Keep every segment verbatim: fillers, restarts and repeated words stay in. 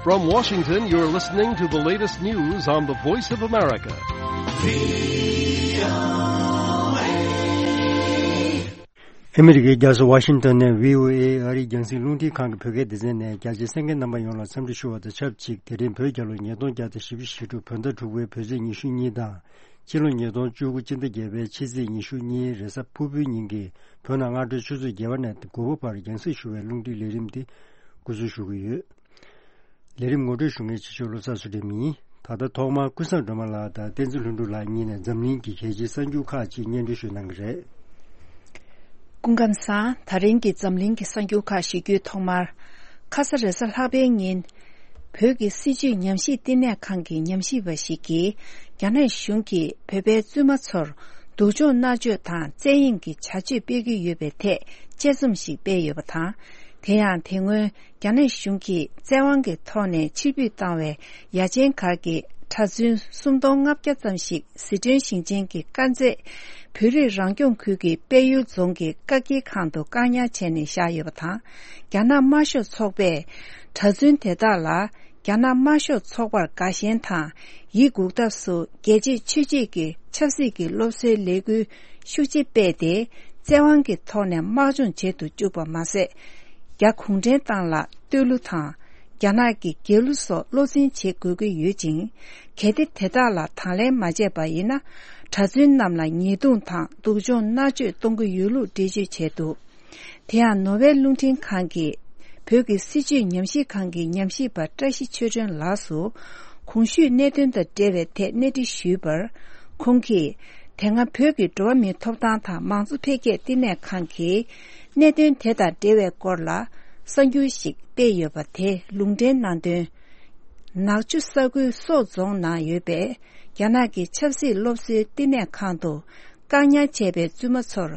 From Washington, you're listening to the latest news on the Voice of America. ཨ་མི་རི་ཀའི་རྒྱལ་ས་ཝ་ཤིང་ཏོན་ནས་བྷི་ཨོ་ཨེ་ཨ་རིའི་རྒྱང་སྲིང་རླུང་འཕྲིན་ཁང་གི་བོད་སྐད་སྡེ་ཚན་ནས་རྒྱ་ཆེའི་གསན་མཁན་རྣམ་པ་ཡོངས་ལ་འཚམས་འདྲི་ཞུ་བ་དང་ཆབས་ཅིག་དེ་རིང་བོད་རྒྱལ་ལོ་ཉིས་སྟོང་བརྒྱ་དང་བཞི་བཅུ་ཞེ་དྲུག་བོད་ཟླ་དྲུག་པའི་བོད་ཚེས་ཉི་ཤུ་གཉིས་དང་ཕྱི་ལོ་ཉིས་སྟོང་བཅུ་དགུ་སྤྱི་ཟླ་བརྒྱད་པའི་ཕྱི་ཚེས་ཉི་ཤུ་གཉིས་རེས་གཟའ་ཕུར་བུའི་ཉིན་གྱི་བོད་ནང་སྔ་དྲོའི་ཆུ་ཚོད་བརྒྱད་པ་ནས་དགུ་པ་བར་རྒྱང་སྲིང་ཞུ་བའི་རླུང་འཕྲིན་ལས་རིམ་འདི་འགོ་འཛུགས་ཞུ་གི་ཡོད། ལས་རིམ་ངོ་སྤྲོད་ཞུ་མཁན་ཆེ་ཤོས་བློ་བཟང་ཚུལ་ཁྲིམས་ཡིན། ད་ལྟ་ཐོག་མར་ཀུན་བཟང་སྒྲོལ་མ་ལགས་དང་བསྟན་འཛིན་ལྷུན་གྲུབ་ལགས་གཉིས་ནས་འཛམ་གླིང་གི་གལ་ཆེའི་གསར་འགྱུར་ཁག་ཅིག་སྙན་སྒྲོན་ཞུ་གནང་གི་རེད། སྐུ་ཁམས་བཟང་། ད་རིང་གི་འཛམ་གླིང་གི་གསར་འགྱུར་ཁག་ཞུ་རྒྱུའི་ཐོག་མར། ཁ་ས་རེས་གཟའ་ལྷག་པའི་ཉིན། བོད་ཀྱི་སྲིད་བྱུས་ཉམས་ཞིབ་བསྟི་གནས་ཁང་གི་ཉམས་ཞིབ་པ་ཞིག་གིས། རྒྱ་ནག་གཞུང་གིས་བོད་པའི་བཙུན་མ་ཚོར་སྡུག་སྦྱོང་མནར་གཅོད་དང་བཙན་གཡེམ་གྱི་བྱ་སྤྱོད་སྤེལ་གྱི་ཡོད་པའི་ཐད་དཔྱད་རྩོམ་ཞིག་སྤེལ་ཡོད་པ་དང་། དེ་ཡང་དེ་སྔོན། རྒྱ་ནག་གཞུང་གིས་བཙན་དབང་གི་ཐོག་ནས་ཕྱིར་འབུད་བཏང་བའི་ཡ་ཆེན་སྒར་གྱི་གྲྭ་བཙུན་སུམ་སྟོང་ལྔ་བརྒྱ་ཙམ་ཞིག་ཟི་ཁྲོན་ཞིང་ཆེན་གྱི་དཀར་མཛེས་བོད་རིགས་རང་སྐྱོང་ཁུལ་གྱི་དཔལ་ཡུལ་རྫོང་གི་བཀག་སྐྱིལ་ཁང་དུ་བཀག་ཉར་བྱས་ནས་བཞག་ཡོད་པ་དང་། རྒྱ་ནག་དམར་ཤོག་ཚོགས་པས་གྲྭ་བཙུན་དེ་དག་ལ། རྒྱ་ནག་དམར་ཤོག་ཚོགས་པར་དགའ་ཞེན་དང་། ཡིད་འགུག་ཐབས་སུ་རྒྱལ་གཅེས་ཆོས་གཅེས་ཀྱི་ཆབ་སྲིད་ཀྱི་སློབ་གསོའི་ལས་འགུལ་ཤུགས་ཆེ་སྤེལ་ཏེ། བཙན་དབང་གི་ཐོག་ནས་དམག་སྦྱོང་བྱེད་དུ་བཅུག་པ་མ་ཟད། རྒྱ་གུང་ཁྲན་ཏང་ལ་བསྟོད་གླུ་དང་། རྒྱ་ནག་གི་རྒྱལ་གླུ་སོགས་བློ་འཛིན་བྱེད་དགོས་ཀྱི་ཡོད་ཅིང་། གལ་ཏེ་དེ་དག་ལ་དང་ལེན་མ་བྱས་པ་ཡིན་ན། གྲྭ་བཙུན་རྣམས་ལ་ཉེས་རྡུང་དང་སྡུག་སྦྱོང་མནར་གཅོད་གཏོང་གི་ཡོད་ལུགས་འགྲེལ་བརྗོད་བྱས་འདུག། དེ་ཡང་ནོར་ཝེ་རླུང་འཕྲིན་ཁང་གི་བོད་ཀྱི་སྲིད་བྱུས་ཉམས་ཞིབ་ཁང་གི་ཉམས་ཞིབ་པ་བཀྲ་ཤིས་ཆོས་སྒྲོན་ལགས་སུ། གོང་ཞུས་གནད་དོན་དང་འབྲེལ་བའི་ཐད་གནས་འདྲི་ཞུས་པར། ཁོང་གིས། དེ་སྔ་བོད་ཀྱི་འགྲོ་བ་མིའི་ཐོབ་ཐང་དང་མང་གཙོ་འཕེལ་རྒྱས་བསྟི་གནས་ཁང་གིས། གནད་དོན་དེ་དང་འབྲེལ་བའི་སྐོར་ལ། གསར་འགྱུར་ཞིག་སྤེལ་ཡོད་པ་དེ་ལུང་འདྲེན་གནང་དོན། ནག་ཆུ་ས་ཁུལ་སོག་རྫོང་ནང་ཡོད་པའི། རྒྱ་ནག་གི་ཆབ་སྲིད་སློབ་གསོའི་བསྟི་གནས་ཁང་དུ། བཀག་ཉར་བྱས་པའི་བཙུན་མ་ཚོར།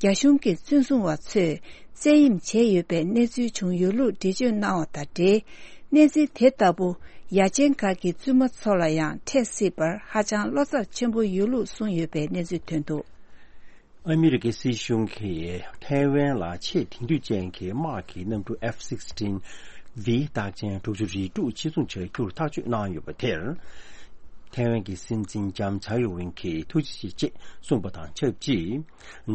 རྒྱ་གཞུང་གི་བཙོན་བཟུང་བ་ཚོས་བཙན་གཡེམ་བྱས་ཡོད་པའི་གནས་ཚུལ་བྱུང་ཡོད་ལུགས་འགྲེལ་བརྗོད་གནང་བ་དང་འབྲེལ། གནས་ཚུལ་དེ་ལྟ་བུ་ཡ་ཆེན་སྒར་གྱི་བཙུན་མ་ཚོ་ལ་ཡང་འཕྲད་སྲིད་པར་ཧ་ཅང་བློ་འཚབ་ཆེན་པོ་ཡོད་ལུགས་གསུངས་ཡོད་པའི་གནས་ཚུལ་ཐོན་འདུག། ཨ་མི་རི་ཀའི་སྲིད་གཞུང་གིས་ཐའེ་ཝན་ལ་ཆེས་དེང་དུས་ཅན་གྱི་དམག་གི་གནམ་གྲུ་F sixteen V རྟགས་ཅན་དྲུག་ཅུ་རེ་དྲུག་ཕྱིར་ཚོང་བྱ་རྒྱུར་ཐག་གཅོད་གནང་ཡོད་པ་དེར། ཐའེ་ཝན་གྱི་སྲིད་འཛིན་ལྕམ་ཚའེ་ཡོ་ཝེན་གྱིས་ཐུགས་རྗེ་ཆེ་ཅེས་གསུངས་པ་དང་ཆབས་ཅིག།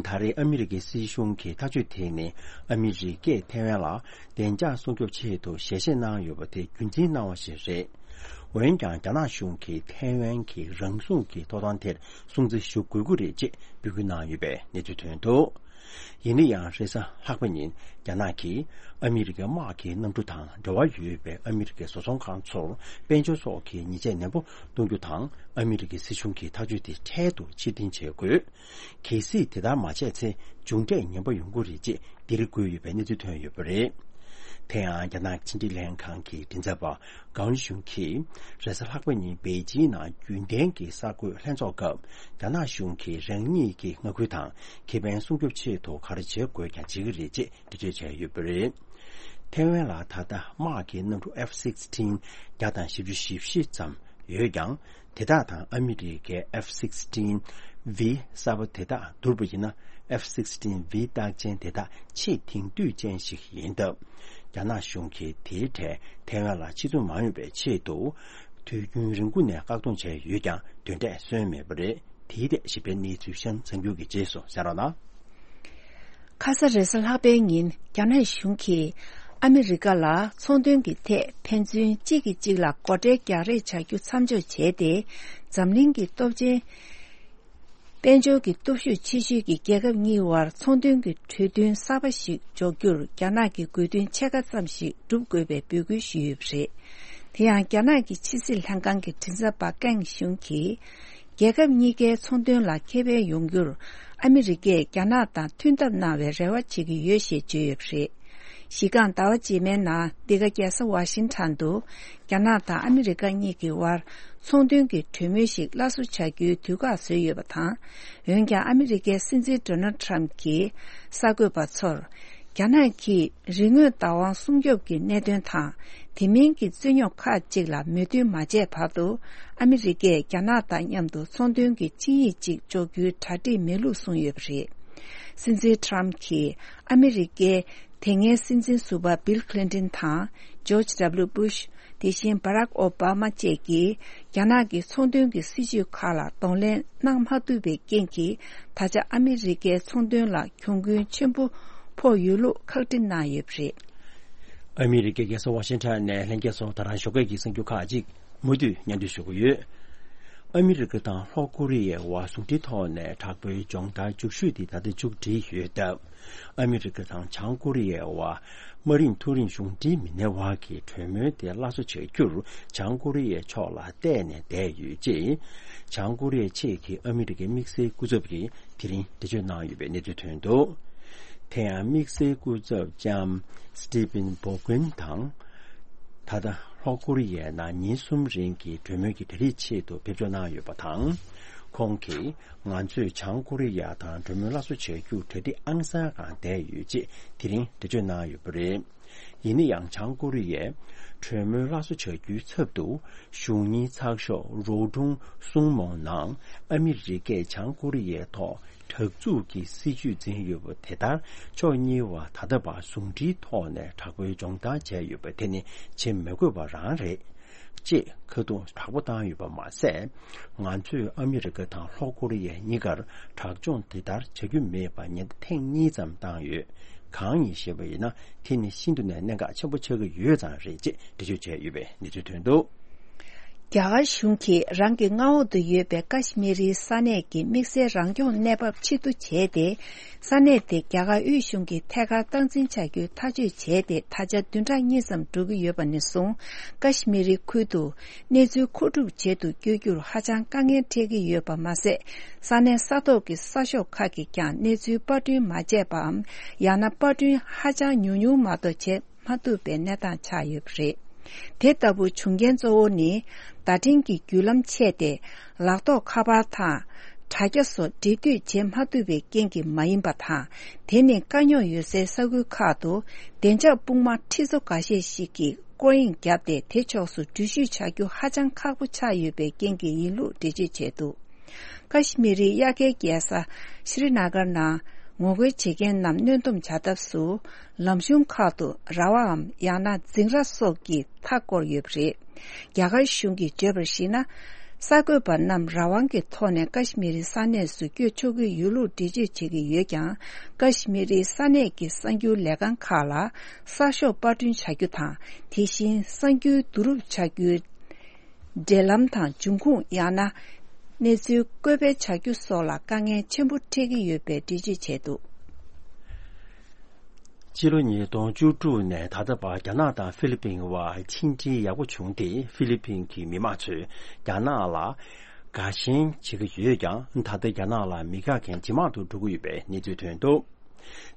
ད་རེས་ཨ་མི་རི་ཀའི་སྲིད་གཞུང་གི་ཐག་གཅོད་དེ་ནི་ཨ་མི་རི་ཀས་ཐའེ་ཝན་ལ་བདེ་འཇགས་སྲུང་སྐྱོབ་ཆེད་དུ་ཞལ་བཞེས་གནང་ཡོད་པ་དེ་རྒྱུན་འཛིན་གནང་བ་ཞིག་རེད། འོན་ཀྱང་རྒྱ་ནག་གཞུང་གིས་ཐའེ་ཝན་གྱི་རང་སྲུང་གི་ཐོབ་ཐང་དེར་སྲུང་བརྩི་ཞུ་དགོས་ཀྱི་རེད་ཅེས་འབོད་སྐུལ་གནང་ཡོད་པའི་གནས་ཚུལ་ཐོན་འདུག། ཡིན་ན་ཡང་རེས་གཟའ་ལྷག་པ་ཉིན་རྒྱ་ནག་གིས་ཨ་མི་རི་ཀའི་དམག་གི་གནམ་གྲུ་དང་འབྲེལ་བ་ཡོད་པའི་ཨ་མི་རི་ཀའི་བཟོ་ཚོང་ཁང་ཚོར་དཔལ་འབྱོར་སོགས་ཀྱི་ཉེས་ཆད་ནན་པོ་གཏོང་རྒྱུ་དང་ཨ་མི་རི་ཀའི་སྲིད་གཞུང་གི་ཐག་གཅོད་དེ་འཕྲལ་དུ་ཕྱིར་འཐེན་བྱེད་དགོས། གལ་སྲིད་དེ་ལྟར་མ་བྱས་ཚེ་མཇུག་འབྲས་ངན་པ་ཡོང་གི་རེད་ཅེས་འདིར་བཀོད་ཡོད་པའི་གནས་ཚུལ་ཐོན་ཡོད་པ་རེད། དེ་ཡང་རྒྱ་ནག་ཕྱི་འབྲེལ་ལྷན་ཁང་གི་མགྲིན་ཚབ་པ་ཀའོ་ལི་ཞུང་གིས་རེས་གཟའ་ལྷག་པ་ཉིན་པེ་ཅིང་ནང་རྒྱུན་ལྡན་གྱི་གསར་འགོད་ལྷན་ཚོགས་སྐབས་རྒྱ་ནག་གཞུང་གིས་རང་ཉིད་ཀྱི་མངའ་ཁུལ་དང་ཁེ་ཕན་སྲུང་སྐྱོབ་ཆེད་དུ་ག་རེ་བྱེད་དགོས་ཀྱང་བྱེད་ཀྱི་རེད་ཅེས་འགྲེལ་བརྗོད་བྱས་ཡོད་པ་རེད། ཐའེ་ཝན་ལ་ད་ལྟ་དམག་གི་གནམ་གྲུ་F sixteen བརྒྱ་དང་བཞི་བཅུ་ཞེ་བཞི་ཙམ་ཡོད་ཀྱང་། དེ་དག་དང་ཨ་མི་རི་ཀའི་F sixteen V གསར་པ་དེ་དག་བསྡུར་བ་ཡིན་ན། F sixteen V རྟགས་ཅན་དེ་དག་ཆེས་དེང་དུས་ཅན་ཞིག་ཡིན་སྟབས། རྒྱ་ནག་གཞུང་གིས་དེའི་གྲས་ཐའེ་ཝན་ལ་ཕྱིར་ཚོང་མ་ཡོང་བའི་ཆེད་དུ། དུས་རྒྱུན་རིང་པོ་ནས་བཀག་སྡོམ་བྱས་ཡོད་ཀྱང་། དོན་འབྲས་སོན་མེད་པ་རེད། དེའི་ཐད་ཞིབ་ཕྲའི་གནས་ཚུལ་གཤམ་གསར་འགྱུར་གྱི་རྗེས་སུ་གསན་རོགས་གནང་། ཁ་ས་རེས་གཟའ་ལྷག་པའི་ཉིན་རྒྱ་ནག་གཞུང་གིས་ཨ་མི་རི་ཀ་ལ་ཚོང་དོན་གྱི་ཐད་ཕན་ཚུན་གཅིག་གིས་གཅིག་ལ་སྒོ་ཁྲལ་རྒྱག་རེས་བྱ་རྒྱུ་མཚམས་འཇོག་བྱས་ཏེ། འཛམ་གླིང་གི་སྟོབས་ཆེན། དཔལ་འབྱོར་གྱི་སྟོབས་ཤུགས་ཆེ་ཤོས་ཀྱི་རྒྱལ་ཁབ་གཉིས་དབར་ཚོང་དོན་གྱི་གྲོས་མཐུན་གསར་པ་ཞིག་འཇོག་རྒྱུར་རྒྱ་ནག་གི་དགོས་འདུན་ཕྱེད་ཀ་ཙམ་ཞིག་སྒྲུབ་དགོས་པའི་འབོད་སྐུལ་ཞུས་ཡོད་པ་རེད། དེ་ཡང་རྒྱ་ནག་གི་ཕྱི་སྲིད་ལྷན་ཁང་གི་མགྲིན་ཚབ་པ་ཀེང་ཞུང་གིས། རྒྱལ་ཁབ་གཉིས་ཀའི་ཚོང་དོན་ལ་ཁེ་ཕན་ཡོང་རྒྱུར་ཨ་མི་རི་ཀས་རྒྱ་ནག་དང་མཐུན་ཐབས་གནང་བའི་རེ་བ་བྱེད་ཀྱི་ཡོད་ཞེས་བརྗོད་ཡོད་པ་རེད། གཞི་རྐང་ཟླ་བ་རྗེས་མའི་ནང་འདི་ག་རྒྱལ་ས་ཝ་ཤིང་ཊོན་དུ་རྒྱ་ནག་དང་ཨ་མི་རི་ཀ་གཉིས་ཀྱི་དབར་ཚོང་དོན་གྱི་གྲོས་མོལ་ཞིག་སླར་གསོ་བྱ་རྒྱུའི་དུས་བཀག་བཟོས་ཡོད་པ་དང་། འོན་ཀྱང་ཨ་མི་རི་ཀའི་སྲིད་འཛིན་ཌོ་ནལ་ཊམ་གྱིས་གསར་འགོད་པ་ཚོར། རྒྱ་ནག་གིས་རིག་དངོས་བདག་དབང་སྲུང་སྐྱོབ་ཀྱི་གནད་དོན་དང་། དེ་མིན་གྱི་རྩོད་རྙོག་ཁག་ཅིག་ལ་མོས་མཐུན་མ་བྱས་བར་དུ། ཨ་མི་རི་ཀས་རྒྱ་ནག་དང་མཉམ་དུ་ཚོང་དོན་གྱི་ཆིངས་ཡིག་ཅིག་འཇོག་རྒྱུའི་གྲ་སྒྲིག་མེད་ལུགས་གསུངས་ཡོད་པ་རེད། སྲིད་འཛིན་ཊམ་གྱིས་ཨ་མི་རི་ཀའི་དེ་སྔའི་སྲིད་འཛིན་ཟུར་པ་བིལ་ཁི་ལིན་ཏིན་དང་ཇོརྗ་ཌབ་ལིའུ་བྷུཤ། དེ་བཞིན་བྷ་རག་ཨོ་བྷ་མ་བཅས་ཀྱིས་རྒྱ་ནག་གི་ཚོང་དོན་གྱི་སྲིད་བྱུས་ཁག་ལ་གདོང་ལེན་གནང་མ་ཐུབ་པའི་རྐྱེན་གྱིས། ད་ཆ་ཨ་མི་རི་ཀའི་ཚོང་དོན་ལ་གྱོང་གུན་ཆེན་པོ་ཕོག་ཡོད་ལུགས་ཁག་དཀྲི་གནང་ཡོད་པ་རེད། ཨ་མི་རི་ཀའི་རྒྱལ་ས་ཝ་ཤིང་ཊོན་ནས་ལྷན་རྒྱས་ཚོ་ད་རང་ཞོགས་ཀས་ཀྱི་གསར་འགྱུར་ཁག་ཅིག་མུ་མཐུད་སྙན་སྒྲོན་ཞུ་གི་ཡོད། ཨ་མི་རི་ཀ་དང་ལྷོ་ཀོ་རི་ཡའི་དབར་ཟུང་འབྲེལ་ཐོག་ནས་དྲག་པོའི་སྦྱོང་བརྡར་མཇུག་ཞུས་ཏེ་ད་ལྟ་མཇུག་སྒྲིལ་ཡོད་སྟབས། ཨ་མི་རི་ཀ་དང་བྱང་ཀོ་རི་ཡའི་དབར་དམའ་རིམ་མཐོ་རིམ་གཞུང་འབྲེལ་མི་སྣའི་དབར་གྱི་གྲོས་མོལ་དེ་སླར་གསོ་བྱ་རྒྱུར་བྱང་ཀོ་རི་ཡའི་ཕྱོགས་ལ་བལྟས་ནས་བསྡད་ཡོད་ཅེས། བྱང་ཀོ་རི་ཡའི་ཆེད་ཀྱི་ཨ་མི་རི་ཀའི་དམིགས་བསལ་སྐུ་ཚབ་ཀྱིས་དེ་རིང་འགྲེལ་བརྗོད་གནང་ཡོད་པའི་གནས་ཚུལ་ཐོན་འདུག་དེ་ཡང་དམིགས་བསལ་སྐུ་ཚབ་ལྕམ་སི་ཏི་ཕིན་བོ་ཀུན་དང་། ད་ལྟ་ལྷོ་ཀོ་རི་ཡའི་ནང་ཉིན་གསུམ་རིང་གི་གྲོས་མོལ་གྱི་གྲ་སྒྲིག་ཆེད་དུ་ཕེབས་འབྱོར་གནང་ཡོད་པ་དང་། ཁོང་གིས་ང་ཚོས་བྱང་ཀོ་རི་ཡ་དང་གྲོས་མོལ་སླར་གསོ་བྱ་རྒྱུར་གྲ་སྒྲིག་ཨང་གསར་སྒང་བསྡད་ཡོད་ཅེས་དེ་རིང་འགྲེལ་བརྗོད་གནང་ཡོད་པ་རེད། ཡིན་ན་ཡང་བྱང་ཀོ་རི་ཡས་གྲོས་མོལ་སླར་གསོ་བྱ་རྒྱུའི་ཚབ་ཏུ་གཞུང་གཉེར་ཚགས་ཤོག་རོ་ཀྲུང་གསུང་མོང་ནང་ཨ་མི་རི་ཀས་བྱང་ཀོ་རི་ཡའི་ཐོག་དྲག་འཛུགས་ཀྱི་སྲིད་ཇུས་འཛིན་ཡོད་པ་དེ་ལྟར་ཕྱོགས་གཉིས་བར་ད་ལྟ་བར་ཟུང་འབྲེལ་ཐོག་ནས་དྲག་པོའི་སྦྱོང་བརྡར་བྱས་ཡོད་པ་དེ་ནི་བྱེད་མི་དགོས་པ་རང་རེད། ཅེས་ཁ་རྡུང་དྲག་པོ་བཏང་ཡོད་པ་མ་ཟད། ང་ཚོས་ཨ་མི་རི་ཀ་དང་ལྷོ་ཀོ་རི་ཡ་གཉིས་ཀར་དྲག་སྦྱོང་དེ་ལྟར་བྱ་རྒྱུ་མེད་པ་ཉེན་བརྡ་ཐེངས་གཉིས་ཙམ་བཏང་ཡོད། གང་ཡིན་ཞེས་པ་ཡིན་ན། དེ་ནི་ཤིན་ཏུ་ནས་གནད་འགག་ཆེན་པོ་ཆགས་ཀྱི་ཡོད་ཙང་རེད་ཅེས་འགྲེལ་བརྗོད་བྱས་ཡོད་པའི་གནས་ཚུལ་ཐོན་འདུག་རྒྱ་གར་གཞུང་གིས་རང་གི་མངའ་འོག་ཏུ་ཡོད་པའི་ཀ་ཤི་མི་རིའི་ས་གནས་ཀྱི་དམིགས་བསལ་རང་སྐྱོང་གནས་བབ་ཕྱིར་བསྡུ་བྱས་ཏེ། ས་གནས་དེ་རྒྱ་གར་དབུས་གཞུང་གི་ཐད་ཀར་སྟངས་འཛིན་བྱ་རྒྱུའི་ཐག་གཅོད་བྱས་ཏེ། ད་ཆ་བདུན་ཕྲག་གཉིས་ཙམ་འགྲོ་གི་ཡོད་པ་ནས་བཟུང་། ཀ་ཤི་མི་རི་ཁུལ་དུ་གནས་ཚུལ་མཁོ་སྒྲུབ་བྱེད་དུ་བསྐྱོད་རྒྱུར་ཧ་ཅང་དཀའ་ངལ་འཕྲད་ཀྱི་ཡོད་པ་མ་ཟད། ས་གནས་ས་ཐོག་གི་གསར་ཤོག་ཁག་གིས་ཀྱང་གནས་ཚུལ་པར་སྐྲུན་མ་བྱས་པའམ། ཡང་ན་པར་སྐྲུན་ཧ་ཅང་ཉུང་ཉུང་མ་གཏོགས་བྱེད་མ་ཐུབ་པའི་གནས་སྟངས་ཆགས་ཡོད་པ་རེད། དེ་ལྟ་བུ་བྱུང་རྐྱེན་གཙོ་བོ་ནི། བརྡ་འཕྲིན་གྱི་བརྒྱུད་ལམ་ཆད་དེ། ལག་ཐོགས་ཁ་པར་དང་། དྲ་རྒྱ་སོགས་འབྲེལ་མཐུད་བྱེད་མ་ཐུབ་པའི་རྐྱེན་གྱིས་མ་ཡིན་པ་དང་། དེ་ནི་དཀའ་རྙོག་ཡོད་སའི་ས་ཁུལ་ཁག་ཏུ། བདེ་འཇགས་དཔུང་དམག་ཁྲི་ཚོ་འགའ་ཤས་ཤིག་གིས་སྐོར་གཡེང་བརྒྱབ་སྟེ། དེ་ཕྱོགས་སུ་འགྲུལ་བཞུད་བྱ་རྒྱུ་ཧ་ཅང་ཁག་པོ་ཆགས་ཡོད་པའི་རྐྱེན་གྱིས་ཡིན་ལུགས་འགྲེལ་བརྗོད་བྱས་འདུག་ཀ་ཤི་མི་རིའི་དབྱར་ཁའི་རྒྱལ་ས་ཤྲི་ན་གར་ནང་ངོ་རྒོལ་བྱེད་མཁན་རྣམས་གནོན་སྡོམ་བྱ་ཐབས་སུ། ལམ་གཞུང་ཁག་ཏུ་ར་བའམ་ཡང་ན་འཛིང་ར་སོགས་ཀྱིས་མཐའ་བསྐོར་ཡོད་པ་རེད། རྒྱ་གར་གཞུང་གིས་བརྗོད་པར་གཞིགས་ན། གསར་འགོད་པ་རྣམས་རང་དབང་གི་ཐོག་ནས་ཀ་ཤི་མི་རིའི་ས་གནས་སུ་བསྐྱོད་ཆོག་གི་ཡོད་ལུགས་འགྲེལ་བརྗོད་བྱེད་ཀྱི་ཡོད་ཀྱང་། ཀ་ཤི་མི་རིའི་ས་གནས་ཀྱི་གསར་འགྱུར་ལས་ཁང་ཁག་ལ་གསར་ཤོག་པར་སྐྲུན་བྱ་རྒྱུ་དང་། དེ་བཞིན་གསར་འགྱུར་བསྡུ་རུབ་བྱ་རྒྱུའི་འབྲེལ་ལམ་དང་། འབྱུང་ཁུངས། ཡང་ན་གནས་ཚུལ་བཀོད་སྤེལ་བྱ་རྒྱུ་སོགས་ལ་དཀའ་ངལ་ཆེན་པོ་འཕྲད་ཀྱི་ཡོད་པའི་འགྲེལ་བརྗོད་བྱས་འདུག་ཕྱི་ལོ་ཉིས་སྟོང་བཅུ་དྲུག་ནས་ད་ལྟ་བར་རྒྱ་ནག་དང་ཧྥི་ལི་པིན་དབར་ཕྱི་འབྲེལ་ཡག་པོ་བྱུང་སྟེ། ཧྥི་ལི་པིན་གྱི་མི་དམངས་ཚོས་རྒྱ་ནག་ལ་དགའ་ཞེན་བྱེད་ཀྱི་ཡོད་ཀྱང་། ད་ལྟ་རྒྱ་ནག་ལ་མི་དགའ་མཁན་ཇེ་མང་དུ་འགྲོ་གི་ཡོད་པའི་གནས་ཚུལ་ཐོན་འདུག་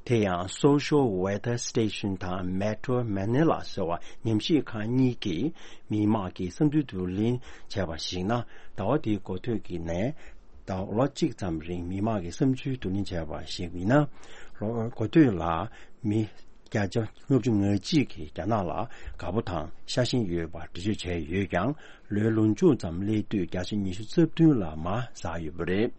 དེ་ཡང་Social Weather Station དང་Metro Manila ཟེར་བ་ཉམས་ཞིབ་ཁང་གཉིས་ཀྱིས་མི་དམངས་ཀྱི་བསམ་ཚུལ་བསྡུ་ལེན་བྱས་པར་གཞིགས་ན། ཟླ་བ་འདིའི་འགོ་སྟོད་ཀྱི་ནས་ཟླ་ལོ་གཅིག་ཙམ་རིང་མི་དམངས་ཀྱི་བསམ་ཚུལ་བསྡུ་ལེན་བྱས་པར་གཞིགས་ཡིན་ན། ལོ་འགོ་སྟོད་ལ་མི་བརྒྱ་ཆ་ལྔ་བཅུ་ང་གཅིག་གིས་རྒྱ་ནག་ལ་དགའ་པོ་དང་ཤ་ཞེན་ཡོད་པར་འགྲེལ་བརྗོད་བྱས་ཡོད་ཀྱང་། ལོའི་ལོ་མཇུག་ཙམ་སླེབས་དུས་བརྒྱ་ཆ་ཉི་ཤུ་རྩ་བདུན་ལ་མར་ཟགས་ཡོད་པ་རེད།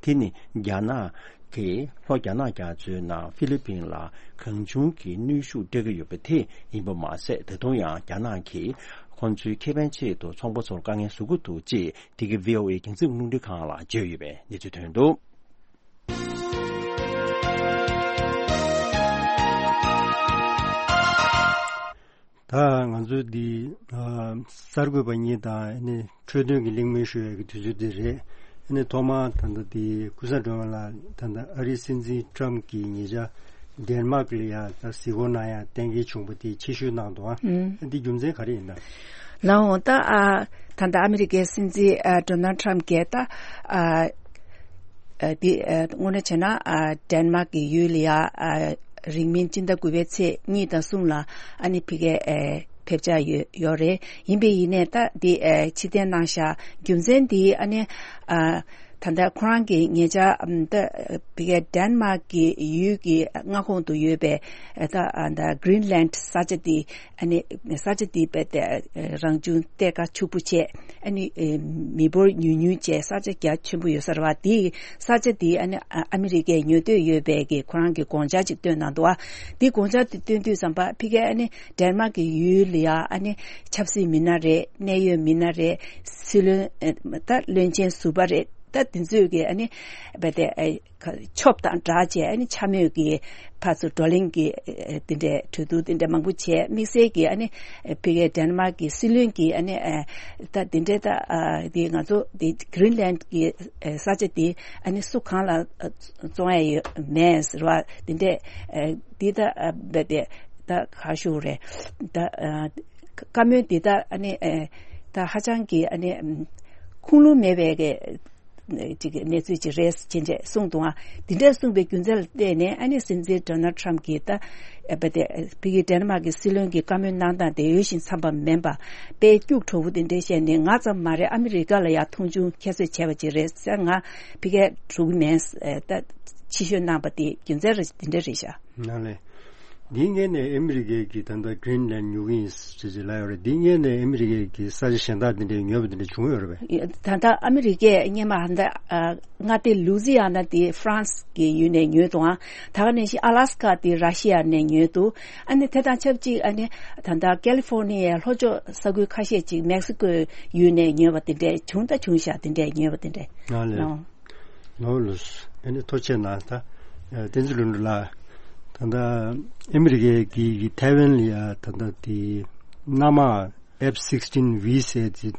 དེ་ནི་རྒྱ་ནག་གིས་ལྷོ་རྒྱ་ནག་རྒྱ་མཚོའི་ནང་ཧྥི་ལི་པིན་ལ་གང་བྱུང་གི་གནོན་ཤུགས་སྤྲད་ཀྱི་ཡོད་པ་དེ་ཡིན་པ་མ་ཟད། ད་དུང་ཡང་རྒྱ་ནག་གིས་ཁོང་ཚོའི་ཁེ་ཕན་ཆེད་དུ་ཚོང་པ་ཚོར་དཀའ་ངལ་བཟོ་གི་འདུག་ཅེས་འདི་ག་ཝི་ཨོ་ཨེ་རྒྱང་སྲིང་རླུང་འཕྲིན་ཁང་ལ་བརྗོད་ཡོད་པའི་གནས་ཚུལ་ཐོན་འདུག་ད་ང་ཚོའི་འདི་ཨ་གསར་འགོད་པ་གཉིས་དང་ཨ་ནི་འཕྲོད་བསྟེན་གྱི་གླེང་མོལ་ཞུ་ཡས་ཀྱི་དུས་ཚོད་འདི་རེད། ཨ་ནི་ཐོག་མར་ད་ལྟ་འདི་ཀུན་བཟང་སྒྲོལ་མ་ལགས། ད་ལྟ་ཨ་རིའི་སྲིད་འཛིན་ཊམ་གྱིས་ཉེ་ཆར་ཌེན་མཱག་ལ་ཡ་ད་གཟིགས་སྐོར་གནང་ཡ་གཏན་འཁེལ་བྱུང་བ་དེ་ཆེད་ཞུ་གནང་འདུག་ཨ། ཨུམ། འདི་རྒྱུ་མཚན་ག་རེ་ཡིན་ན། ལགས་འོང་། ད་ཨ་ད་ལྟ་ཨ་མི་རི་ཀའི་སྲིད་འཛིན་ཨ་ཌོ་ནལ་ཊམ་གྱིས་ད་ཨ་ཨ་འདི་ཨ་དངོས་གནས་བྱས་ན་ཨ་ཌེན་མཱག་གི་ཡུལ་ལ་ཡ་ཨ་རིང་མིན་སྤྱི་ཟླ་དགུ་པའི་ཚེས་གཉིས་དང་གསུམ་ལ་ཨ་ནི་ཕ་གིར་ཨ་ཕེབས་འཆར་ཡོད་ཡོད་རེད། ཡིན་པས་ཡིན་ནས་ད་འདི་ཨ་ཕྱིར་འཐེན་གནང་ཤག་རྒྱུ་མཚན་འདི་ཨ་ནི་ཨ་ ད་ལྟ་ཁོ་རང་གི་ཉེ་ཆར་ཨམ་ད་ཕ་གིའི་ཌེན་མཱག་གི་ཡུལ་གྱི་མངའ་ཁོངས་དུ་ཡོད་པའི་ད་ཨ་ད་གྷི་རིན་ལན་ས་ཆ་དེ། ཨ་ནི་ས་ཆ་དེ་རྦད་དེ་རང་བྱུང་གཏེར་ཁ་ཕྱུག་པོ་བྱས། ཨ་ནི་མི་འབོར་ཉུང་ཉུང་བྱས་ས་ཆ་རྒྱ་ཆེན་པོ་ཡོད་ས་རེད་བ། དེ་ས་ཆ་དེ་ཨ་ནི་ཨ་མི་རི་ཀས་ཉོ་འདོད་ཡོད་པའི་གི་ཁོ་རང་གི་དགོངས་འཆར་ཅིག་བཏོན་གནང་འདུག་བ། དེ་དགོངས་འཆར་དེ་བཏོན་དུས་ཙམ་པ་ཕ་གིའི་ཨ་ནི་ཌེན་མཱག་གི་ཡུལ་ལ་ཡ་ཨ་ནི་ཆབ་སྲིད་མི་སྣ་རེད། གནད་ཡོད་མི་སྣ་རེད། སྲིད་བློན་ད་བློན་ཆེན་ཟུར་པ་རེད། ད་དེ་ཚོས་ཀྱི་ཨ་ནི་རྦད་དེ་ཨ་ཁ་ཆོབ་དང་སྦྲགས་བྱས། ཨ་ནི་འཕྱ་སྨོད་ཀྱི་ཕར་ཚུར་བགྲོ་གླེང་གི་ཨ་དེ་འདྲའི་གྲོས་བསྡུར་དེ་འདྲ་མང་པོ་བྱས། དམིགས་བསལ་གྱི་ཨ་ནི་ཕ་གིའི་ཌེན་མཱག་གི་སྲིད་བློན་གྱིས་ཨ་ནི་ཨ་ད་དེ་འདྲའི་ད་ཨ་དེ་ང་ཚོ་དེ་གྷི་རིན་ལན་གྱི་ཨ་ས་ཆ་དེ་ཨ་ནི་སུ་གང་ལ་ཨ་བཙོང་ཡ་ཡོད་མེད་ཟེར་བ་དེ་འདྲའི་ཨ་དེ་ད་ཨ་རྦད་དེ་ད་ག་ཞུ་རེད། ད་ཨ་བཀའ་མོལ་འདི་ད་ཨ་ནི་ཨ་ད་ཧ་ཅང་གི་ཨ་ནི་ཨམ་ཁུངས་ལུང་མེད་པའི་གི་ཅིག་གནས་ཚུལ་ཅིག་རེད་ཅེས་བྱས་གསུངས་འདུག་ཨ། འདི་འདྲ་གསུངས་པའི་རྒྱུ་མཚན་ལ་བརྟེན་ནས་ཨ་ནི་སྲིད་འཛིན་ཌོ་ནལ་ཊམ་གྱིས་ད་ཨ་རྦད་དེ་ཕ་གི་ཌེན་མཱག་གི་སྲིད་བློན་གྱི་བཀའ་མོལ་གནང་སྟངས་དེ་འོས་ཤིང་འཚམས་པ་མིན་པ། དཔེ་སྐྱུག་བྲོ་བོ་དེ་འདྲ་བཤད་ནས་ང་ཙམ་མ་རེད། ཨ་མི་རི་ཀ་ལ་ཡང་མཐོང་ཆུང་ཁྱད་གསོད་བྱས་པ་ཅིག་རེད་ཟེར། ང་ཕ་གིར་འགྲོ་གི་མེད་ཟེར་ད་ཕྱི་བཤོལ་གནང་པ་དེ་རྒྱུ་མཚན་རེད། དེ་འདྲ་རེད་ཤག་ནང་ལས། འདིའི་སྔོན་ནས་ཨ་མི་རི་ཀས་ཀྱི་ད་ལྟ་གྷི་རིན་ལན་ཉོ་གི་ཡིན་ཟེར་ཅིག་ལབ་ཡོད་རེད། འདིའི་སྔོན་ནས་ཨ་མི་རི་ཀས་ཀྱི་ས་ཆ་གཞན་དག་འདི་འདྲའི་ཉོས་པ་འདི་འདྲ་བྱུང་ཡོད་རེད་པས། ད་ལྟ་ཨ་མི་རི་ཀས་སྔོན་མ་ཧ་ད་ཨ་མངའ་སྡེ་ལུ་ཛི་ཡ་ན་དེ་ཧྥ་རན་སི་གི་ཡུལ་ནས་ཉོས་འདུག་ཨང་། ད་ག་ནང་བཞིན་ཨ་ལ་སི་ཀ་དེ་ར་ཤི་ཡ་ནས་ཉོས་འདུག་ཨ་ནི་དེ་དང་ཆབས་ཅིག་ཨ་ནི་ད་ལྟ་ཀ་ལི་ཧྥོར་ནི་ཡའི་ལྷོ་ཕྱོགས་ས་ཁུལ་ཁ་ཤས་ཅིག་མེག་སི་ཀོའི་ཡུལ་ནས་ཉོས་པ་དེ་འདྲ་བྱུང་ད་བྱུང་ཤག་དེ་འདྲ་ཉོས་པ་དེ་འདྲ། ནང་ལས། ཨོ། ལོ་ལོ། ཨ་ནི་ཐུགས་རྗེ་གནང་། ད་བསྟན་འཛིན་ལྷུན་གྲུབ་ལགས། ད་ལྟ་ཨ་མི་རི་ཀའི་གི་གི་ཐའེ་ཝན་ལ་ཡ་ད་ལྟ་དེ་གནམ་དམག་F sixteen V ཟེར་དེ་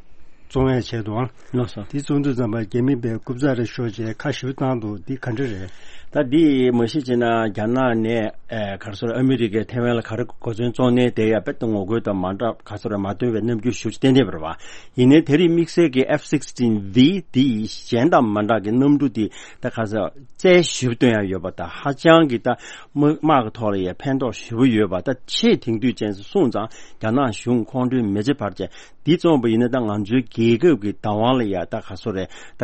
བཙོང་ཡ་བྱས་འདུག་ཨང་། ལགས་སོ། དེ་བཙོང་དུས་ཙམ་པ་རྒྱ་མི་པའི་རྐུབ་ཙག་རེ་ཤོར་བྱས་ཁ་ཞེ་པོ་བཏང་འདུག་འདི་ག་འདྲ་རེད། ད་འདི་མ་གཞི་བྱས་ན་རྒྱ་ནག་ནས་ཨེ་ག་རེ་ཟེར་ཨ་མི་རི་ཀས་ཐའེ་ཝན་ལ་ག་རེ་གོ་མཚོན་བཙོང་ནས་དེ་ཡ་དཔེ་ད་ངོ་རྒོལ་དང་མ་འདྲ་ག་རེ་ཟེར་མ་བཏོན་པའི་རྣམ་འགྱུར་ཞེ་པོ་ཅིག་བསྟན་བསྡད་པ་རེད་བ། ཡིན་ནའི་དེ་རིང་དམིགས་བསལ་གྱི་F sixteen V འདི་གཞན་དང་མ་འདྲ་གི་གནམ་གྲུ་འདི་ད་ག་ས་རྩལ་ཞིབ་སྟོན་ཡ་ཡོད་པ་དང་ཧ་ཅང་གི་ད་དམག་དམག་གི་ཐོག་ལ་ཡ་ཕན་ཐོགས་ཞེ་པོ་ཡོད་པ། ད་ཆེས་དེང་དུས་ཅན་སོང་ཙང་རྒྱ་ནག་གཞུང་ཁོང་ཁྲོའི་མེ་ལྕེ་འབར་བྱས་འདི་བཙོངས་པ་ཡིན་ན་ད་ང་ཚོའི་རྒྱལ་ཁབ་ཀྱི་བདག་དབང་ལ་ཡ་ད་ག་སོ་རེད། ད་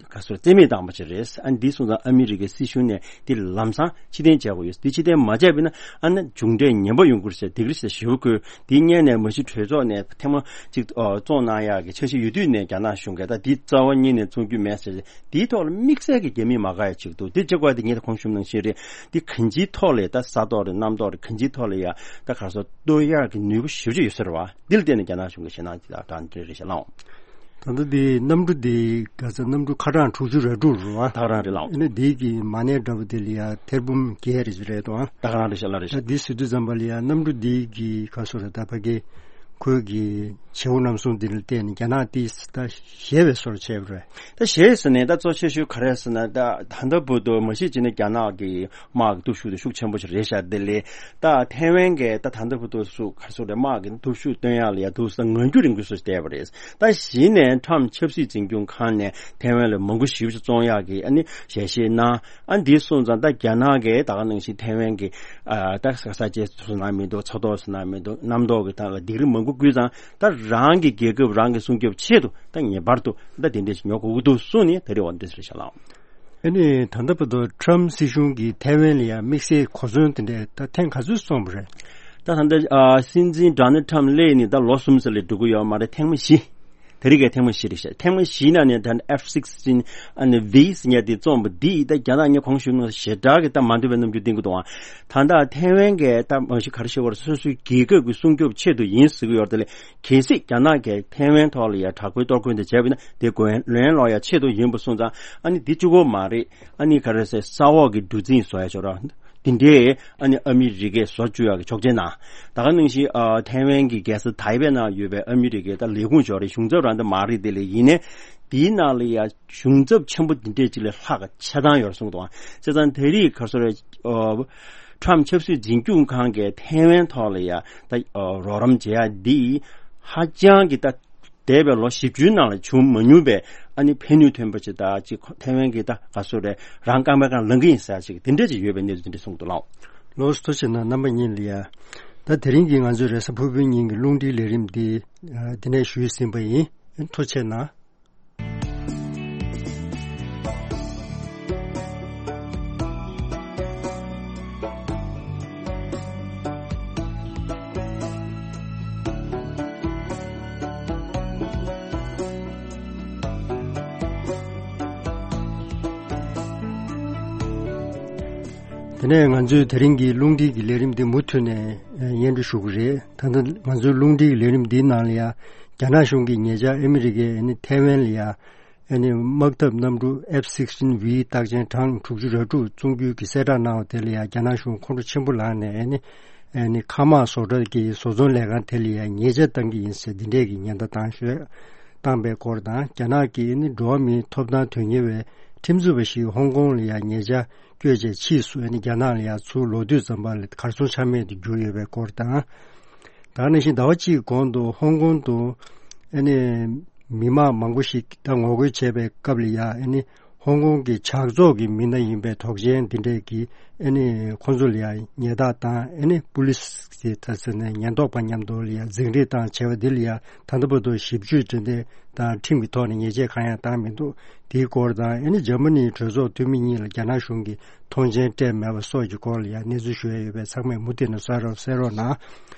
ག་སོ་རྩིས་མེད་བཏང་པ་ཅིག་རེད། ཨ་འདི་སོང་ཙང་ཨ་མི་རི་ཀའི་སྲིད་གཞུང་ནས་འདི་ལམ་སང་ཕྱིར་འཐེན་བྱ་དགོས་ཡོད། འདི་ཕྱིར་འཐེན་མ་བྱས་པ་ཡིན་ན་ཨ་ན་མཇུག་འབྲས་ངན་པ་ཡོང་གི་རེད་ཟེར་སྡིགས་ར་ཞེ་པོ་བསྐུལ། དེ་སྔོན་ནས་མ་གཞི་གྲོས་ཚོགས་ནས་ཐེངས་མ་གཅིག་ཨ་བཙོང་གནང་ཡག་གི་འཆར་གཞི་ཡོད་དུས་ནས་རྒྱ་ནག་གཞུང་གིས་ད་འདི་རྩ་བ་ཉིད་ནས་བཙོང་རྒྱུ་མེད་ཟེར། འདིའི་ཐོག་ལ་དམིགས་བསལ་གྱི་རྒྱ་མི་མ་དགའ་ཡ་གཅིག་འདུག་འདི་གཅིག་པ་འདི་ངས་ད་གོང་ཞུས་ནང་བཞིན་རེད། འདི་གང་ཅིའི་ཐོག་ལ་ད་ས་ཐོག་རེད་གནམ་ཐོག་རེད་གང་ཅིའི་ཐོག་ལ་ཡ་ད་ག་རེ་ཟེར་གཏོར་ཡག་གི་ནུས་པ་ཞེ་པོ་ཅིག་ཡོད་ས་རེད་བ། འདི་ལ་བརྟེན་ནས་རྒྱ་ནག་གཞུང་གིས་ཞེད་སྣང་ཅིག་དང་འདྲ་རེད་ཤག་ལགས། ད་ལྟ་འདི་གནམ་གྲུ་འདི་ག་ས་གནམ་གྲུ་ཁ་གྲངས་དྲུག་ཅུ་རེ་དྲུག་རེད་བ། ད་ག་རང་རེད་ལགས། ཨ་ནི་འདི་གི་མ་གནས་འདྲ་པོ་དེ་ལ་ཡ་ཐེར་འབུམ་བརྒྱད་རེ་ཅིག་རེད་དོ། ད་ག་རང་རེད་ཤག་ལགས་རེད་ཤག། ད་འདི་ཟེར་དུས་ཙམ་པ་ལ་ཡ་གནམ་གྲུ་འདི་གི་ག་སོ་རེད་ད་ཕ་གི་ཁོས་གི་བྱེའུ་རྣམ་གསུམ་འདི་ལ་བརྟེན་ནས་རྒྱ་ནག་འདི་ད་ཞེད་པའི་བཟོ་འདྲ་བྱས་པ་རེད། ད་ཞེད་ཟེར་ནས་ད་གཙོ་ཆེ་ཤོས་ག་རེ་ཟེར་ན་ད་ད་ལྟ་བར་དུ་མ་གཞི་བྱས་ན་རྒྱ་ནག་གི་དམག་གི་སྟོབས་ཤུགས་དེ་ཤུགས་ཆེན་པོ་ཞིག་རེད་ཤག། དེ་ལས་ད་ཐའེ་ཝན་གྱི་ད་ད་ལྟ་བར་དུ་སུ་ག་སུ་རེད་དམག་གི་སྟོབས་ཤུགས་སྟོན་ཡག་ལ་ཡ་འདུག་ས་ངང་རྒྱུད་རིང་པོ་སུ་བལྟས་པ་རེད། ད་གཞི་ནས་ཁྲམ་ཆབ་སྲིད་འཛིན་སྐྱོང་ཁང་ནས་ཐའེ་ཝན་ལ་མང་པོ་ཞིག་བཙོང་ཡག་གི་ཨ་ནི་ཞལ་བཞེས་གནང་། ཨ་འདི་སོང་ཙང་ད་རྒྱ་ནག་གིས་ད་ག་ནང་བཞིན་ཐའེ་ཝན་གྱི་ཨ་ད་ས་ས་ཆའི་སོ་ནང་མི་འདུག་ས་ཐོག་སོ་ནང་མི་འདུག་གནམ་ཐོག་གི་ཐང་ལ་སྡིགས་ར་མང་པོ་བསྐུལ་ཙང་ད་རང་གི་རྒྱལ་ཁབ་རང་གི་སྲུང་སྐྱོབ་ཆེད་དུ་ད་ངེས་པར་དུ་ད་དེ་འདྲས་ཉོ་དགོས་ཀྱི་འདུག་གསུངས་ནས་ད་རེ་བ་འདི་ཟེར་ཤག་ལགས། ཨ་ནི་ད་ལྟ་བར་དུ་ཁྲམ་སྲིད་གཞུང་གིས་ཐའེ་ཝན་ལ་ཡང་དམིགས་བསལ་གོ་མཚོན་དེ་འདྲས་ད་ཐེངས་ག་ཚོད་སོང་བ་རེད། ད་ད་ལྟ་ཨ་སྲིད་འཛིན་ཌོ་ནལ་ཁྲམ་སླེབས་ནས་ད་ལོ་གསུམ་ཙམ་ལས་འགྲོ་གི་ཡོད་མ་རེད། ཐེངས་མ་བཞི། དེ་རིང་གི་ཐེངས་མ་བཞི་རེད་ཤག། ཐེངས་མ་བཞི་ནང་ནས་ད་F sixteen ཨ་ནི་V ཟེར་ཡ་དེ་བཙོངས་པ་འདི་ད་རྒྱ་ནག་ངས་གོང་ཞུས་ནང་ཞེ་དྲག་གི་ད་མ་འདོད་པའི་རྣམ་འགྱུར་བསྟན་གི་འདུག་ཨང་། ད་ལྟ་ཐའེ་ཝན་གྱི་ད་མ་གཞི་ག་རེ་ཞུ་དགོས་རེད། སོ་སོའི་རྒྱལ་ཁབ་ཀྱི་སྲུང་སྐྱོབ་ཆེད་དུ་ཡིན་ཟེར་གི་ཡོད་རེད། དེ་ལས་གལ་སྲིད་རྒྱ་ནག་གིས་ཐའེ་ཝན་ཐོག་ལ་ཡ་དྲག་པོའི་གཏོར་རྒོལ་འདི་བྱས་པ་ཡིན་ན་དེ་གོ་ལན་སློག་ཡ་ཆེད་དུ་ཡིན་པ་སོང་ཙང་ཨ་ནི་འདི་གཅིག་པོ་མ་རེད། ཨ་ནི་ག་རེ་ཟེར་ས་འོག་གི་གྲུ་གཟིངས་བཟོ་ཡ་ཆོག་ར། དེ་འདྲའི་ཨ་ནི་ཨ་མི་རི་ཀས་བཟོ་བཅུག་ཡག་གི་ཆོག་མཆན་གནང་། ད་ག་ནང་བཞིན་ཨ་ཐའེ་ཝན་གྱི་རྒྱལ་ས་ཐའེ་པེ་ནང་ཡོད་པའི་ཨ་མི་རི་ཀའི་ད་ལས་ཁུངས་ཅིག་ཡོད་རེད། གཞུང་ཚབ་རང་ད་མ་རེད། དེ་ལས་ཡིན་ནའི་དེའི་ནང་ལ་ཡ་གཞུང་ཚབ་ཆེན་པོ་འདི་འདྲས་ཅིག་ལས་ལྷག་གི་ཆ་ཚང་ཡོད་རེད་གསུངས་འདུག་ཨང་། བྱས་ཙང་དེ་རིང་ག་རེ་ཟེར་ཨ་ཁྲམ་ཆབ་སྲིད་འཛིན་སྐྱོང་ཁང་གིས་ཐའེ་ཝན་ཐོག་ལ་ཡ་ད་ཨ་རོགས་རམ་བྱེད་ཡ་འདི་ཧ་ཅང་གི་ད་འདས་པའི་ལོ་བཞི་བཅུའི་ནང་ལ་བྱུང་མ་མྱོང་པའི་ཨ་ནི་ཕན་ནུས་ཐོན་པ་ཅིག་དང་ཅིག་ཐའེ་ཝན་གྱི་ད་ག་སོ་རེད་རང་རྐང་པའི་སྒང་ལངས་ཀྱི་ཡིན་ཟེར་ཅིག་དེ་འདྲ་ཅིག་ཡོད་པའི་གནས་ཚུལ་དེ་འདྲ་གསུངས་འདུག་ལགས། ལགས་སོ། ཐུགས་རྗེ་གནང་རྣམ་པ་གཉིས་ལ་ཡ། ད་དེ་རིང་གི་ང་ཚོའི་རེས་གཟའ་ཕུར་བུའི་ཉིན་གྱི་རླུང་འཕྲིན་ལས་རིམ་འདི་འདི་ནས་ཞུས་ཟིན་པ་ཡིན། ཐུགས་རྗེ་གནང་། དེ་ནས་ང་ཚོས་དེ་རིང་གི་རླུང་འཕྲིན་གྱི་ལས་རིམ་འདི་མུ་མཐུད་ནས་སྙན་སྒྲོན་ཞུ་གི་རེད། ད་ལྟ་ང་ཚོའི་རླུང་འཕྲིན་གྱི་ལས་རིམ་འདིའི་ནང་ལ་ཡང་རྒྱ་ནག་གཞུང་གིས་ཉེ་ཆར་ཨ་མི་རི་ཀས་ཨ་ནི་ཐའེ་ཝན་ལ་ཡང་ཨ་ནི་དམག་འཐབ་གནམ་གྲུ་F sixteen V རྟགས་ཅན་གྲངས་དྲུག་ཅུ་རེ་དྲུག་བཙོང་རྒྱུའི་གི་གསལ་བསྒྲགས་གནང་བ་དེ་ལ་ཡང་རྒྱ་ནག་གཞུང་ཁོང་ཁྲོ་ཆེན་པོ་ལངས་ནས་ཨ་ནི་ཨ་ནི་མཁའ་དམག་བཟོ་གྲྭ་གི་བཟོ་ཚོང་ལས་ཁང་དེ་ལ་ཡང་ཉེས་ཆད་བཏང་གི་ཡིན་ཟེར་འདི་འདྲས་ཀྱི་ཉེན་བརྡ་བཏང་ཤོད་བཏང་པའི་སྐོར་དང་། རྒྱ་ནག་གི་ཨ་ནི་འགྲོ་བ་མིའི་ཐོབ་ཐང་དོན་གཉེར་བའི་ཁྲིམས་རྩོད་པ་ཞིག་ཧོང་ཀོང་ལ་ཡང་ཉེ་ཆར་བསྐྱོད་བྱས་ཕྱིས་སུ་ཨ་ནི་རྒྱ་ནག་ལ་ཡང་ཚུར་ལོག་དུས་ཙམ་པ་ལ་གར་སོང་ཆ་མེད་དུ་གྱུར་ཡོད་པའི་སྐོར་དང་། ད་ག་ནང་བཞིན་ཟླ་བ་གཅིག་གོང་དུ་ཧོང་ཀོང་དུ་ཨ་ནི་མི་མང་མང་པོ་ཞིག་ད་ངོ་རྒོལ་བྱས་པའི་སྐབས་ལ་ཡང་ཨ་ནི་ཧོང་ཀོང་གི་ཇག་ཚོགས་ཀྱི་མི་སྣ་ཡིན་པའི་དོགས་ཅན་འདི་འདྲས་ཀྱིས་ཨ་ནི་ཁོང་ཚོ་ལ་ཡང་ཉེས་རྡུང་དང་ཨ་ནི་པུ་ལིས་ཀྱི་ད་ཟེར་ནས་ཉེན་རྟོག་པ་མཉམ་དུ་ལ་ཡང་འཛིང་རེས་བཏང་བྱས་པ་འདི་ལ་ཡང་ད་ལྟ་བར་དུ་ཞིབ་དཔྱོད་འབྲེལ་མཐུད་དང་ཁྲིམས་ཀྱི་ཐོག་ནས་ཉེས་ཆད་གང་ཡང་བཏང་མི་འདུག་དེའི་སྐོར་དང་ཨ་ནི་འཇར་མ་ནིའི་གྲོས་ཚོགས་འཐུས་མི་གཉིས་ལ་རྒྱ་ནག་གཞུང་གིས་མཐོང་མཆན་སྤྲད་མེད་པ་སོགས་ཀྱི་སྐོར་ལ་ཡང་གནས་ཚུལ་ཞུ་ཡ་ཡོད་པས་ཚང་མས་མུ་མཐུད་ནས་གསན་རོགས་གནང་།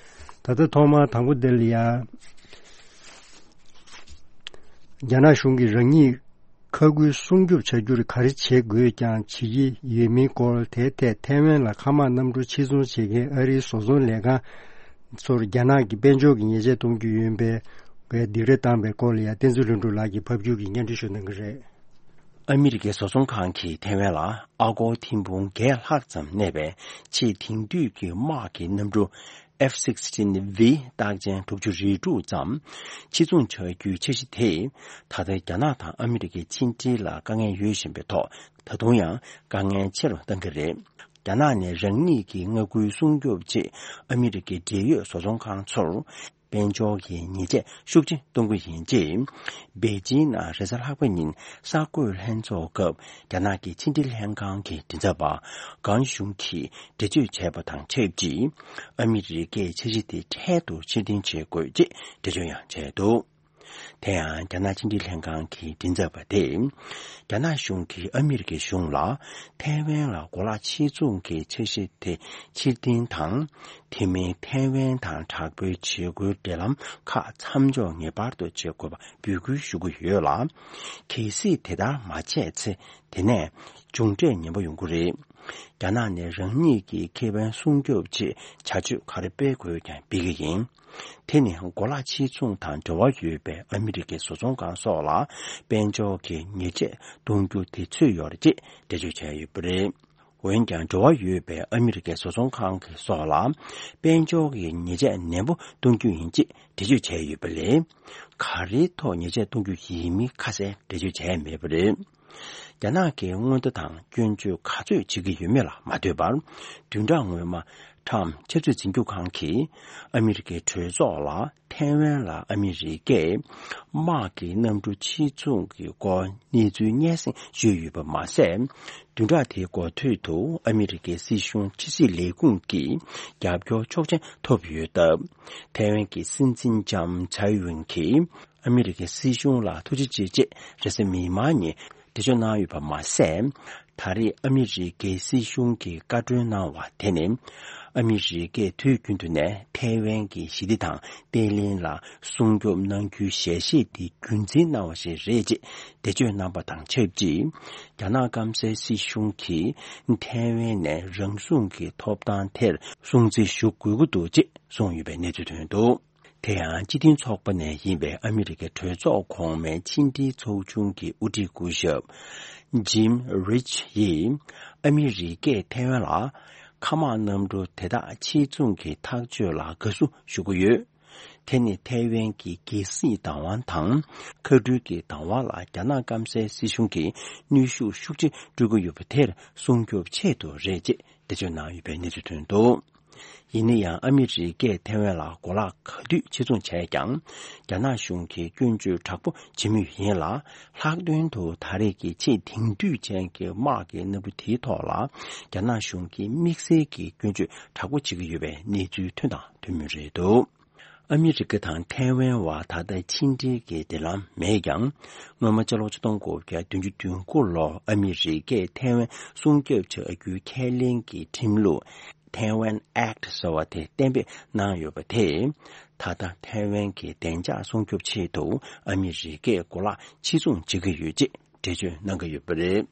ད་ལྟ་ཐོག་མར་དང་པོ་འདི་ལ་ཡང་རྒྱ་ནག་གཞུང་གིས་རང་ཉིད་མཁའ་ཁུལ་སྲུང་སྐྱོབ་བྱ་རྒྱུར་ག་རེ་བྱེད་དགོས་ཀྱང་བྱེད་ཀྱི་ཡོད་མིན་སྐོར། དེའི་ཐད་ཐའེ་ཝན་ལ་མཁའ་དམག་གནམ་གྲུ་ཕྱིར་ཚོང་བྱེད་མཁན་ཨ་རིའི་བཟོ་ཚོང་ལས་ཁང་ཚོར་རྒྱ་ནག་གིས་དཔལ་འབྱོར་གྱི་ཉེས་ཆད་གཏོང་རྒྱུ་ཡིན་པའི་སྡིགས་ར་བཏང་པའི་སྐོར་ལ་ཡང་བསྟན་འཛིན་ལྷུན་གྲུབ་ལགས་ཀྱིས་ཕབ་སྒྱུར་གྱིས་སྙན་སྒྲོན་ཞུ་གནང་གི་རེད། ཨ་མི་རི་ཀའི་བཟོ་ཚོང་ཁང་གིས་ཐའེ་ཝན་ལ་ཨ་སྒོར་ཐེར་འབུམ་བརྒྱད་ལྷག་ཙམ་གནས་པའི་ཆེས་དེང་དུས་ཀྱི་དམག་གི་གནམ་གྲུ་F sixteen V རྟགས་ཅན་དྲུག་ཅུ་རེ་དྲུག་ཙམ་ཕྱིར་ཚོང་བྱ་རྒྱུའི་འཆར་གཞི་དེ་ད་ལྟ་རྒྱ་ནག་དང་ཨ་མི་རི་ཀའི་ཕྱི་འབྲེལ་ལ་དཀའ་ངལ་ཡོད་བཞིན་པའི་ཐོག་ད་དུང་ཡང་དཀའ་ངལ་ཆེ་རུ་བཏང་གི་རེད། རྒྱ་ནག་ནས་རང་ཉིད་ཀྱི་མངའ་ཁུལ་སྲུང་སྐྱོབ་ཆེད་ཨ་མི་རི་ཀའི་འབྲེལ་ཡོད་བཟོ་ཚོང་ཁང་ཚོར་དཔལ་འབྱོར་གྱི་ཉེས་ཆད་ཤུགས་ཆེ་གཏོང་གི་ཡིན་ཅེས། པེ་ཅིང་ནང་རེས་གཟའ་ལྷག་པ་ཉིན་གསར་འགོད་ལྷན་ཚོགས་སྐབས་རྒྱ་ནག་གི་ཕྱི་འབྲེལ་ལྷན་ཁང་གི་མགྲིན་ཚབ་པ་གང་ཞུང་གིས་འགྲེལ་བརྗོད་བྱས་པ་དང་ཆབས་ཅིག་ཨ་མི་རི་ཀས་འཆར་གཞི་དེ་འཕྲལ་དུ་ཕྱིར་འཐེན་བྱེད་དགོས་ཅེས་འགྲེལ་བརྗོད་ཡང་བྱས་འདུག་དེ་ཡང་རྒྱ་ནག་ཕྱི་འབྲེལ་ལྷན་ཁང་གི་མགྲིན་ཚབ་པ་དེས། རྒྱ་ནག་གཞུང་གིས་ཨ་མི་རི་ཀའི་གཞུང་ལ་ཐའེ་ཝན་ལ་གོ་ལག་ཕྱིར་ཚོང་གི་འཆར་གཞི་དེ་ཕྱིར་འཐེན་དང་། དེ་མིན་ཐའེ་ཝན་དང་དྲག་པོའི་བྱེད་སྒོའི་འབྲེལ་ལམ་ཁག་མཚམས་འཇོག་ངེས་པར་དུ་བྱེད་དགོས་པ་འབོད་སྐུལ་ཞུ་གི་ཡོད་ལ། གལ་སྲིད་དེ་ལྟར་མ་བྱས་ཚེ་དེ་ནས་མཇུག་འབྲས་ངན་པ་ཡོང་གི་རེད། རྒྱ་ནག་ནས་རང་ཉིད་ཀྱི་ཁེ་ཕན་སྲུང་སྐྱོབ་ཆེད་བྱ་སྤྱོད་ག་རེ་སྤེལ་དགོས་ཀྱང་སྤེལ་གྱི་ཡིན། དེ་ནི་གོ་ལག་ཕྱིར་ཚོང་དང་འབྲེལ་བ་ཡོད་པའི་ཨ་མི་རི་ཀའི་བཟོ་ཚོང་ཁང་སོགས་ལ་དཔལ་འབྱོར་གྱི་ཉེས་ཆད་གཏོང་རྒྱུ་དེ་ཚུད་ཡོད་རེད་ཅེས་འགྲེལ་བརྗོད་བྱས་ཡོད་པ་རེད། འོན་ཀྱང་འབྲེལ་བ་ཡོད་པའི་ཨ་མི་རི་ཀའི་བཟོ་ཚོང་ཁང་གི་སོགས་ལ་དཔལ་འབྱོར་གྱི་ཉེས་ཆད་ནན་པོ་གཏོང་རྒྱུ་ཡིན་ཅེས་འགྲེལ་བརྗོད་བྱས་ཡོད་པ་ལས། ག་རེའི་ཐོག་ཉེས་ཆད་གཏོང་རྒྱུ་ཡིན་མིན་ཁ་གསལ་འགྲེལ་བརྗོད་བྱས་མེད་པ་རེད། རྒྱ་ནག་གིས་སྔོན་བརྡ་དང་སྐྱོན་བརྗོད་ག་ཚོད་བྱེད་ཀྱི་ཡོད་མེད་ལ་མ་ལྟོས་པར། བདུན་ཕྲག་སྔོན་མ་ཁྲམ་ཆབ་སྲིད་འཛིན་སྐྱོང་ཁང་གིས་ཨ་མི་རི་ཀའི་གྲོས་ཚོགས་ལ་ཐའེ་ཝན་ལ་ཨ་མི་རི་ཀས་དམག་གི་གནམ་གྲུ་ཕྱིར་ཚོང་གི་སྐོར་གནས་ཚུལ་སྙན་སེང་ཞུས་ཡོད་པ་མ་ཟད། བདུན་ཕྲག་དེའི་འགོ་སྟོད་དུ་ཨ་མི་རི་ཀའི་སྲིད་གཞུང་ཕྱི་སྲིད་ལས་ཁུངས་ཀྱི་རྒྱབ་སྐྱོར་ཆོག་མཆན་ཐོབ་ཡོད་སྟབས། ཐའེ་ཝན་གྱི་སྲིད་འཛིན་ལྕམ་ཚའེ་ཝེན་གྱིས་ཨ་མི་རི་ཀའི་སྲིད་གཞུང་ལ་ཐུགས་རྗེ་ཆེ་ཅེས་རེས་གཟའ་མིག་དམར་ཉིན་འགྲེལ་བརྗོད་གནང་ཡོད་པ་མ་ཟད། ད་རེས་ཨ་མི་རི་ཀའི་སྲིད་གཞུང་གིས་བཀའ་འཁྲོལ་གནང་བ་དེ་ནི། ཨ་མི་རི་ཀས་དུས་རྒྱུན་དུ་ནས་ཐའེ་ཝན་གྱི་ཞི་བདེ་དང་བརྟན་ལྷིང་ལ་སྲུང་སྐྱོབ་གནང་རྒྱུའི་ཞལ་བཞེས་དེ་རྒྱུན་འཛིན་གནང་བ་ཞིག་རེད་ཅེས་འགྲེལ་བརྗོད་གནང་པ་དང་ཆབས་ཅིག་རྒྱ་ནག་སྐམ་སའི་སྲིད་གཞུང་གིས་ཐའེ་ཝན་ནས་རང་སྲུང་གི་ཐོབ་ཐང་དེར་སྲུང་བརྩི་ཞུ་དགོས་ཀྱི་འདུག་ཅེས་གསུངས་ཡོད་པའི་གནས་ཚུལ་ཐོན་འདུག་དེ་ཡང་སྤྱི་མཐུན་ཚོགས་པ་ནས་ཡིན་པའི་ཨ་མི་རི་ཀའི་གྲོས་ཚོགས་གོང་མའི་ཕྱི་འབྲེལ་ཚོགས་ཆུང་གི་དབུ་ཁྲིད་སྐུ་ཞབས་ཇིམ་རིཆ་ཡིས། ཨ་མི་རི་ཀས་ཐའེ་ཝན་ལ་མཁའ་དམག་གནམ་གྲུ་དེ་དག་ཕྱིར་ཚོང་གི་ཐག་གཅོད་ལ་དགའ་བསུ་ཞུ་གི་ཡོད། དེ་ནི་ཐའེ་ཝན་གྱི་རྒྱལ་སྲིད་བདག་དབང་དང་། མཁའ་འགྲུལ་གྱི་བདག་དབང་ལ་རྒྱ་ནག་སྐམ་སའི་སྲིད་གཞུང་གིས་གནོན་ཤུགས་ཤུགས་ཆེ་སྤྲོད་ཀྱི་ཡོད་པ་དེར་སྲུང་སྐྱོབ་ཆེད་དུ་རེད་ཅེས་འགྲེལ་བརྗོད་གནང་ཡོད་པའི་གནས་ཚུལ་ཐོན་འདུག་ཡིན་ན་ཡང་ཨ་མི་རི་ཀས་ཐའེ་ཝན་ལ་གོ་ལག་ག་དུས་ཕྱིར་ཚོང་བྱས་ཀྱང་། རྒྱ་ནག་གཞུང་གིས་སྐྱོན་བརྗོད་དྲག་པོ་བྱེད་མུས་ཡིན་ལ། ལྷག་དོན་དུ་ད་རེས་ཀྱི་ཆེས་དེང་དུས་ཅན་གྱི་དམག་གི་གནམ་གྲུ་དེའི་ཐོག་ལ། རྒྱ་ནག་གཞུང་གིས་དམིགས་བསལ་གྱི་སྐྱོན་བརྗོད་དྲག་པོ་བྱེད་ཀྱི་ཡོད་པའི་གནས་ཚུལ་ཐོན་དང་ཐོན་མུས་རེད་འདུག་ཨ་མི་རི་ཀ་དང་ཐའེ་ཝན་བར་ད་ལྟ་ཕྱི་འབྲེལ་གྱི་འབྲེལ་ལམ་མེད་ཀྱང་། སྔོན་མ་ཕྱི་ལོ་ཆིག་སྟོང་དགུ་བརྒྱ་བདུན་ཅུ་དོན་དགུ་ལོར་ཨ་མི་རི་ཀས་ཐའེ་ཝན་སྲུང་སྐྱོབ་བྱ་རྒྱུའི་ཁས་ལེན་གྱི་ཁྲིམས་ལུགས། Taiwan Act ཟེར་བ་དེ་གཏན་འབེབས་གནང་ཡོད་པ་དེས། ད་ལྟ་ཐའེ་ཝན་གྱི་བདེ་འཇགས་སྲུང་སྐྱོབ་ཆེད་དུ་ཨ་མི་རི་ཀས་གོ་ལག་ཕྱིར་ཚོང་བྱེད་ཀྱི་ཡོད་ཅེས་འགྲེལ་བརྗོད་གནང་གི་ཡོད་པ་རེད།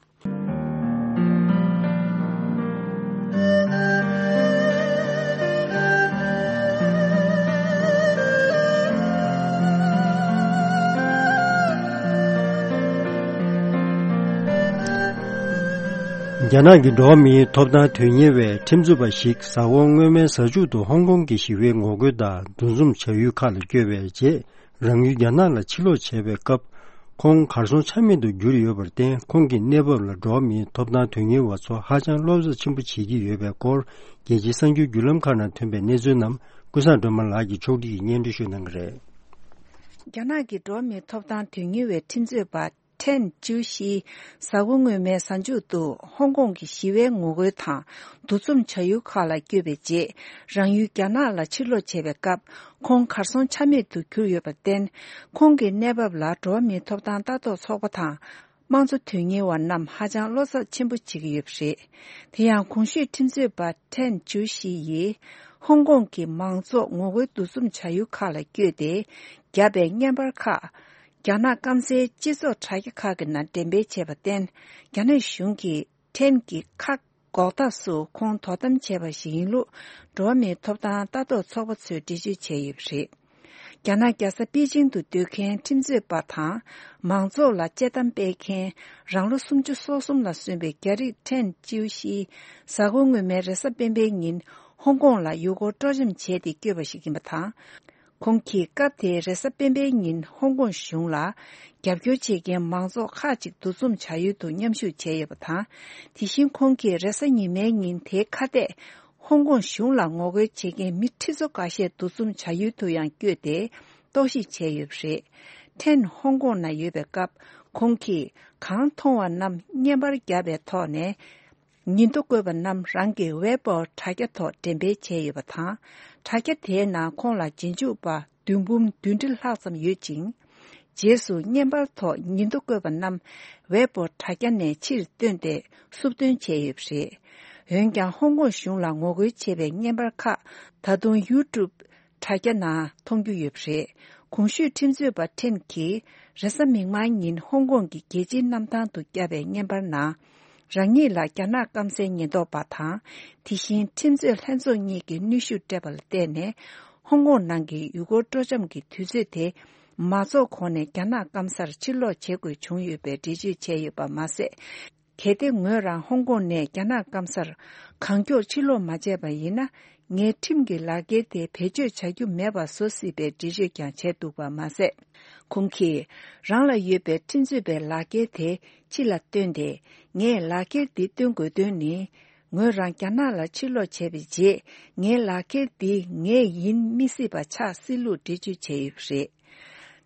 རྒྱ་ནག་གི་འགྲོ་བ་མིའི་ཐོབ་ཐང་དོན་གཉེར་བའི་ཁྲིམས་རྩོད་པ་ཞིག་གཟའ་འཁོར་སྔོན་མའི་གཟའ་མཇུག་ཏུ་ཧོང་ཀོང་གི་ཞི་བའི་ངོ་རྒོལ་དང་འདུ་འཛོམས་བྱ་ཡུལ་ཁག་ལ་བསྐྱོད་པའི་རྗེས། རང་ཡུལ་རྒྱ་ནག་ལ་ཕྱིར་ལོག་བྱས་པའི་སྐབས། ཁོང་གར་སོང་ཆ་མེད་དུ་གྱུར་ཡོད་པར་བརྟེན། ཁོང་གི་གནས་བབ་ལ་འགྲོ་བ་མིའི་ཐོབ་ཐང་དོན་གཉེར་བ་ཚོ་ཧ་ཅང་བློ་འཚབ་ཆེན་པོ་བྱེད་ཀྱི་ཡོད་པའི་སྐོར། རྒྱལ་སྤྱིའི་གསར་འགྱུར་བརྒྱུད་ལམ་ཁག་ནང་ཐོན་པའི་གནས་ཚུལ་རྣམས། ཀུན་བཟང་སྒྲོལ་མ་ལགས་ཀྱིས་ཕྱོགས་སྒྲིག་གིས་སྙན་སྒྲོན་ཞུ་གནང་གི་རེད། རྒྱ་ནག་གི་འགྲོ་བ་མིའི་ཐོབ་ཐང་དོན་གཉེར་བའི་ཁྲིམས་རྩོད་པ་ཁྲེན་ཅིའུ་ཤི། གཟའ་འཁོར་སྔོན་མའི་གཟའ་མཇུག་ཏུ་ཧོང་ཀོང་གི་ཞི་བའི་ངོ་རྒོལ་དང་འདུ་འཛོམས་བྱ་ཡུལ་ཁག་ལ་བསྐྱོད་པའི་རྗེས། རང་ཡུལ་རྒྱ་ནག་ལ་ཕྱིར་ལོག་བྱས་པའི་སྐབས། ཁོང་གར་སོང་ཆ་མེད་དུ་གྱུར་ཡོད་པར་བརྟེན། ཁོང་གི་གནས་བབ་ལ་འགྲོ་བ་མིའི་ཐོབ་ཐང་ལྟ་རྟོག་ཚོགས་པ་དང་། དམངས་གཙོ་དོན་གཉེར་བ་རྣམས་ཧ་ཅང་བློ་འཚབ་ཆེན་པོ་བྱེད་ཀྱི་ཡོད་པ་རེད། དེ་ཡང་གོང་ཞུས་ཁྲིམས་རྩོད་པ་ཁྲེན་ཅུའུ་ཤི་ཡིས། ཧོང་ཀོང་གི་མང་ཚོགས་ངོ་རྒོལ་འདུ་འཛོམས་བྱ་ཡུལ་ཁག་ལ་བསྐྱོད་དེ། བརྒྱབ་པའི་བརྙན་པར་ཁག་རྒྱ་ནག་སྐམ་སའི་སྤྱི་ཚོགས་དྲ་རྒྱ་ཁག་གི་ནང་འགྲེམས་སྤེལ་བྱས་པར་བརྟེན། རྒྱ་ནག་གཞུང་གིས་ཁྲེན་གྱི་ཁ་འགོག་ཐབས་སུ་ཁོང་དོ་དམ་བྱས་པ་ཞིག་ཡིན་ལུགས། འགྲོ་བ་མིའི་ཐོབ་ཐང་ལྟ་རྟོག་ཚོགས་པ་ཚོས་འགྲེལ་བརྗོད་བྱས་ཡོད་པ་རེད། རྒྱ་ནག་རྒྱལ་ས་པེ་ཅིང་དུ་སྡོད་མཁན་ཁྲིམས་རྩོད་པ་དང་། མང་ཚོགས་ལ་དཔྱད་གཏམ་སྤེལ་མཁན། རང་ལོ་སུམ་ཅུ་སོ་གསུམ་ལ་སོན་པའི་རྒྱ་རིགས་ཁྲེན་ཅིའུ་ཤི། གཟའ་འཁོར་སྔོན་མའི་རེས་གཟའ་སྤེན་པའི་ཉིན། ཧོང་ཀོང་ལ་ཡུལ་སྐོར་སྤྲོ་འཆམ་བྱས་ཏེ་བསྐྱོད་པ་ཞིག་ཡིན་པ་དང་། ཁོང་གིས་སྐབས་དེའི་རེས་གཟའ་སྤེན་པའི་ཉིན་ཧོང་ཀོང་གཞུང་ལ། རྒྱབ་སྐྱོར་བྱེད་མཁན་མང་ཚོགས་ཁག་ཅིག་འདུ་འཛོམས་བྱ་ཡུལ་དུ་མཉམ་ཞུགས་བྱས་ཡོད་པ་དང་། དེ་བཞིན་ཁོང་གིས་རེས་གཟའ་ཉི་མའི་ཉིན་དེའི་ཁ་གཏད། ཧོང་ཀོང་གཞུང་ལ་ངོ་རྒོལ་བྱེད་མཁན་མི་ཁྲི་ཚོ་འགའ་ཤས་འདུ་འཛོམས་བྱ་ཡུལ་དུ་ཡང་བསྐྱོད་དེ། རྟོག་ཞིབ་བྱས་ཡོད་པ་རེད། ཁྲེན་ཧོང་ཀོང་ན་ཡོད་པའི་སྐབས། ཁོང་གིས་གང་མཐོང་བ་རྣམས་བརྙན་པར་བརྒྱབ་པའི་ཐོག་ནས། ཉིན་ཐོ་བཀོད་པ་རྣམས་རང་གི་ཝེ་པོ་དྲ་རྒྱ་ཐོག་འགྲེམས་སྤེལ་བྱས་ཡོད་པ་དང་། དྲ་རྒྱ་དེའི་ནང་ཁོང་ལ་རྗེས་འཇུག་པ་བདུན་འབུམ་བདུན་ཁྲི་ལྷག་ཙམ་ཡོད་ཅིང་། རྗེས་སུ་བརྙན་པར་ཐོག་ཉིན་ཐོ་བཀོད་པ་རྣམས་ཝེ་པོ་དྲ་རྒྱ་ནས་ཕྱིར་བཏོན་ཏེ་སུབ་བཏོན་བྱས་ཡོད་པ་རེད། འོན་ཀྱང་ཧོང་ཀོང་གཞུང་ལ་ངོ་རྒོལ་བྱས་པའི་བརྙན་པར་ཁག་ད་དུང་ཡུ་ཊུབ་དྲ་རྒྱ་ནང་མཐོང་རྒྱུ་ཡོད་པ་རེད། གོང་ཞུས་ཁྲིམས་རྩོད་པ་ཁྲེན་གྱིས་རེས་གཟའ་མིག་དམར་ཉིན་ཧོང་ཀོང་གི་རྒྱལ་སྤྱིའི་གནམ་ཐང་དུ་བརྒྱབ་པའི་བརྙན་པར་ནང་། རང་ཉིད་ལ་རྒྱ་ནག་སྐམ་སའི་ཉེན་རྟོག་པ་དང་། དེ་བཞིན་ཁྲིམས་རྩོད་ལྷན་ཚོགས་གཉིས་ཀྱིས་གནོན་ཤུགས་སྤྲད་པ་ལ་བརྟེན་ནས། ཧོང་ཀོང་ནང་གི་ཡུལ་སྐོར་སྤྲོ་འཆམ་གྱི་དུས་ཚོད་དེ། མ་རྫོགས་གོང་ནས་རྒྱ་ནག་སྐམ་སར་ཕྱིར་ལོག་བྱེད་དགོས་བྱུང་ཡོད་པའི་འགྲེལ་བརྗོད་བྱས་ཡོད་པ་མ་ཟད། གལ་ཏེ་ངོས་རང་ཧོང་ཀོང་ནས་རྒྱ་ནག་སྐམ་སར་གང་མགྱོགས་ཕྱིར་ལོག་མ་བྱས་པ་ཡིན་ན། ངས་ཁྲིམས་ཀྱི་ལག་འཁྱེར་དེ་བེད་སྤྱོད་བྱ་རྒྱུ་མེད་པ་བཟོ་སྲིད་པའི་འགྲེལ་བརྗོད་ཀྱང་བྱས་འདུག་པ་མ་ཟད། ཁོང་གིས་རང་ལ་ཡོད་པའི་ཁྲིམས་རྩོད་པའི་ལག་འཁྱེར་དེ་ཕྱི་ལ་བཏོན་ཏེ། ངས་ལག་འཁྱེར་འདི་སྟོན་དགོས་དོན་ནི། ངོས་རང་རྒྱ་ནག་ལ་ཕྱིར་ལོག་བྱས་པའི་རྗེས། ངའི་ལག་འཁྱེར་འདི་ངའི་ཡིན་མི་སྲིད་པ་ཆགས་སྲིད་ལུགས་འགྲེལ་བརྗོད་བྱས་ཡོད་པ་རེད།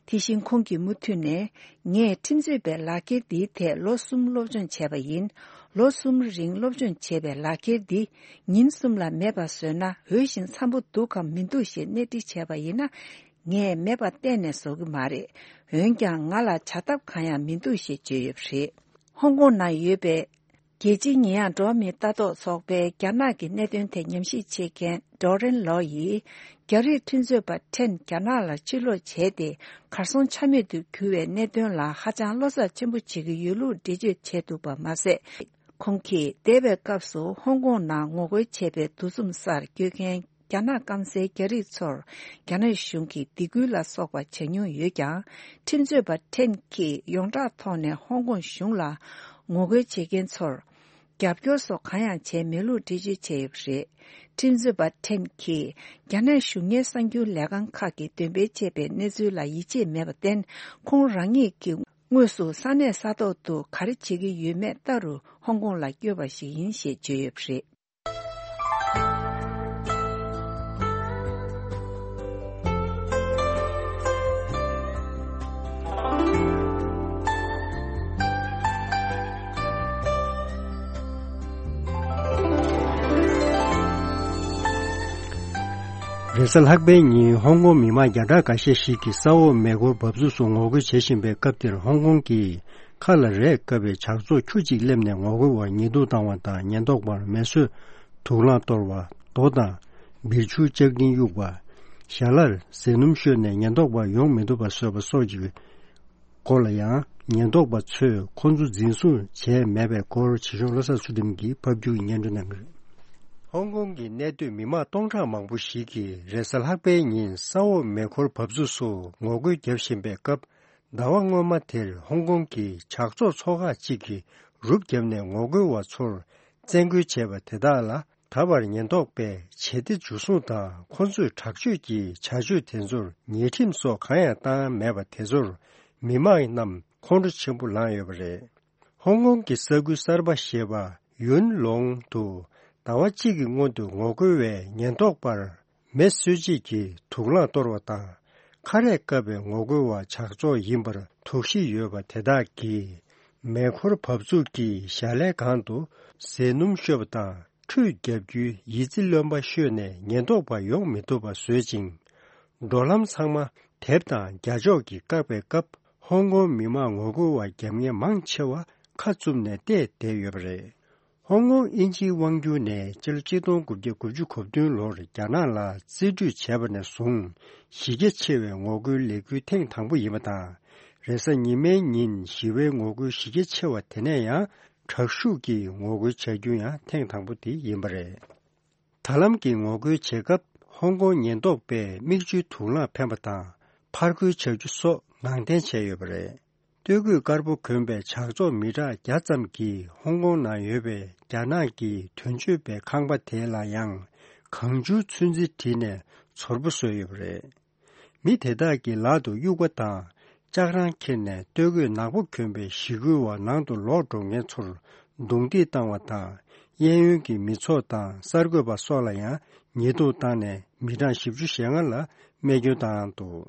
དེ་བཞིན་ཁོང་གིས་མུ་མཐུད་ནས། ངས་ཁྲིམས་རྩོད་པའི་ལག་འཁྱེར་འདིའི་ཐད་ལོ་གསུམ་སློབ་སྦྱོང་བྱས་པ་ཡིན། ལོ་གསུམ་རིང་སློབ་སྦྱོང་བྱས་པའི་ལག་འཁྱེར་འདི་ཉིན་གསུམ་ལ་མེད་པ་བཟོས་ན་འོས་ཤིང་འཚམ་པོ་འདུག་གམ་མི་འདུག་ཞེས་གནས་འདྲི་བྱས་པ་ཡིན་ན། ངས་མེད་པ་གཏན་ནས་བཟོ་གི་མ་རེད། འོན་ཀྱང་ང་ལ་བྱ་ཐབས་གང་ཡང་མི་འདུག་ཞེས་བརྗོད་ཡོད་པ་རེད། ཧོང་ཀོང་ནང་ཡོད་པའི། རྒྱལ་སྤྱིའི་ཉེས་ཡངས་འགྲོ་བ་མིའི་ལྟ་རྟོག་ཚོགས་པའི་རྒྱ་ནག་གི་གནད་དོན་ཐད་ཉམས་ཞིབ་བྱེད་མཁན་ཌོ་རེན་ལོ་ཡིས། རྒྱ་རིགས་ཁྲིམས་རྩོད་པ་ཁྲེན་རྒྱ་ནག་ལ་ཕྱིར་ལོག་བྱས་ཏེ། གར་སོང་ཆ་མེད་དུ་གྱུར་བའི་གནད་དོན་ལ་ཧ་ཅང་བློ་འཚབ་ཆེན་པོ་བྱེད་ཀྱི་ཡོད་ལུགས་འགྲེལ་བརྗོད་བྱས་འདུག་པ་མ་ཟད། ཁོང་གིས་འདས་པའི་སྐབས་སུ་ཧོང་ཀོང་ནང་ངོ་རྒོལ་བྱས་པའི་འདུ་འཛོམས་སར་བསྐྱོད་མཁན། རྒྱ་ནག་སྐམ་སའི་རྒྱ་རིགས་ཚོར་རྒྱ་ནག་གཞུང་གིས་སྡིགས་སྐུལ་ལ་སོགས་པ་བྱ་མྱོང་ཡོད་ཀྱང་། ཁྲིམས་རྩོད་པ་ཁྲེན་གྱིས་ཡོངས་གྲགས་ཐོག་ནས་ཧོང་ཀོང་གཞུང་ལ་ངོ་རྒོལ་བྱེད་མཁན་ཚོར་རྒྱབ་སྐྱོར་སོགས་གང་ཡང་བྱས་མེད་ལུགས་འགྲེལ་བརྗོད་བྱས་ཡོད་པ་རེད། ཁྲིམས་རྩོད་པ་ཁྲེན་གྱིས་རྒྱ་ནག་གཞུང་གཉེར་གསར་འགྱུར་ལས་ཁང་ཁག་གིས་འདོན་སྤེལ་བྱས་པའི་གནས་ཚུལ་ལ་ཡིད་ཆེས་མེད་པར་བརྟེན། ཁོང་རང་ཉིད་ཀྱིས་དངོས་སུ་ས་གནས་ས་ཐོག་ཏུ་ག་རེ་བྱེད་ཀྱི་ཡོད་མེད་ལྟ་རུ་ཧོང་ཀོང་ལ་བསྐྱོད་པ་ཞིག་ཡིན་ཞེས་བརྗོད་ཡོད་པ་རེད། རེས་གཟའ་ལྷག་པའི་ཉིན་ཧོང་ཀོང་མི་མང་བརྒྱ་ཕྲག་འགའ་ཤས་ཤིག་གིས་ས་འོག་མེ་འཁོར་འབབ་ཚུགས་སུ་ངོ་རྒོལ་བྱེད་བཞིན་པའི་སྐབས་དེར། ཧོང་ཀོང་གི་ཁ་ལ་རས་བཀབ་པའི་ཇག་ཚོགས་ཁྱུ་གཅིག་སླེབས་ནས་ངོ་རྒོལ་བར་ཉེས་འཛུགས་བཏང་བ་དང་། ཉེན་རྟོག་པར་མེ་གསོད་དུག་རླངས་གཏོར་བ། རྡོ་དང་། སྦིར་ཆུ་ལྕགས་ཀྲིན་གཡུགས་པ། ཞལ་ལར་ཟས་སྣུམ་བཤོས་ནས་ཉེན་རྟོག་པ་ཡོང་མི་ཐུབ་པ་བཟོས་པ་སོགས་ཀྱི་སྐོར་ལ་ཡང་། ཉེན་རྟོག་པ་ཚོས་ཁོང་ཚོ་འཛིན་བཟུང་བྱས་མེད་པའི་སྐོར། བྱེད་ཤོག་བློ་བཟང་ཚུལ་ཁྲིམས་ཀྱིས་ཕབ་སྒྱུར་གྱིས་སྙན་སྒྲོན་གནང་གི་རེད། ཧོང་ཀོང་གི་གནས་སྡོད་མི་མང་སྟོང་ཕྲག་མང་པོ་ཞིག་གིས་རེས་གཟའ་ལྷག་པའི་ཉིན་ས་འོག་མེ་འཁོར་འབབ་ཚུགས་སུ་ངོ་རྒོལ་བརྒྱབ་བཞིན་པའི་སྐབས། ཟླ་བ་སྔོན་མ་དེར་ཧོང་ཀོང་གི་ཇག་ཚོགས་ཚོ་ཁག་ཅིག་གིས་ རུབ་བརྒྱབ་ནས་ངོ་རྒོལ་བ་ཚོར་བཙན་རྒོལ་བྱས་པ་དེ་དག་ལ། ད་བར་ཉེན་རྟོག་པས་ཇེ་བདེ་འཇུ་བཟུང་དང་ཁོ་ཚོས་དྲག་སྤྱོད་ཀྱི་བྱ་སྤྱོད་དེ་ཚོར་ཉེས་ཁྲིམས་སོགས་གང་ཡང་བཏང་མེད་པ་དེ་ཚོར་མི་མང་རྣམས་ཁོང་ཁྲོ་ཆེན་པོ་ལངས་ཡོད་པ་རེད། ཧོང་ཀོང་གི་ས་ཁུལ་གསར་པ་ཞེས་པ་ཡུན་ལོང་དུ་ཟླ་བ་གཅིག་གི་སྔོན་དུ་ངོ་རྒོལ་བས་ཉེན་རྟོག་པར་མེ་གསོད་བྱེད་ཀྱི་དུག་རླངས་གཏོར་བ་དང་། ཁ་རས་བཀབ་པའི་ངོ་རྒོལ་བ་ཇག་ཚོགས་ཡིན་པར་དོགས་གཞི་ཡོད་པ་དེ་དག་གིས་མེ་འཁོར་བབས་ཚུགས་ཀྱི་ཞལ་ལས་སྒང་དུ་ཟས་སྣུམ་བཤོས་པ་དང་། ཁྲུས་བརྒྱབ་རྒྱུའི་ཡི་ཙི་རློན་པ་བཤོས་ནས་ཉེན་རྟོག་པ་ཡོང་མི་ཐུབ་པ་བཟོས་ཅིང་། འགྲོ་ལམ་ཚང་མ་དེབ་དང་རྒྱ་ཤོག་གིས་བཀག་པའི་སྐབས། ཧོང་ཀོང་མི་མང་ངོ་རྒོལ་བ་རྒྱབ་གཉེར་མང་ཆེ་བ་ཁ་བཙུམ་ནས་བལྟས་བསྡད་ཡོད་པ་རེད། ཧོང་ཀོང་དབྱིན་ཇིའི་དབང་སྒྱུར་ནས་སྤྱི་ལོ་གཅིག་སྟོང་དགུ་བརྒྱ་དགུ་བཅུ་གོ་བདུན་ལོར་རྒྱ་ནག་ལ་རྩིས་སྤྲོད་བྱས་པ་ནས་བཟུང་། གཞི་རྒྱ་ཆེ་བའི་ངོ་རྒོལ་ལས་འགུལ་ཐེངས་དང་པོ་ཡིན་པ་དང་། རེས་གཟའ་ཉི་མའི་ཉིན་ཞི་བའི་ངོ་རྒོལ་གཞི་རྒྱ་ཆེ་བ་དེ་ནས་ཡང་དྲག་ཤུགས་ཀྱིས་ངོ་རྒོལ་བྱ་རྒྱུ་ཡང་ཐེངས་དང་པོ་དེ་ཡིན་པ་རེད། ད་ལམ་གྱི་ངོ་རྒོལ་བྱེད་སྐབས། ཧོང་ཀོང་ཉེན་རྟོག་པས་མིག་ཆུའི་དུག་རླངས་འཕེན་པ་དང་། ཕར་རྒོལ་བྱ་རྒྱུ་སོགས་ངང་འཐེན་བྱས་ཡོད་པ་རེད། སྟོད་གོས་དཀར་པོ་གོན་པའི་ཇག་ཚོགས་མི་གྲངས་བརྒྱ་ཙམ་གྱིས་ཧོང་ཀོང་ནང་ཡོད་པའི་རྒྱ་ནག་གི་དོན་གཅོད་པའི་ཁང་པ་དེ་ལ་ཡང་གང་བྱུང་ཚོན་རྩི་བྲིས་ནས་ཚོར་པོ་བཟོས་ཡོད་པ་རེད། མི་དེ་དག་གི་ལག་ཏུ་དབྱུག་པ་དང་ལྕགས་རང་འཁྱེར་ནས། སྟོད་གོས་ནག་པོ་གྱོན་པའི་ཞི་རྒོལ་བ་ནང་དུ་ལོག་འགྲོ་མཁན་ཚོར་རྡུང་རྡེག་བཏང་བ་དང་། གཡས་གཡོན་གྱི་མི་ཚོགས་དང་གསར་འགོད་པ་སོགས་ལ་ཡང་ཉེས་རྡུང་བཏང་ནས། མི་གྲངས་བཞི་བཅུ་ཞེ་ལྔ་ལ་རྨས་སྐྱོན་བཏང་འདུག་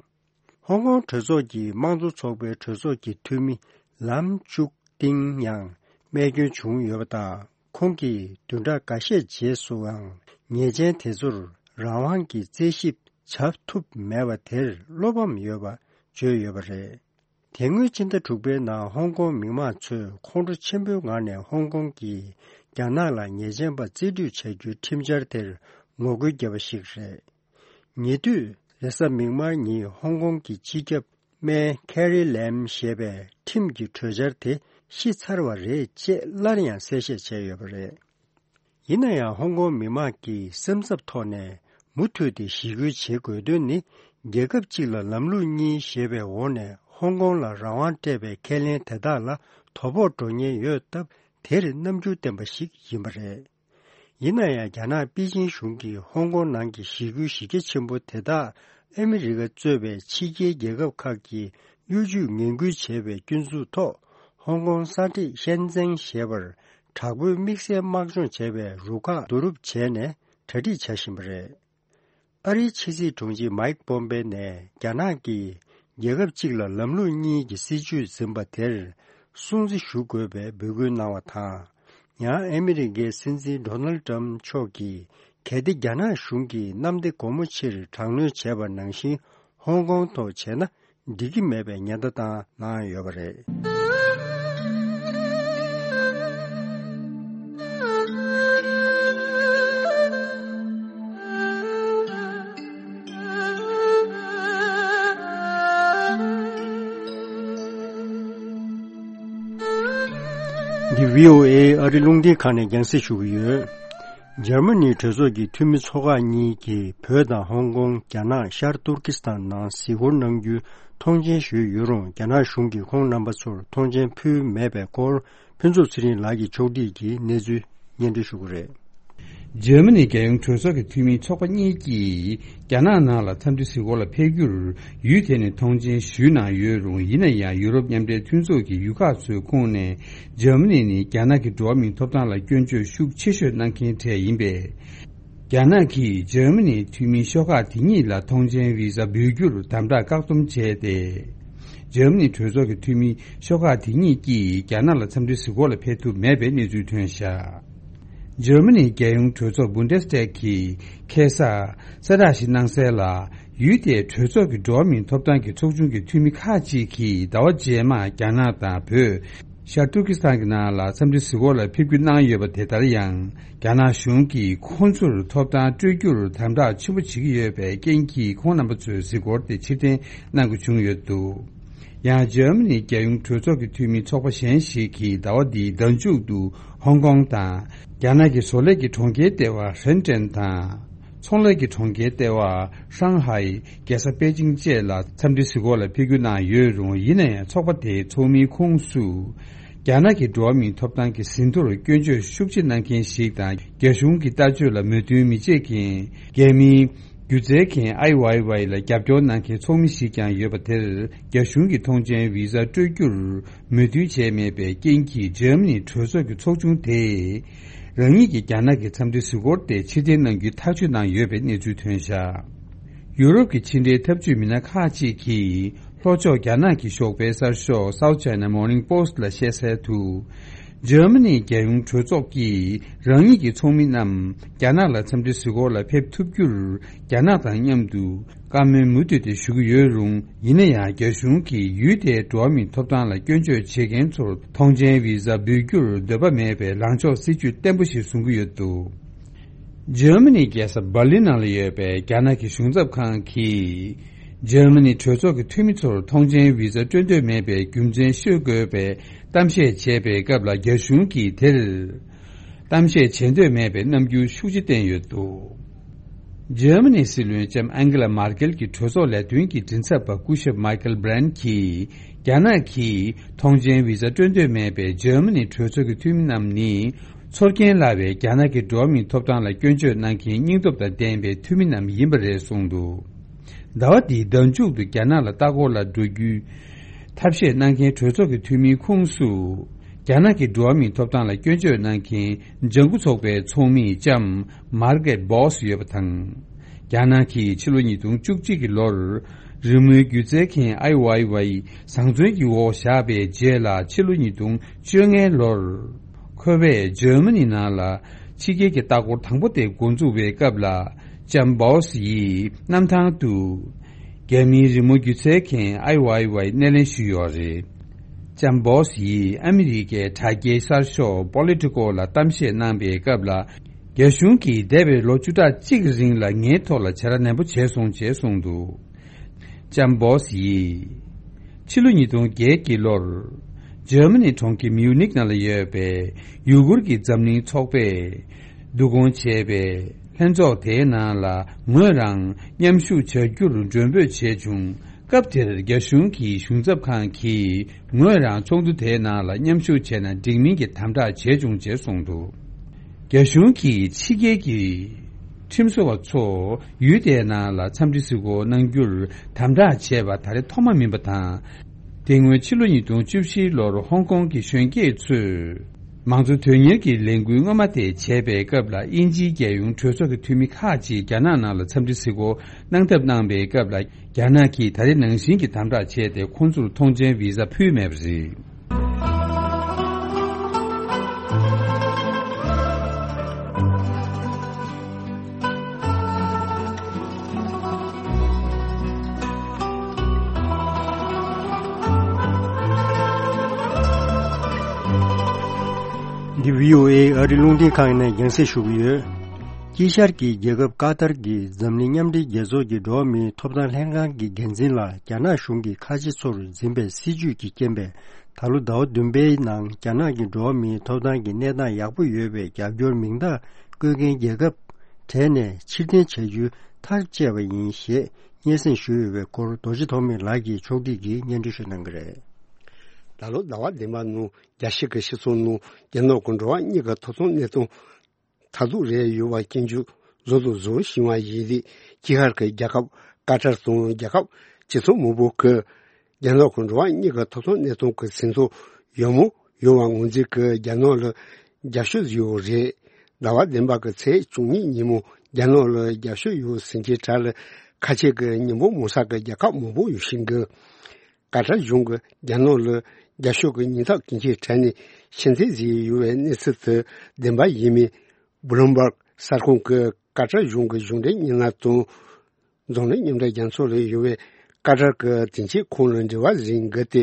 ཧོང་ཀོང་གྲོས་ཚོགས་ཀྱི་དམངས་གཙོ་ཚོགས་པའི་གྲོས་ཚོགས་ཀྱི་འཐུས་མི་ལམ་ཅུག་ཏིང་ཡང་རྨས་སྐྱོན་བྱུང་ཡོད་པ་དང་། ཁོང་གིས་བདུན་ཕྲག་འགའ་ཤས་རྗེས་སུའང་ཉེས་ཅན་དེ་ཚོར་རང་དབང་གི་རྩད་ཞིབ་བྱ་ཐུབ་མེད་པ་དེར་བློ་ཕམ་ཡོད་པ་བརྗོད་ཡོད་པ་རེད། དེ་སྔོན་ཕྱི་ཟླ་དྲུག་པའི་ནང་ཧོང་ཀོང་མི་མང་ཚོས་ཁོང་ཁྲོ་ཆེན་པོའི་ངང་ནས་ཧོང་ཀོང་གིས་རྒྱ་ནག་ལ་ཉེས་ཅན་པ་རྩིས་སྤྲོད་བྱ་རྒྱུའི་ཁྲིམས་འཆར་དེར་ངོ་རྒོལ་བརྒྱབ་པ་ཞིག་རེད། ཉེ་དུས་རེས་གཟའ་མིག་དམར་ཉིན་ཧོང་ཀོང་གི་སྤྱི་ཁྱབ་སྨན་ཁེ་རི་ལེམ་ཞེས་པས་ཁྲིམས་ཀྱི་གྲོས་འཆར་དེ་ཤི་ཚར་བ་རེད་ཅེས་སླར་ཡང་གསལ་བཤད་བྱས་ཡོད་པ་རེད། ཡིན་ན་ཡང་ཧོང་ཀོང་མི་མང་གི་སེམས་འཚབ་ཐོག་ནས་མུ་མཐུད་དེ་ཞི་རྒོལ་བྱེད་དགོས་དོན་ནི། རྒྱལ་ཁབ་གཅིག་ལ་ལམ་ལུགས་གཉིས་ཞེས་པའི་འོག་ནས་ཧོང་ཀོང་ལ་རང་དབང་སྤྲད་པའི་ཁས་ལེན་དེ་དག་ལ་དོ་ཕོག་འགྲོ་ཉེན་ཡོད་སྟབས། དེར་རྣམ་འགྱུར་བསྟན་པ་ཞིག་ཡིན་པ་རེད། ཡིན་ན་ཡང་། རྒྱ་ནག་པེ་ཅིང་གཞུང་གིས་ཧོང་ཀོང་ནང་གི་ཞི་རྒོལ་གཞི་རྒྱ་ཆེན་པོ་དེ་དག་ཨ་མི་རི་ཀ་གཙོས་པའི་ཕྱི་རྒྱལ་རྒྱལ་ཁབ་ཁག་གིས་གཡོ་ཇུས་ངན་སྐུལ་བྱས་པའི་སྐྱོན་འཛུགས་ཐོག་ཧོང་ཀོང་ས་ཁྲི་ཤན་ཙེང་ཞེས་པར་དྲག་པོའི་དམིགས་བསལ་དམག་སྦྱོང་བྱས་པའི་རུ་ཁག་བསྡུ་རུབ་བྱས་ནས་གྲ་སྒྲིག་བྱ་བཞིན་པ་རེད། ཨ་རིའི་ཕྱི་སྲིད་དྲུང་ཆེ་མཱིག་པོམ་པེ་ནས་རྒྱ་ནག་གིས་རྒྱལ་ཁབ་གཅིག་ལ་ལམ་ལུགས་གཉིས་ཀྱི་སྲིད་བྱུས་འཛིན་པ་དེར་སྲུང་བརྩི་ཞུ་དགོས་པའི་འབོད་སྐུལ་གནང་བ་དང་། ཡང་ཨ་མི་རི་ཀའི་སྲིད་འཛིན་ཌོ་ནལ་ཏྲམ་མཆོག་གིས། གལ་ཏེ་རྒྱ་ནག་གཞུང་གིས་གནམ་བདེ་སྒོ་མོ་ཆེར་དྲག་གནོན་བྱས་པ་ནང་བཞིན་ཧོང་ཀོང་ཐོག་བྱས་ན། འགྲིག་གི་མེད་པའི་ཉེན་བརྡ་བཏང་གནང་ཡོད་པ་རེད། འདི་བྷི་ཨོ་ཨེ་ཨ་རི་རླུང་འཕྲིན་ཁང་ནས་རྒྱང་སྲིང་ཞུ་གི་ཡོད། འཇར་མ་ནིའི་གྲོས་ཚོགས་ཀྱི་འཐུས་མི་ཚོ་ཁག་གཉིས་ཀྱིས་བོད་དང་ཧོང་ཀོང་། རྒྱ་ནག་ཤར་ཏུར་ཀི་སི་ཐན་ནང་གཟིགས་སྐོར་གནང་རྒྱུའི་ཐོངས་མཆན་ཞུས་ཡོད་རུང་། རྒྱ་ནག་གཞུང་གིས་ཁོང་རྣམ་པ་ཚོར་ཐོངས་མཆན་ཕུལ་མེད་པའི་སྐོར། ཕུན་ཚོགས་ཚེ་རིང་ལགས་ཀྱིས་ཕྱོགས་སྒྲིག་གིས་གནས་ཚུལ་སྙན་སྒྲོན་ཞུ་གི་རེད། འཇར་མ་ནིའི་རྒྱལ་ཡོངས་གྲོས་ཚོགས་ཀྱི་འཐུས་མི་ཚོགས་པ་གཉིས་ཀྱིས་རྒྱ་ནག་ནང་ལ་འཚམས་འདྲི་གཟིགས་སྐོར་ལ་ཕེབས་རྒྱུར་ཡུལ་དེ་ནས་ཐོངས་མཆན་ཞུས་གནང་ཡོད་རུང་། ཡིན་ན་ཡང་ཡུ་རོབ་མཉམ་འབྲེལ་མཐུན་ཚོགས་ཀྱི་ཡུལ་ཁག་ཚོའི་ཁོངས་ནས་འཇར་མ་ནི་ནི་རྒྱ་ནག་གི་འགྲོ་བ་མིའི་ཐོབ་ཐང་ལ་སྐྱོན་བརྗོད་ཤུགས་ཆེ་ཤོས་གནང་མཁན་གྲས་ཡིན་པས། རྒྱ་ནག་གིས་འཇར་མ་ནིའི་འཐུས་མི་ཤོག་ཁག་དེ་གཉིས་ལ་ཐོངས་མཆན་བི་ཟ་འབུལ་རྒྱུར་དམ་དྲག་བཀག་སྡོམ་བྱས་ཏེ། འཇར་མ་ནིའི་གྲོས་ཚོགས་ཀྱི་འཐུས་མི་ཤོག་ཁག་དེ་གཉིས་ཀྱིས་རྒྱ་ནག་ལ་འཚམས་འདྲི་གཟིགས་སྐོར་ལ་ཕེབས་ཐུབ་མེད་པའི་གནས་ཚུལ་ཐོན་བཞག་འཇར་མ་ནིའི་རྒྱལ་ཡོངས་གྲོས་ཚོགས་བུན་ཌེ་སི་ཊེག་གིས་ཁ་སང་གསལ་བསྒྲགས་ཤིག་གནང་གསལ་ལ། ཡུལ་དེའི་གྲོས་ཚོགས་ཀྱི་འགྲོ་བ་མིའི་ཐོབ་ཐང་གི་ཚོགས་ཆུང་གི་འཐུས་མི་ཁག་ཅིག་གིས་ཟླ་བ་རྗེས་མར་རྒྱ་ནག་དང་བོད། ཤར་ཏུར་ཀི་སི་ཐན་གྱི་ནང་ལ་འཚམས་འདྲི་གཟིགས་སྐོར་ལ་ཕེབས་སྐུལ་གནང་ཡོད་པ་དེ་ལྟར་ཡང་། རྒྱ་ནག་གཞུང་གིས་ཁོང་ཚོར་ཐོབ་ཐང་སྤྲོད་རྒྱུར་དམ་དྲག་ཆེན་པོ་བྱེད་ཀྱི་ཡོད་པའི་རྐྱེན་གྱིས། ཁོང་རྣམ་པ་ཚོའི་གཟིགས་སྐོར་དེ་ཕྱིར་འཐེན་གནང་དགོས་བྱུང་ཡོད་འདུག་ཡང་འཇར་མ་ནིའི་རྒྱལ་ཡོངས་གྲོས་ཚོགས་ཀྱི་འཐུས་མི་ཚོགས་པ་གཞན་ཞིག་གིས་ཟླ་བ་འདིའི་ཟླ་མཇུག་ཏུ་ཧོང་ཀོང་དང་། རྒྱ་ནག་གི་བཟོ་ལས་ཀྱི་གྲོང་ཁྱེར་ལྟེ་བ་ཧྲེན་ཀྲེན་དང་། ཚོང་ལས་ཀྱི་གྲོང་ཁྱེར་ལྟེ་བ་ཧྲང་ཧའེ། རྒྱལ་ས་པེ་ཅིང་བཅས་ལ་འཚམས་འདྲི་གཟིགས་སྐོར་ལ་ཕེབས་སྐུལ་གནང་ཡོད་རུང་། ཡིན་ན་ཡང་ཚོགས་པ་དེའི་ཚོགས་མིའི་ཁོངས་སུ། རྒྱ་ནག་གི་འགྲོ་བ་མིའི་ཐོབ་ཐང་གི་ཟིན་ཐོར་སྐྱོན་བརྗོད་ཤུགས་ཆེ་གནང་མཁན་ཞིག་དང་། རྒྱ་གཞུང་གི་ལྟ་སྤྱོད་ལ་མོས་མཐུན་མི་བྱེད་མཁན། རྒྱ་མིའི་སྒྱུ་རྩལ་མཁན་ཨའི་ཝའི་ཝའི་ལ་རྒྱབ་སྐྱོར་གནང་མཁན་ཚོགས་མི་ཞིག་ཀྱང་ཡོད་པ་དེར། རྒྱ་གཞུང་གིས་ཐོངས་མཆན་བི་ཟ་སྤྲོད་རྒྱུར་མོས་མཐུན་བྱས་མེད་པའི་རྐྱེན་གྱིས། འཇར་མ་ནིའི་གྲོས་ཚོགས་ཀྱི་ཚོགས་ཆུང་དེས་རང་ཉིད་ཀྱི་རྒྱ་ནག་གི་འཚམས་འདྲི་གཟིགས་སྐོར་དེ་ཕྱིར་འཐེན་གནང་རྒྱུའི་ཐག་གཅོད་གནང་ཡོད་པའི་གནས་ཚུལ་ཐོན་བཞག་ཡུ་རོབ་ཀྱི་ཕྱི་འབྲེལ་འཐབ་ཇུས་མི་སྣ་ཁག་ཅིག་གིས། ལྷོ་ཕྱོགས་རྒྱ་ནག་གི་ཞོགས་པའི་གསར་ཤོག་South China Morning Post་ལ་བཤད་གསལ་དུ། འཇར་མ་ནིའི་རྒྱལ་ཡོངས་གྲོས་ཚོགས་ཀྱིས་རང་ཉིད་ཀྱི་ཚོགས་མི་རྣམས་རྒྱ་ནག་ལ་འཚམས་འདྲི་གཟིགས་སྐོར་ལ་ཕེབས་ཐུབ་རྒྱུར། རྒྱ་ནག་དང་མཉམ་དུ་བཀའ་མོལ་མུ་མཐུད་དེ་ཞུ་གི་ཡོད་རུང་། ཡིན་ན་ཡང་། རྒྱ་གཞུང་གིས་ཡུལ་དེའི་འགྲོ་བ་མིའི་ཐོབ་ཐང་ལ་སྐྱོན་བརྗོད་བྱེད་མཁན་ཚོར་ཐོངས་མཆན་བི་ཟ་འབུལ་རྒྱུར་འདོད་པ་མེད་པའི་ལངས་ཕྱོགས་སྲིད་ཇུས་བརྟན་པོ་ཞིག་བཟུང་གི་ཡོད་འདུག་འཇར་མ་ནིའི་རྒྱལ་ས་འབར་ལིན་ནང་ལ་ཡོད་པའི་རྒྱ་ནག་གི་གཞུང་ཚབ་ཁང་གིས། འཇར་མ་ནིའི་གྲོས་ཚོགས་ཀྱི་འཐུས་མི་ཚོར་ཐོངས་མཆན་བི་ཟ་སྤྲོད་འདོད་མེད་པའི་རྒྱུ་མཚན་ཤོད་དགོས་པའི་གཏམ་བཤད་བྱས་པའི་སྐབས་ལ། རྒྱ་གཞུང་གིས་དེར་གཏམ་བཤད་བྱེད་འདོད་མེད་པའི་རྣམ་འགྱུར་ཤུགས་ཆེ་བསྟན་ཡོད་འདུག་འཇར་མ་ནིའི་སྲིད་བློན་ལྕམ་ཨན་གེ་ལ་མར་ཀེལ་གྱིས་གྲོས་ཚོགས་ལས་དོན་གྱི་མགྲིན་ཚབ་པ་སྐུ་ཞབས་མའི་ཀལ་བྷི་རན་གྱིས། རྒྱ་ནག་གིས་ཐོངས་མཆན་བི་ཟ་སྤྲོད་འདོད་མེད་པའི་འཇར་མ་ནིའི་གྲོས་ཚོགས་ཀྱི་འཐུས་མི་རྣམས་ནི། ཚོར་སྐྱེན་སླ་བའི་རྒྱ་ནག་གི་འགྲོ་བ་མིའི་ཐོབ་ཐང་ལ་སྐྱོན་བརྗོད་གནང་མཁན་སྙིང་སྟོབས་དང་ལྡན་པའི་འཐུས་མི་རྣམས་ཡིན་པ་རེད་གསུངས་འདུག་ཟླ་བ་འདིའི་ཟླ་མཇུག་ཏུ་རྒྱ་ནག་ལ་ལྟ་སྐོར་ལ་འགྲོ་རྒྱུའི་ཐབས་ཤེས་གནང་མཁན་གྲོས་ཚོགས་ཀྱི་འཐུས་མིའི་ཁོངས་སུ། རྒྱ་ནག་གི་འགྲོ་བ་མིའི་ཐོབ་ཐང་ལ་སྐྱོན་བརྗོད་གནང་མཁན་ལྗང་ཁུ་ཚོགས་པའི་ཚོགས་མི་ལྕམ་མར་གེ་རེད་བྷོ་སི་ཡོད་པ་དང་། རྒྱ་ནག་གིས་ཕྱི་ལོ་ཉིས་སྟོང་བཅུ་གཅིག་གི་ལོར། རི་མོའི་སྒྱུ་རྩལ་མཁན་ཨའི་ཝའི་ཝའི་བཟང་བཙོན་གྱི་འོག་བཞག་པའི་རྗེས་ལ། ཕྱི་ལོ་ཉིས་སྟོང་བཅོ་ལྔའི་ལོར། ཁོ་པས་འཇར་མ་ནི་ནང་ལ་ཕྱི་རྒྱལ་གྱི་ལྟ་སྐོར་དང་པོ་དེ་འགོ་འཛུགས་པའི་སྐབས་ལ། ལྕམ་བྷོ་སི་ཡིས་གནམ་ཐང་དུ། རྒྱ་མིའི་རི་མོ་སྒྱུ་རྩལ་མཁན་ཨའི་ཝའི་ཝའི་སྣེ་ལེན་ཞུས་ཡོད་རེད། ལྕམ་བྷོ་སི་ཡིས་ཨ་མི་རི་ཀའི་དྲ་རྒྱའི་གསར་ཤོག་Politico་ལ་གཏམ་བཤད་གནང་པའི་སྐབས་ལ། རྒྱ་གཞུང་གིས་འདས་པའི་ལོ་བཅུ་ཕྲག་གཅིག་རིང་ལ་ངའི་ཐོག་ལ་བྱ་ར་ནན་པོ་བྱས་སོང་ཅེས་གསུངས་འདུག་ལྕམ་བྷོ་སི་ཡིས། ཕྱི་ལོ་ཉིས་སྟོང་བརྒྱད་ཀྱི་ལོར། འཇར་མ་ནི་གྲོང་ཁྱེར་མིའུ་ནིག་ནང་ལ་ཡོད་པའི་ཡུ་གུར་གྱི་འཛམ་གླིང་ཚོགས་པས་བསྡུ་སྐོང་བྱས་པའི་ལྷན་ཚོགས་དེའི་ནང་ལ་ངོས་རང་མཉམ་ཞུགས་བྱ་རྒྱུར་མགྲོན་འབོད་བྱས་བྱུང་། སྐབས་དེར་རྒྱ་གཞུང་གི་གཞུང་ཚབ་ཁང་གིས་ངོས་རང་ཚོགས་འདུ་དེའི་ནང་ལ་མཉམ་ཞུགས་བྱས་ན་འགྲིག་མིན་གྱི་དམ་དྲག་བྱས་བྱུང་ཅེས་གསུངས་འདུག་རྒྱ་གཞུང་གིས་ཕྱི་རྒྱལ་གྱི་ཁྲིམས་བཟོ་བ་ཚོ་ཡུལ་དེའི་ནང་ལ་འཚམས་འདྲི་གཟིགས་སྐོར་གནང་རྒྱུར་དམ་དྲག་བྱས་པ་ད་རེས་ཐོག་མ་མིན་པ་དང་། དེ་སྔོན་ཕྱི་ལོ་ཉིས་སྟོང་བཅུ་བཞིའི་ལོར་ཧོང་ཀོང་གི་གཞོན་སྐྱེས་ཚོས་མང་གཙོ་དོན་གཉེར་གྱི་ལས་འགུལ་སྔོན་མ་དེ་བྱས་པའི་སྐབས་ལ། དབྱིན་ཇིའི་རྒྱལ་ཡོངས་གྲོས་ཚོགས་ཀྱི་འཐུས་མི་ཁག་ཅིག་རྒྱ་ནག་ནང་ལ་འཚམས་འདྲི་གཟིགས་སྐོར་གནང་ཐབས་གནང་པའི་སྐབས་ལ། རྒྱ་ནག་གིས་ད་རེས་ནང་བཞིན་གྱི་དམ་དྲག་བྱས་ཏེ། ཁོང་ཚོར་ཐོངས་མཆན་བི་ཟ་ཕུལ་མེད་པ་རེད། འདི་བྷི་ཨོ་ཨེ་ཨ་རི་རླུང་འཕྲིན་ཁང་ཡིན་ནས་རྒྱང་སྲིང་ཞུ་གི་ཡོད། དཀྱིལ་ཤར་གྱི་རྒྱལ་ཁབ་ཀ་ཏར་གྱི་འཛམ་གླིང་མཉམ་འབྲེལ་རྒྱལ་ཚོགས་ཀྱི་འགྲོ་བ་མིའི་ཐོབ་ཐང་ལྷན་ཁང་གི་འགན་འཛིན་ལ་རྒྱ་ནག་གཞུང་གིས་ཁ་ཆེ་ཚོར་འཛིན་པའི་སྲིད་ཇུས་ཀྱི་རྐྱེན་པས། ད་ལོ་ཟླ་བ་བདུན་པའི་ནང་རྒྱ་ནག་གི་འགྲོ་བ་མིའི་ཐོབ་ཐང་གི་གནས་སྟངས་ཡག་པོ་ཡོད་པའི་རྒྱབ་སྐྱོར་མིང་རྟགས་བཀོད་མཁན་རྒྱལ་ཁབ་གྲས་ནས་ཕྱིར་འཐེན་བྱ་རྒྱུའི་མཐར་བཅད་པ་ཡིན་ཞེས་སྙན་སེང་ཞུས་ཡོད་པའི་སྐོར་རྡོ་རྗེ་ཐོགས་མེད་ལགས་ཀྱིས་ཕྱོགས་སྒྲིག་གིས་སྙན་སྒྲོན་ཞུ་གནང་གི་རེད། ད་ལོ་ཟླ་བ་བདུན་པ་ནང་རྒྱལ་སྤྱི་གི་སྤྱི་ཚོགས་ནང་རྒྱ་ནག་གི་འགྲོ་བ་མིའི་ཐོབ་ཐང་གནས་སྟངས་མཐར་ཐུག་རེད་ཡོད་པ་སྐྱོན་བརྗོད་བཟོ་དང་བཟོ་བཞིན་པ་ཡིན་དུས། དཀྱིལ་ཤར་གྱི་རྒྱལ་ཁབ་ཀ་ཏར་དང་རྒྱལ་ཁབ་སྤྱི་ཚོགས་མང་པོ་གིས་རྒྱ་ནག་གི་འགྲོ་བ་མིའི་ཐོབ་ཐང་གནས་སྟངས་ཀྱི་ཟིན་ཐོ་ཡག་མོ་ཡོད་པ་ངོས་འཛིན་གྱིས་རྒྱ་ནག་ལ་རྒྱབ་སྐྱོར་བཟོས་ཡོད་རེད། ཟླ་བ་བདུན་པ་གི་ཚེས་བཅུ་གཉིས་ཉིན་མོ་རྒྱ་ནག་ལ་རྒྱབ་སྐྱོར་ཡོད་ཟེར་མཁན་གྲས་ལ་ཁ་ཆེ་གི་མི་འབོར་མང་ས་གི་རྒྱལ་ཁབ་མང་པོ་ཡོད་བཞིན་གི། ཀ་ཏར་གཞུང་གིས་རྒྱ་ནག་ལ་རྒྱབ་སྐྱོར་གྱི་སྙན་ཐོ་སྐྱོན་ཆའི་གྲས་ནས་ཕྱིར་འཐེན་བཟོས་ཡོད་པའི་གནས་ཚུལ་དེ་བདེན་པ་ཡིན་མིན། བྷུ་ལུམ་བྷག་གསར་ཁང་གིས་ཀ་ཏར་གཞུང་གི་གཞུང་འབྲེལ་བརྙན་ལམ་དང་། འཛམ་གླིང་མཉམ་འབྲེལ་རྒྱལ་ཚོགས་ལ་ཡོད་པའི་ཀ་ཏར་གྱི་དོན་གཅོད་ཁང་ལ་འབྲེལ་བ་བཟོས་འགོ་དེ་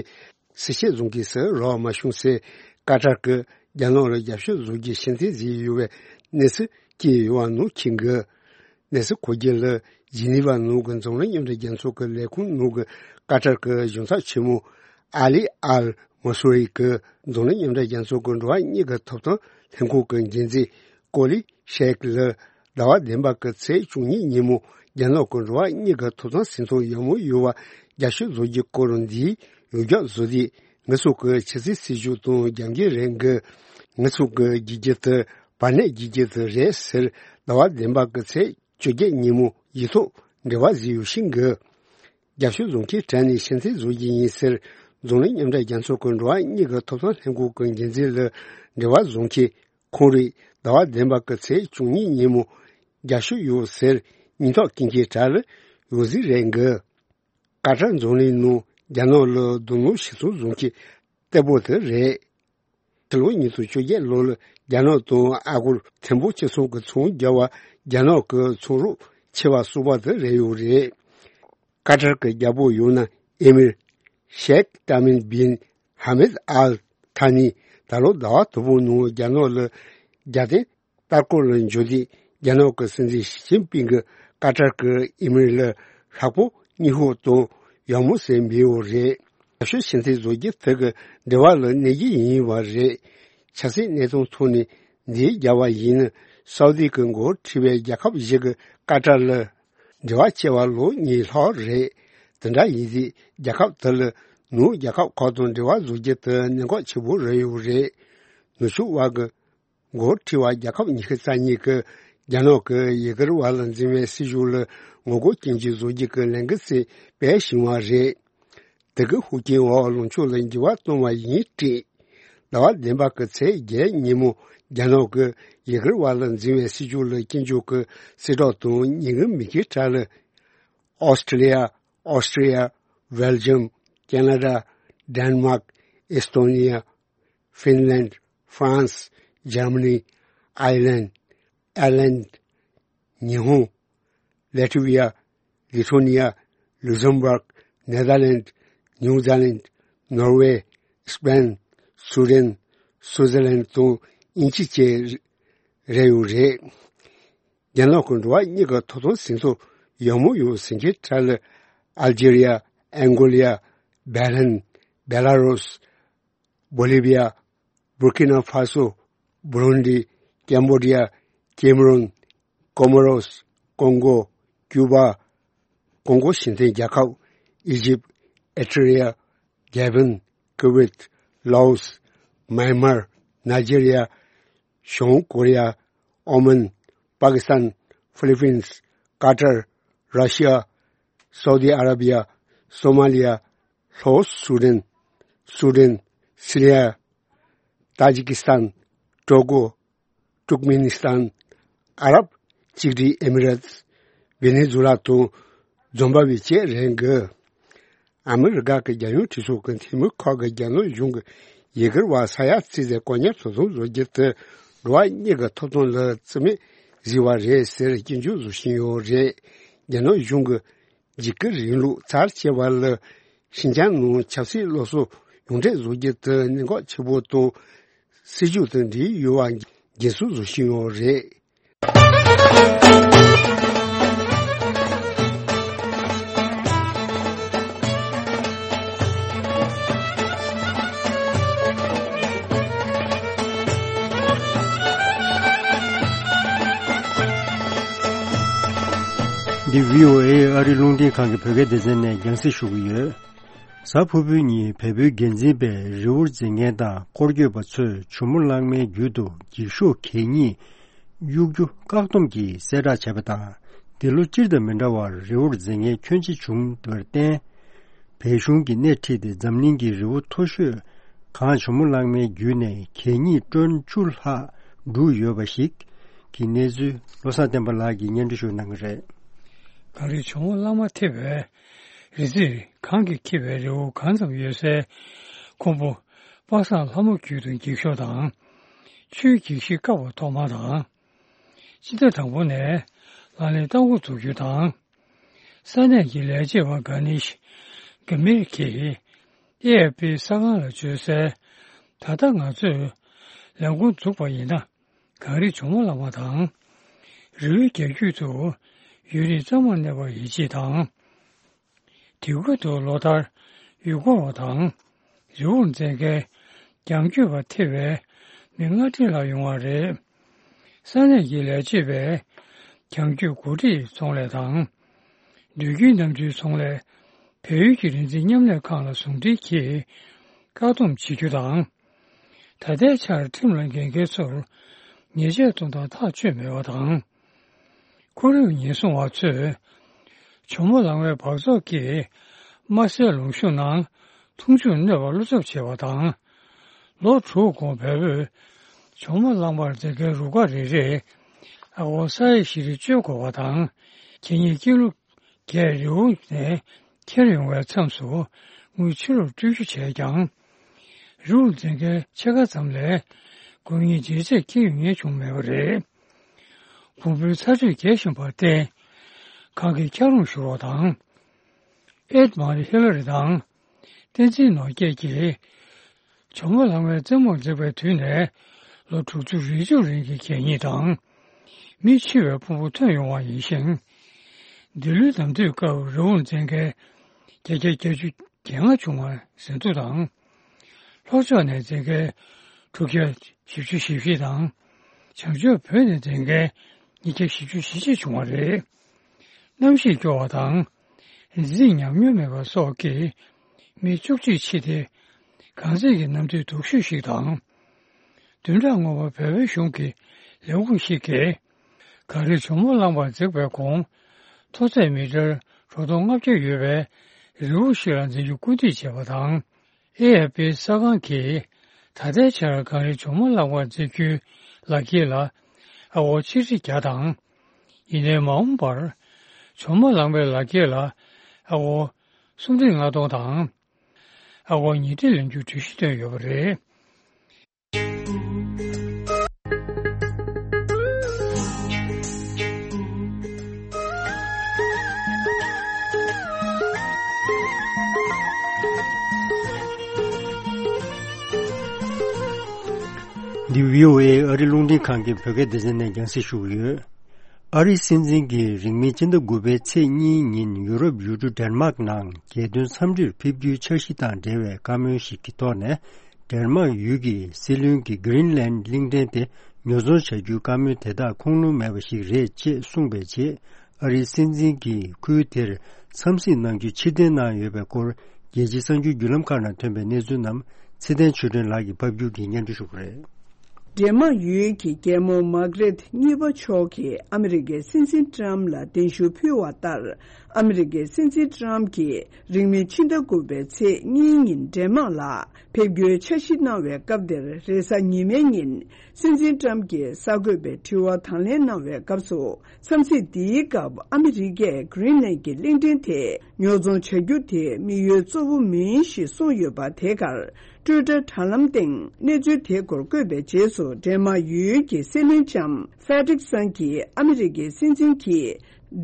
གསལ་བཤད་བཟོ་མཁན་ཞིག་རག་མ་བྱུང་ཟེར། ཀ་ཏར་གྱིས་རྒྱ་ནག་ལ་རྒྱབ་སྐྱོར་བཟོ་རྒྱུ་ཕྱིར་འཐེན་བཟོས་ཡོད་པའི་གནས་ཚུལ་སྐྱེལ་ཡོད་པ་ནང་འཁོད་འདུག་གནས་ཚུལ་གོ་རྒྱུ་ལ། ཇི་ནི་ཝ་ནང་གི་འཛམ་གླིང་མཉམ་འབྲེལ་རྒྱལ་ཚོགས་ཀྱི་ལས་ཁུངས་ནང་གི་ཀ་ཏར་གྱི་གཞུང་ཚབ་ཆེན་མོ་ཨ་ལི་ཨལ་མ་སུ་རི་གིས་འཛམ་གླིང་མཉམ་འབྲེལ་རྒྱལ་ཚོགས་ཀྱི་འགྲོ་བ་མིའི་ཐོབ་ཐང་ལྷན་ཁང་གི་འགན་འཛིན་ཀོ་ལི་ཤེག་ལ་ཟླ་བ་བདུན་པ་གི་ཚེས་བཅུ་གཉིས་ཉིན་མོ་རྒྱ་ནག་གི་འགྲོ་བ་མིའི་ཐོབ་ཐང་ཟིན་ཐོ་ཡག་མོ་ཡོད་པ་རྒྱབ་སྐྱོར་བཟོ་རྒྱུའི་སྐོར་འདིའི་ཡོངས་ཁྱབ་བཟོ་དེ་ ངེད་ཚོ་གི་ཆབ་སྲིད་སྲིད་ཇུས་དང་རྒྱབ་འགལ་རེད་གི། ངེད་ཚོ་གི་རྒྱུ་རྒྱུ་དེ་བར་གནས་རྒྱུ་རྒྱུ་དེ་རེད་ཟེར། ཟླ་བ་བདུན་པ་གི་ཚེས་བཅོ་བརྒྱད་ཉིན་མོ་ཡིག་ཐོག་འབྲེལ་བ་བཟོས་ཡོད་ཤིང་གི། རྒྱབ་ཤོག་བཟོ་མཁན་དྲ་ནས་ཕྱིར་འཐེན་བཟོ་རྒྱུ་ཡིན་ཟེར། འཛམ་གླིང་མཉམ་འབྲེལ་རྒྱལ་ཚོགས་ཀྱི་འགྲོ་བ་མིའི་ཐོབ་ཐང་ལྷན་ཁང་གི་འགན་འཛིན་ལ་འབྲེལ་བ་བཟོ་མཁན་ཁོང་རེད། ཟླ་བ་བདུན་པ་གི་ཚེས་བཅུ་གཉིས་ཉིན་མོ་རྒྱབ་ཤོག་ཡོད་ཟེར། སྙན་ཐོ་སྐྱེལ་མཁན་དྲ་ལ་ཡོད་ཟིག་རེད་གི། ཀ་ཏར་འཛམ་གླིང་ནང་རྒྱ་ནག་ལ་རྡུང་རྡེག་ཞིག་ཚུགས་བཟོ་མཁན་གཏེ་པོ་དེ་རེད། ཕྱི་ལོ་ཉིས་སྟོང་བཅོ་བརྒྱད་ལོ་ལ་རྒྱ་ནག་དང་ཨ་སྒོར་ཐེར་འབུམ་གཅིག་ཚོང་གི་ཚོང་རྒྱག་པ། རྒྱ་ནག་གི་ཚོང་རོགས་ཆེ་བ་གསུམ་པ་དེ་རེད་ཡོད་རེད། ཀ་ཏར་གྱི་རྒྱལ་པོ་ཡང་ན་ཨེ་མིར་ཤེག་ཏཱ་མིན་བིན་ཧ་མེད་ཨལ་ཐ་ནི་ད་ལོ་ཟླ་བ་དང་པོའི་ནང་རྒྱ་ནག་ལ་རྒྱལ་བསྟན་ལྟར་སྐོར་ལ་འབྱོར་དུས། རྒྱ་ནག་གི་སྲིད་འཛིན་ཞི་ཅིན་ཕིང་གིས་ཀ་ཏར་གྱི་ཨི་མིར་ལ་ཤག་པོ་སྙིང་ཤོས་དང་ཡག་མོ་ཟེར་འབོད་ཡོད་རེད། རྒྱབ་ཤོག་ཕྱིར་འཐེན་བཟོ་རྒྱུ་དེ་གི་འབྲེལ་བ་ལ་གནོད་རྒྱུ་ཡིན་པ་རེད། ཆབ་སྲིད་གནས་སྟངས་ཐོག་ནས་འདི་རྒྱབ་པ་ཡིན་ན། སའུ་དི་གི་མགོ་ཁྲིད་པའི་རྒྱལ་ཁབ་བཞི་གི་ཀ་ཏར་ལ་འབྲེལ་བ་བྱས་པ་ལོ་གཉིས་ལྷག་རེད། དེ་འདྲ་ཡིན་དུས་རྒྱལ་ཁབ་དེ་ལ་ནུབ་རྒྱལ་ཁབ་ཁག་དང་འབྲེལ་བ་བཟོ་རྒྱུ་དེ་གནད་འགག་ཆེན་པོ་རེད་ཡོད་རེད། ནུབ་ཕྱོགས་བར་གྱི་མགོ་ཁྲིད་པ་རྒྱལ་ཁབ་ཉི་ཤུ་རྩ་གཉིས་ཀྱིས་རྒྱ་ནག་གི་ཡུ་གུར་བ་ལ་འཛིན་པའི་སྲིད་ཇུས་ལ་ངོ་རྒོལ་སྐྱོན་བརྗོད་བཟོ་རྒྱུ་གི་ལས་འགུལ་ཞིག་སྤེལ་བཞིན་པ་རེད། དེ་གི་ཤུགས་རྐྱེན་འོག་ལངས་ཕྱོགས་ལ་འགྱུར་བ་གཏོང་བ་ཡིན་སྲིད། ཟླ་བ་བདུན་པ་གི་ཚེས་བརྒྱད་ཉིན་མོ་རྒྱ་ནག་གི་ཡུ་གུར་བ་ལ་འཛིན་པའི་སྲིད་ཇུས་ལ་སྐྱོན་བརྗོད་ཀྱི་གསལ་བསྒྲགས་དང་ཉིན་གུང་མི་ཁའི་གྲས་ལ། Australia, Austria, Belgium, Canada, Denmark, Estonia, Finland, France, Germany, Ireland, Ireland, ཉི་ཧོང་། Latvia, Lithuania, Luxembourg, Netherlands, New Zealand, Norway, Spain, Sweden, Switzerland དང་དབྱིན་ཇི་བཅས་རེད་ཡོད་རེད། རྒྱ་ནག་གི་འགྲོ་བ་མིའི་ཐོབ་ཐང་ཟིན་ཐོ་ཡག་མོ་ཡོད་ཟེར་མཁན་གྲས་ལ། Algeria, Angola, Bahrain, Belarus, Bolivia, Burkina Faso, Burundi, Cambodia, Cameroon, Comoros, Congo, Cuba, ཀོང་གོ་ཞི་བདེ་རྒྱལ་ཁབ། Egypt, Eritrea, Gabon, Kuwait, Laos, Myanmar, Nigeria, བྱང་ཀོ་རི་ཡ། ཨོ་མན། པ་ཀི་སི་ཐན། ཧྥི་ལི་པིན། ཀ་ཏར། ར་ཤི་ཡ། སའུ་དི་ཨ་ར་བི་ཡ། སོ་མ་ལི་ཡ། ལྷོ་སུ་ཌན། སུ་ཌན། སི་རི་ཡ། ཏཱ་ཇི་ཀི་སི་ཐན། ཀྲོ་ཀོ། ཏུར་ཀ་མེ་ནི་སི་ཐན། ཨ་རབ་གཅིག་སྒྲིལ་ཨེ་མི་རེ་ཏི། ཝེ་ནེ་ཛུ་ལ་དང་འཛོམས་པ་བཅས་རེད་འདུག་ཨ་མི་རི་ཀ་གི་རྒྱལ་ཡོངས་གྲོས་ཚོགས་ཀྱི་འཐུས་མི་ཁག་གིས་རྒྱ་ནག་གཞུང་གིས་ཡུ་གུར་བ་ས་ཡ་བརྩིས་ཏེ་དཀོན་གཉེར་དོ་དམ་བཟོ་རྒྱུ་དེ་འགྲོ་བ་མིའི་ཐོབ་ཐང་ལ་བརྩི་མེད་བཟོས་པ་རེད་ཟེར་སྐྱོན་བརྗོད་བཟོ་བཞིན་ཡོད་རེད། རྒྱ་ནག་གཞུང་གིས་འཇིགས་སྐུལ་རིང་ལུགས་ཚར་བཅད་པ་ལ་ཤིན་ཅང་ནང་ཆབ་སྲིད་སློབ་གསོ་ཡོངས་བསྒྲགས་བཟོ་རྒྱུ་དེ་གནད་འགག་ཆེ་པོ་དང་། སྲིད་ཇུས་དང་འབྲེལ་ཡོད་པ་འགན་སྲུང་བཟོ་བཞིན་ཡོད་རེད། འདི་བྷི་ཨོ་ཨེ་ཨ་རིའི་རླུང་འཕྲིན་ཁང་གི་བོད་སྐད་སྡེ་ཚན་ནས་རྒྱང་སྲིང་ཞུ་གི་ཡོད། གཟའ་ཕུར་བུའི་ཉིན་བལ་པོའི་འགན་འཛིན་པས་རི་བོར་འཛེག་མཁན་དང་སྐོར་སྐྱོད་པ་ཚོས་ཇོ་མོ་གླང་མའི་རྒྱུད་དུ་འགྱིག་ཤོག་གད་སྙིགས་གཡུག་རྒྱུ་བཀག་སྡོམ་གྱི་གསལ་བསྒྲགས་བྱས་པ་དང་། འདི་ལོ་སྤྱིར་དང་མི་འདྲ་བར་རི་བོར་འཛེག་མཁན་ཁྱོན་ཆེ་བྱུང་བར་བརྟེན། བལ་གཞུང་གིས་སྣེ་ཁྲིད་དེ་འཛམ་གླིང་གི་རི་བོ་མཐོ་ཤོས་གངས་ཇོ་མོ་གླང་མའི་རྒྱུད་ནས་གད་སྙིགས་ཊོན་བཅུ་ལྷག་བསྒྲུགས་ཡོད་པ་ཞིག་གི་གནས་ཚུལ་བློ་བཟང་བསྟན་པ་ལགས་ཀྱིས་སྙན་སྒྲོན་ཞུ་གནང་གི་རེད། གངས་རི་ཇོ་མོ་གླང་མ་ཐེབས་པའི་རི་རྩེར་གངས་ཀྱིས་འཁྱིལ་བའི་རི་བོ་གང་ཙམ་ཡོད་སའི་ཁུམ་བུ། པ་སངས་ལྷ་མོ་རྒྱུད་དུ་འགྱིག་ཤོག་དང་། ཆུའི་འགྱིག་ཤིང་བཀབ་པ་ཐོག་མ་དང་། སྤྱི་ཟླ་དང་པོ་ནས་ལག་ལེན་བསྟར་འགོ་འཛུགས་རྒྱུ་དང་། ས་གནས་ཀྱི་ལས་བྱེད་པ་གྷ་ནེ་ཤི་གྷ་མིར་གྱིས་ཨེ་ཨེཕ་པི་གསར་ཁང་ལ་བརྗོད་གསལ། ད་ལྟ་ང་ཚོས་ལས་འགོ་འཛུགས་པ་ཡིན་ན། གངས་རི་ཇོ་མོ་གླང་མ་དང་། རི་བོའི་རྒྱ་རྒྱུད་དུ་ཡུན་རིང་གཙང་མ་གནས་པར་ཡིད་ཆེས་དང་། དེ་ཁུལ་དུ་ལོ་ལྟར་ཡུལ་སྐོར་བ་དང་། རི་བོར་འཛེག་མཁན་རྒྱང་སྐྱོད་པ་ཐེ་བའི་མི་ལྔ་ཁྲི་ལྷག་ཡོང་བ་རེད། ས་གནས་ཀྱི་ལས་བྱེད་པས་རྒྱང་སྐྱོད་འགོ་ཁྲིད་ཚོང་ལས་དང་། དུས་རྒྱུན་གནམ་གྲུའི་ཚོང་ལས། བལ་ཡུལ་གྱི་རིག་འཛིན་མཉམ་ལས་ཁང་ལ་ཟུང་འབྲེལ་གྱིས། བཀག་སྡོམ་བྱེད་རྒྱུ་དང་། ད་ལྟའི་ཆར་ཁྲིམས་ལ་འགལ་མཁན་ཚོར་ཉེས་ཆད་གཏོང་སྟངས་ཐག་གཅོད་མེད་པ་དང་། ཁོར་ཡུག་ཉེན་སྲུང་བ་ཚོས་ཇོ་མོ་གླང་མའི་འབག་བཙོག་གིས་དམར་སེར་ལུང་གཤོང་ནང་འཐུང་ཆུར་གནོད་པ་བློ་འཚབ་བྱས་པ་དང་། ལོ་དྲུག་གོང་བལ་པོས་ཇོ་མོ་གླང་མར་འཛེག་མཁན་རུ་ཁག་རེ་རེས་ཨ་སྒོར་ས་ཡ་བཞི་རེ་སྤྱོད་དགོས་པ་དང་། ཁེ་ཉིན་ཀི་ལོ་བརྒྱད་རི་བོ་ནས་འཁྱེར་ཡོང་བའི་མཚམས་སུ་དངུལ་ཕྱི་ལོགས་སྤྲོད་རྒྱུ་བྱས་ཀྱང་། རི་བོ་འཛེག་མཁན་ཕྱེད་ཀ་ཙམ་ལས་དགོས་ངེས་འཇལ་ཆས་འཁྱེར་ཡོང་མཁན་བྱུང་མེད་པ་རེད། ཕུང་པོའི་ཚ་དྲོད་རྒྱས་བཞིན་པར་བརྟེན། ཁང་གི་འཁྱགས་རོམ་ཤོར་བ་དང་། ཨེད་མ་རི་ཧི་ལ་རི་དང་། བསྟན་འཛིན་ནོར་རྒྱས་ཀྱིས། ཇོ་མོ་གླང་མའི་རྩེ་མོར་འཛེགས་པའི་དུས་ནས་ལོ་དྲུག་ཅུ་རེ་བཅུ་རིང་གི་གད་སྙིགས་དང་། མི་འཆི་བའི་ཕུང་པོ་ཐོན་ཡོང་བ་ཡིན་ཞིང་། འདི་ལོའི་ནམ་དུས་སྐབས་རི་བོ་འཛེག་མཁན་བརྒྱ་ཆ་བརྒྱད་ཅུ་གྱ་ལྔ་བྱུང་བ་ཟིན་ཐོ་དང་། ལྷོ་ཕྱོགས་ནས་འཛེག་མཁན་དྲུག་བརྒྱ་བཞི་བཅུ་ཞེ་བཞི་དང་། བྱང་ཕྱོགས་བོད་ནས་འཛེག་མཁན་ཉིས་བརྒྱ་བཞི་བཅུ་ཞེ་གཅིག་བྱུང་བ་རེད། གནམ་གཤིས་སྐྱོ་བ་དང་། རྫས་ཉམས་མྱོང་མེད་པ་སོགས་ཀྱིས་མི་བཅུ་གཅིག་འཆི་སྟེ། གངས་ཚད་ཀྱི་གནམ་དུས་སྡུག་ཤོས་ཤིག་དང་། བདུན་ཕྲག་སྔོན་མ་བལ་པོའི་གཞུང་གིས་ལས་ཁུངས་ཤིག་གིས། གངས་རི་ཇོ་མོ་གླང་མར་འཛེགས་པའི་གོང་། མཐོ་ཚད་མི་ཊར་དྲུག་སྟོང་ལྔ་བརྒྱ་ཡོད་པའི་རི་བོ་ཞིག་ལ་འཛེག་རྒྱུ་སྐུལ་འདེད་བྱས་པ་དང་། ཨེ་ཨེཕ་པི་གསར་ཁང་གིས་ད་ལྟའི་ཆར་གངས་རི་ཇོ་མོ་གླང་མར་འཛེག་རྒྱུའི་ལག་འཁྱེར་ལ་ཨ་སྒོར་ཆིག་ཁྲི་བརྒྱ་དང་། ཡིན་ནའི་མ་འོངས་པར་ཇོ་མོ་གླང་མའི་ལག་འཁྱེར་ལ་ཨ་སྒོར་སུམ་ཁྲི་ལྔ་སྟོང་དང་། ཨ་སྒོར་ཉིས་ཁྲི་ལེན་རྒྱུའི་གྲོས་གཞི་བཏོན་ཡོད་པ་རེད། འདི་བྷི་ཨོ་ཨེ་ཨ་རི་རླུང་འཕྲིན་ཁང་གི་བོད་སྐད་སྡེ་ཚན་ནས་རྒྱང་སྲིང་ཞུ་གི་ཡོད། ཨ་རིའི་སྲིད་འཛིན་གྱིས་རིང་མིན་ཕྱི་ཟླ་དགུ་པའི་ཚེས་གཉིས་ཉིན་ཡུ་རོབ་ཡུལ་གྲུ་ཌེན་མཱག་ནང་རྒྱལ་དོན་འཚམས་འདྲིར་ཕེབས་རྒྱུའི་འཆར་གཞི་དང་འབྲེལ་བའི་བཀའ་མོལ་ཞིག་གི་ཐོག་ནས། ཌེན་མཱག་ཡུལ་གྱི་སྲིད་བློན་གྱིས་གྷི་རིན་ལན་གླིང་ཕྲན་དེ་ཉོ་ཚོང་བྱ་རྒྱུའི་བཀའ་མོལ་དེ་དག་ཁུངས་ལུང་མེད་པ་ཞིག་རེད་ཅེས་གསུངས་པའི་རྗེས། ཨ་རིའི་སྲིད་འཛིན་གྱིས་ཁུལ་དེར་འཚམས་གཟིགས་གནང་རྒྱུ་ཕྱིར་འཐེན་གནང་ཡོད་པའི་སྐོར། རྒྱལ་སྤྱིའི་གསར་འགྱུར་བརྒྱུད་ལམ་ཁག་ནང་ཐོན་པའི་གནས་ཚུལ་རྣམས་ཚེ་བརྟན་ཆོས་སྒྲོན་ལགས་ཀྱིས་ཕབ་སྒྱུར་གྱིས་སྙན་སྒྲོན་ཞུ་གི་རེད། ཌེན་མཱག་ཡུལ་གྱི་རྒྱལ་མོ་མཱག་རེད་གཉིས་པ་མཆོག་གིས་ཨ་མི་རི་ཀའི་སྲིད་འཛིན་ཊམ་ལ་གདན་ཞུ་ཕུལ་བ་ལྟར། ཨ་མི་རི་ཀའི་སྲིད་འཛིན་ཊམ་གྱིས་རིང་མིན་ཕྱི་ཟླ་དགུ་པའི་ཚེས་གཉིས་ཉིན་ཌེན་མཱག་ལ་ཕེབས་རྒྱུའི་འཆར་གཞི་གནང་བའི་སྐབས་དེར། རེས་གཟའ་ཉི་མའི་ཉིན་སྲིད་འཛིན་ཊམ་གྱིས་གསར་འགོད་པའི་དྲི་བ་དང་ལེན་གནང་བའི་སྐབས་སུ། འཚམས་གཟིགས་འདིའི་སྐབས་ཨ་མི་རི་ཀས་གྷི་རིན་ལན་གྱི་གླིང་ཕྲན་དེ་ཉོ་ཚོང་བྱ་རྒྱུ་དེ་དམིགས་ཡུལ་གཙོ་བོ་མིན་ཞེས་གསུངས་ཡོད་པ། དེ་གར་ཊུའི་ཊར་དྲ་ལམ་སྟེང་གནས་ཚུལ་དེའི་སྐོར་བཀོད་པའི་རྗེས་སུ། ཌེན་མཱག་ཡུལ་གྱི་སྲིད་བློན་ལྕམ་ཧྥེ་ཌི་རིག་སན་གྱིས་ཨ་མི་རི་ཀའི་སྲིད་འཛིན་གྱིས་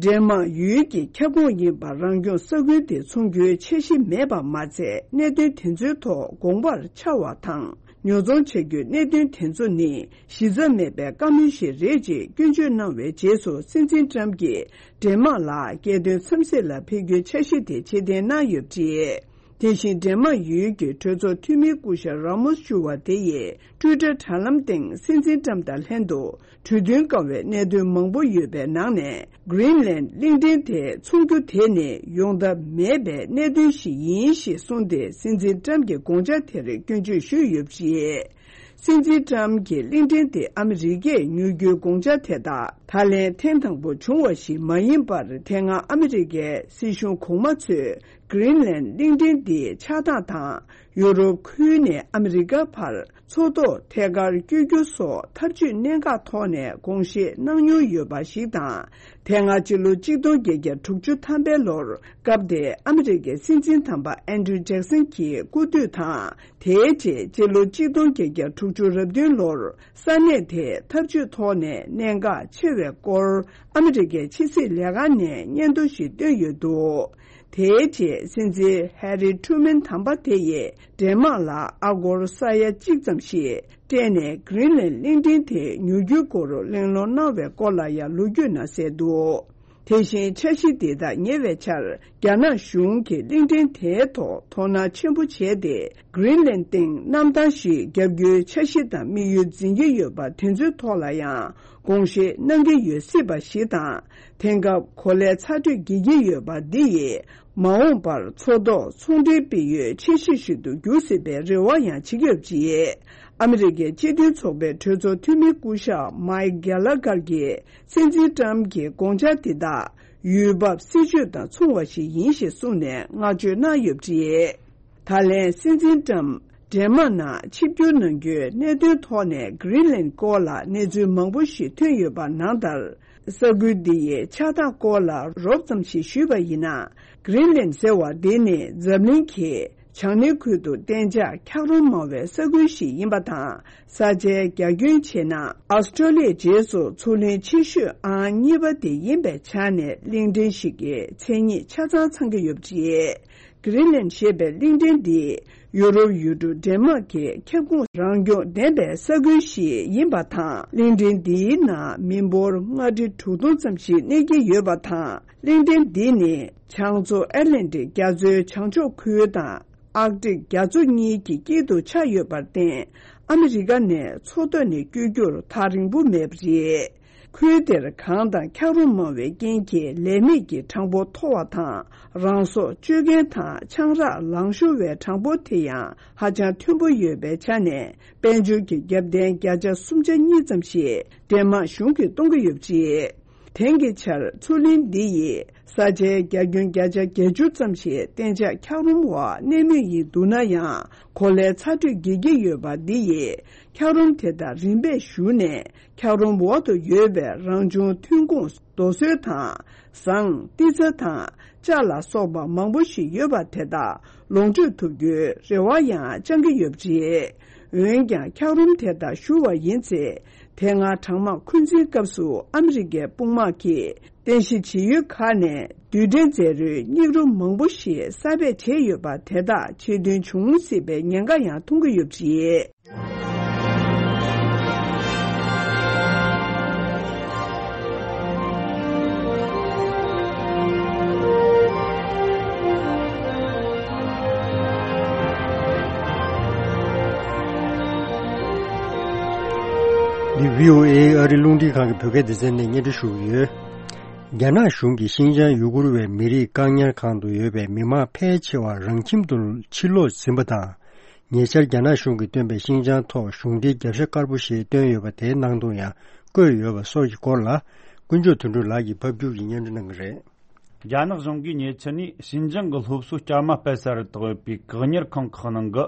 ཌེན་མཱག་ཡུལ་གྱི་ཁྱབ་ཁོངས་ཡིན་པ་རང་སྐྱོང་ས་ཁུལ་དེ་ཚོང་རྒྱུའི་འཆར་གཞི་མེད་པ་མ་ཚད། གནད་དོན་དེ་ཚོའི་ཐོག་དགོངས་པར་འཆར་བ་དང་། ཉོ་ཚོང་བྱ་རྒྱུའི་གནད་དོན་དེ་ཚོ་ནི་གཞི་རྩ་མེད་པའི་བཀའ་མོལ་ཞིག་རེད་ཅེས་སྐྱོན་བརྗོད་གནང་བའི་རྗེས་སུ། སྲིད་འཛིན་ཊམ་གྱིས་ཌེན་མཱག་ལ་རྒྱལ་དོན་འཚམས་གཟིགས་ལ་ཕེབས་རྒྱུའི་འཆར་གཞི་དེ་ཕྱིར་འཐེན་གནང་ཡོད་པ་རེད། དེ་བཞིན་ཌེན་མཱག་ཡུལ་གྱི་གྲོས་ཚོགས་འཐུས་མི་སྐུ་ཞབས་ར་མོ་སི་ཇུ་བ་དེ་ཡིས་ཊུའི་ཊར་དྲ་ལམ་སྟེང་སྲིད་འཛིན་ཊམ་དང་ལྷན་དུ་གྲོས་མཐུན་དཀའ་བའི་གནད་དོན་མང་པོ་ཡོད་པའི་ནང་ནས། གྷི་རིན་ལན་གླིང་ཕྲན་དེ་ཚོང་རྒྱུ་དེ་ནི་ཡོང་ཐབས་མེད་པའི་གནད་དོན་ཞིག་ཡིན་ཞེས་གསུངས་ཏེ། སྲིད་འཛིན་ཊམ་གྱི་དགོངས་འཆར་དེར་སྐྱོན་བརྗོད་ཞུས་ཡོད་པ་རེད། སྲིད་འཛིན་ཊམ་གྱིས་གླིང་ཕྲན་དེ་ཨ་མི་རི་ཀས་ཉོ་རྒྱུའི་དགོངས་འཆར་དེ་དག་ད་ལན་ཐེངས་དང་པོ་བྱུང་བ་ཞིག་མ་ཡིན་པར། དེ་སྔ་ཨ་མི་རི་ཀའི་སྲིད་གཞུང་གོང་མ་ཚོས་གྷི་རིན་ལན་གླིང་ཕྲན་འདིའི་ཆགས་སྟངས་དང་། ཡུ་རོབ་ཁུལ་ནས་ཨ་མི་རི་ཀ་བར་མཚོ་ཐོག་ཐད་ཀར་བསྐྱོད་རྒྱུ་སོགས་ཐབས་ཇུས་གནད་འགག་ཐོག་ནས་དགོངས་བཞེས་གནང་མྱོང་ཡོད་པ་ཞིག་དང་། དེ་སྔ་སྤྱི་ལོ་གཅིག་སྟོང་བརྒྱད་བརྒྱ་དྲུག་ཅུ་ཐམ་པའི་ལོར། སྐབས་དེའི་ཨ་མི་རི་ཀའི་སྲིད་འཛིན་དམ་པ་ཨན་ཌྲུ་ཇེག་སན་གྱི་སྐུ་དུས་དང་། དེའི་རྗེས་སྤྱི་ལོ་གཅིག་སྟོང་བརྒྱད་བརྒྱ་དྲུག་ཅུ་རབ་བདུན་ལོར་ས་གནས་དེའི་ཐབས་ཇུས་ཐོག་ནས་གནད་འགག་ཆེ་བའི་སྐོར་ཨ་མི་རི་ཀའི་ཕྱི་སྲིད་ལས་ཁང་ནས་སྙན་ཐོ་ཞིག་བཏོན་ཡོད་འདུག་དེའི་རྗེས་སྲིད་འཛིན་ཧེ་རི་ཁྲུ་མན་དམ་པ་དེ་ཡིས་ཌེན་མཱག་ལ་ཨ་སྒོར་ས་ཡ་གཅིག་ཙམ་ཞིག་སྤྲད་ནས་གྷི་རིན་ལན་གླིང་ཕྲན་དེ་ཉོ་རྒྱུའི་སྐོར་གླེང་སློང་གནང་བའི་སྐོར་ལ་ཡང་ལོ་རྒྱུས་ནང་གསལ་འདུག་དེ་བཞིན་འཆར་གཞི་འདི་དག་ཉེ་བའི་ཆར་རྒྱ་ནག་གཞུང་གིས་གླིང་ཕྲན་དེའི་ཐོག་དོ་སྣང་ཆེན་པོ་བྱས་ཏེ། གྷི་རིན་ལན་སྟེང་གནམ་ཐང་ཞིག་བརྒྱབ་རྒྱུའི་འཆར་གཞི་དང་དམིགས་ཡུལ་འཛིན་གྱི་ཡོད་པ་དེ་ཚོའི་ཐོག་ལ་ཡང་དགོངས་བཞེས་གནང་གི་ཡོད་སྲིད་པ་ཞིག་དང་། དེང་སྐབས་གོ་ལའི་ཚ་དྲོད་རྒྱས་ཀྱི་ཡོད་པ་འདི་ཡིས་ མ་འོངས་པར་མཚོ་ཐོག་ཚོང་འབྲེལ་སྤེལ་ཡུལ་ཆེ་ཤོས་ཤིག་ཏུ་འགྱུར་སྲིད་པའི་རེ་བ་ཡང་བྱེད་ཀྱི་ཡོད་པ་རེད། ཨ་མི་རི་ཀའི་སྤྱི་མཐུན་ཚོགས་པའི་གྲོས་ཚོགས་འཐུས་མི་སྐུ་ཞབས་མའིག་གྷེ་ལ་གར་གྱིས་སྲིད་འཛིན་ཏྲམ་གྱི་དགོངས་འཆར་འདི་དག་ཡུལ་བབ་སྲིད་ཇུས་དང་མཚུངས་པ་ཞིག་ཡིན་ཞེས་གསུངས་ནས་བསྔགས་བརྗོད་གནང་ཡོད་པ་རེད། ད་ལན་སྲིད་འཛིན་ཏྲམ་ཌེན་མཱག་ནང་ཆིབས་བསྒྱུར་གནང་རྒྱུའི་གནད་དོན་ཐོག་ནས་གྷི་རིན་ལན་སྐོར་ལ་གནས་ཚུལ་མང་པོ་ཞིག་ཐོན་ཡོད་པ་ནང་ལྟར། ས་ཁུལ་འདི་ཡི་ཆགས་སྟངས་སྐོར་ལ་རོབ་ཙམ་ཞིག་ཞུས་པ་ཡིན་ན། གྷི་རིན་ལན་ཟེར་བ་འདི་ནི་འཛམ་གླིང་གི་བྱང་སྣེ་ཁུལ་དུ་གཏན་འཇགས་འཁྱགས་རོམ་མང་བའི་ས་ཁུལ་ཞིག་ཡིན་པ་དང་། ས་ཆའི་རྒྱ་ཁྱོན་བྱས་ན་ཨོ་སི་ཀྲོ་ལི་ཡའི་རྗེས་སུ་མཚོ་གླིང་ཆེ་ཤོས་ཨང་གཉིས་པ་དེ་ཡིན་པའི་ཆ་ནས་གླིང་ཕྲན་ཞིག་གི་མཚན་ཉིད་ཆ་ཚང་ཚང་གི་ཡོད་པ་རེད། གྷི་རིན་ལན་ཞེས་པའི་གླིང་ཕྲན་འདི་ཡུ་རོབ་ཡུལ་གྲུ་ཌེན་མཱག་གི་ཁྱབ་ཁོངས་རང་སྐྱོང་ལྡན་པའི་ས་ཁུལ་ཞིག་ཡིན་པ་དང་། གླིང་ཕྲན་འདིའི་ནང་མི་འབོར་ལྔ་ཁྲི་དྲུག་སྟོང་ཙམ་ཞིག་གནས་ཀྱི་ཡོད་པ་དང་། གླིང་ཕྲན་འདི་ནི་བྱང་མཚོ་ཨེཊ་ལན་ཊིག་རྒྱ་མཚོའི་བྱང་ཕྱོགས་ཁུལ་དང་ཨར་ཀ་ཏིག་རྒྱ་མཚོ་གཉིས་ཀྱི་དཀྱིལ་དུ་ཆགས་ཡོད་པར་བརྟེན། ཨ་མི་རི་ཀ་ནས་མཚོ་ཐོག་ནས་བསྐྱོད་རྒྱུར་ཐག་རིང་པོ་མེད་པ་རེད། ཁུལ་དེར་གངས་དང་འཁྱགས་རོམ་མང་བའི་རྐྱེན་གྱིས་ལས་མེད་ཀྱི་གྲངས་འབོར་མཐོ་བ་དང་། རང་སྲོག་གཅོད་མཁན་དང་ཆང་རག་ལང་ཤོར་བའི་གྲངས་འབོར་དེ་ཡང་ཧ་ཅང་མཐོན་པོ་ཡོད་པའི་ཆ་ནས། དཔལ་འབྱོར་གྱི་རྒྱབ་རྟེན་བརྒྱ་ཆ་སུམ་ཅུ་སོ་གཉིས་ཙམ་ཞིག་ཌེན་མཱག་གཞུང་གིས་གཏོང་གི་ཡོད་པ་རེད། དེང་གི་ཆར་མཚོ་གླིང་འདི་ཡི་ས་ཆའི་རྒྱ་ཁྱོན་བརྒྱ་ཆ་བརྒྱད་ཅུ་ཙམ་ཞིག་གཏན་འཇགས་འཁྱགས་རོམ་འོག་གནས་མུས་ཡིན་འདུག་ན་ཡང་། གོ་ལའི་ཚ་དྲོད་རྒྱས་ཀྱི་ཡོད་པ་འདི་ཡིས་འཁྱགས་རོམ་དེ་དག་རིམ་པས་ཞུ་ནས། འཁྱགས་རོམ་འོག་ཏུ་ཡོད་པའི་རང་བྱུང་ཐོན་ཁུངས་རྡོ་སོལ་དང་། ཟངས། ཏི་ཚ་དང་ལྕགས་ལ་སོགས་པ་མང་པོ་ཞིག་ཡོད་པ་དེ་དག་ལོངས་སྤྱོད་ཐུབ་རྒྱུའི་རེ་བ་ཡང་བཅང་གི་ཡོད་པ་རེད། འོན་ཀྱང་། འཁྱགས་རོམ་དེ་དག་ཞུ་བ་ཡིན་ཚེ། དེ་སྔ་གྲང་དམག་འཁོན་འཛིན་སྐབས་སུ་ཨ་མི་རི་ཀའི་དཔུང་དམག་གིས་རྟེན་གཞི་བྱེད་ཡུལ་ཁག་ནས་རྡུལ་ཕྲན་རྫས་རུལ་སྙིགས་རོ་མང་པོ་ཞིག་གསར་སྤེལ་བྱས་ཡོད་པ་དེ་དག་ཆེད་དོན་འབྱུང་སྲིད་པའི་ཉེན་ཁ་ཡང་མཐོང་གི་ཡོད་པ་རེད། འདི་བྷི་ཨོ་ཨེ་ཨ་རི་རླུང་འཕྲིན་ཁང་གི་བོད་སྐད་སྡེ་ཚན་ནས་སྙན་སྒྲོན་ཞུ་གི་ཡོད། རྒྱ་ནག་གཞུང་གིས་ཤིན་ཅང་ཡུ་གུར་བའི་མི་རིགས་བཀག་ཉར་ཁང་དུ་ཡོད་པའི་མི་མང་ཕལ་ཆེ་བ་རང་ཁྱིམ་དུ་ཕྱིར་ལོག་ཟིན་པ་དང་། ཉེ་ཆར་རྒྱ་ནག་གཞུང་གིས་བཏོན་པའི་ཤིན་ཅང་ཐོག་གཞུང་འབྲེལ་རྒྱབ་ཤ་དཀར་པོ་ཞེས་བཏོན་ཡོད་པ་དེའི་ནང་དུ་ཡང་བཀོད་ཡོད་པ་སོགས་ཀྱི་སྐོར་ལ། ཀུན་མཆོག་དོན་གྲུབ་ལགས་ཀྱིས་ཕབ་སྒྱུར་གྱིས་སྙན་སྒྲོན་གནང་གི་རེད། རྒྱ་ནག་གཞུང་གིས་ཉེ་ཆར་ནས་ཞིན་ཅང་གི་སློབ་གསོའི་སྐྱ་མ་སྤེལ་ས་རུ་བཏགས་ཡོད་པའི་བཀག་ཉར་ཁང་ཁག་ནང་གི་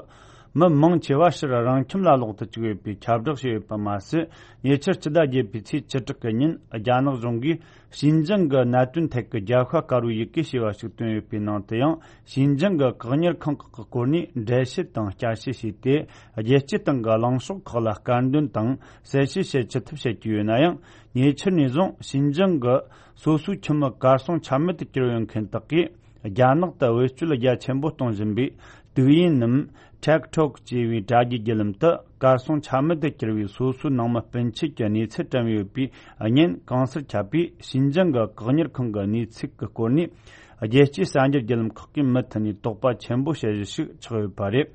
མི་མང་ཆེ་བ་ཕྱིར་རང་ཁྱིམ་ལ་ལོག་ཏུ་བཅུག་ཡོད་པའི་ཁྱབ་བསྒྲགས་བྱས་ཡོད་པ་མ་ཟད། ཉེ་ཆར་སྤྱི་ཟླ་བརྒྱད་པའི་ཚེས་བཅུ་དྲུག་གི་ཉིན་རྒྱ་ནག་གཞུང་གིས་ཞིན་ཅང་གི་གནད་དོན་ཐད་ཀྱི་རྒྱལ་ཁ་དཀར་པོའི་ཡི་གེ་ཞེས་པ་ཞིག་བཏོན་ཡོད་པའི་ནང་དུ་ཡང་། ཞིན་ཅང་གི་བཀག་ཉར་ཁང་ཁག་གི་སྐོར་ནས་འགྲེལ་བཤད་དང་བསྐྱར་ཞིབ་བྱས་ཏེ། རྒྱལ་སྤྱི་སྟེང་གི་གླེང་ཕྱོགས་ཁག་ལ་སྐར་འདོན་དང་གསལ་བཤད་བྱེད་ཅི་ཐུབ་བྱེད་ཀྱི་ཡོད་ན་ཡང་། ཉེ་ཆར་ནས་བཟུང་ཞིན་ཅང་གི་སོ་སོའི་ཁྱིམ་མི་གར་སོང་ཆ་མེད་དུ་གྱུར་ཡོད་མཁན་དག་གིས་རྒྱ་ནག་ཏུ་བེད་སྤྱོད་རྒྱ་ཆེན་པོ་གཏོང་བཞིན་པའི་དུག་ཡིན་ནམ། ཊིག་ཊོག་ཅེས་པའི་དྲ་རྒྱའི་བརྒྱུད་ལམ་དུ་གར་སོང་ཆ་མེད་དུ་གྱུར་བའི་སོ་སོའི་ནང་མི་སྤུན་མཆེད་ཀྱི་གནས་ཚུལ་བཀྲམ་ཡོད་པའི་བརྙན་གང་སར་ཁྱབ་པས། ཞིན་ཅང་གི་བཀག་ཉར་ཁང་གི་གནས་ཚུལ་གྱི་སྐོར་ནས་རྒྱལ་སྤྱིའི་གསར་འགྱུར་བརྒྱུད་ལམ་ཁག་གིས་མུ་མཐུད་ནས་དོགས་པ་ཆེན་པོ་བྱེད་གཞི་ཞིག་ཆགས་ཡོད་པ་རེད།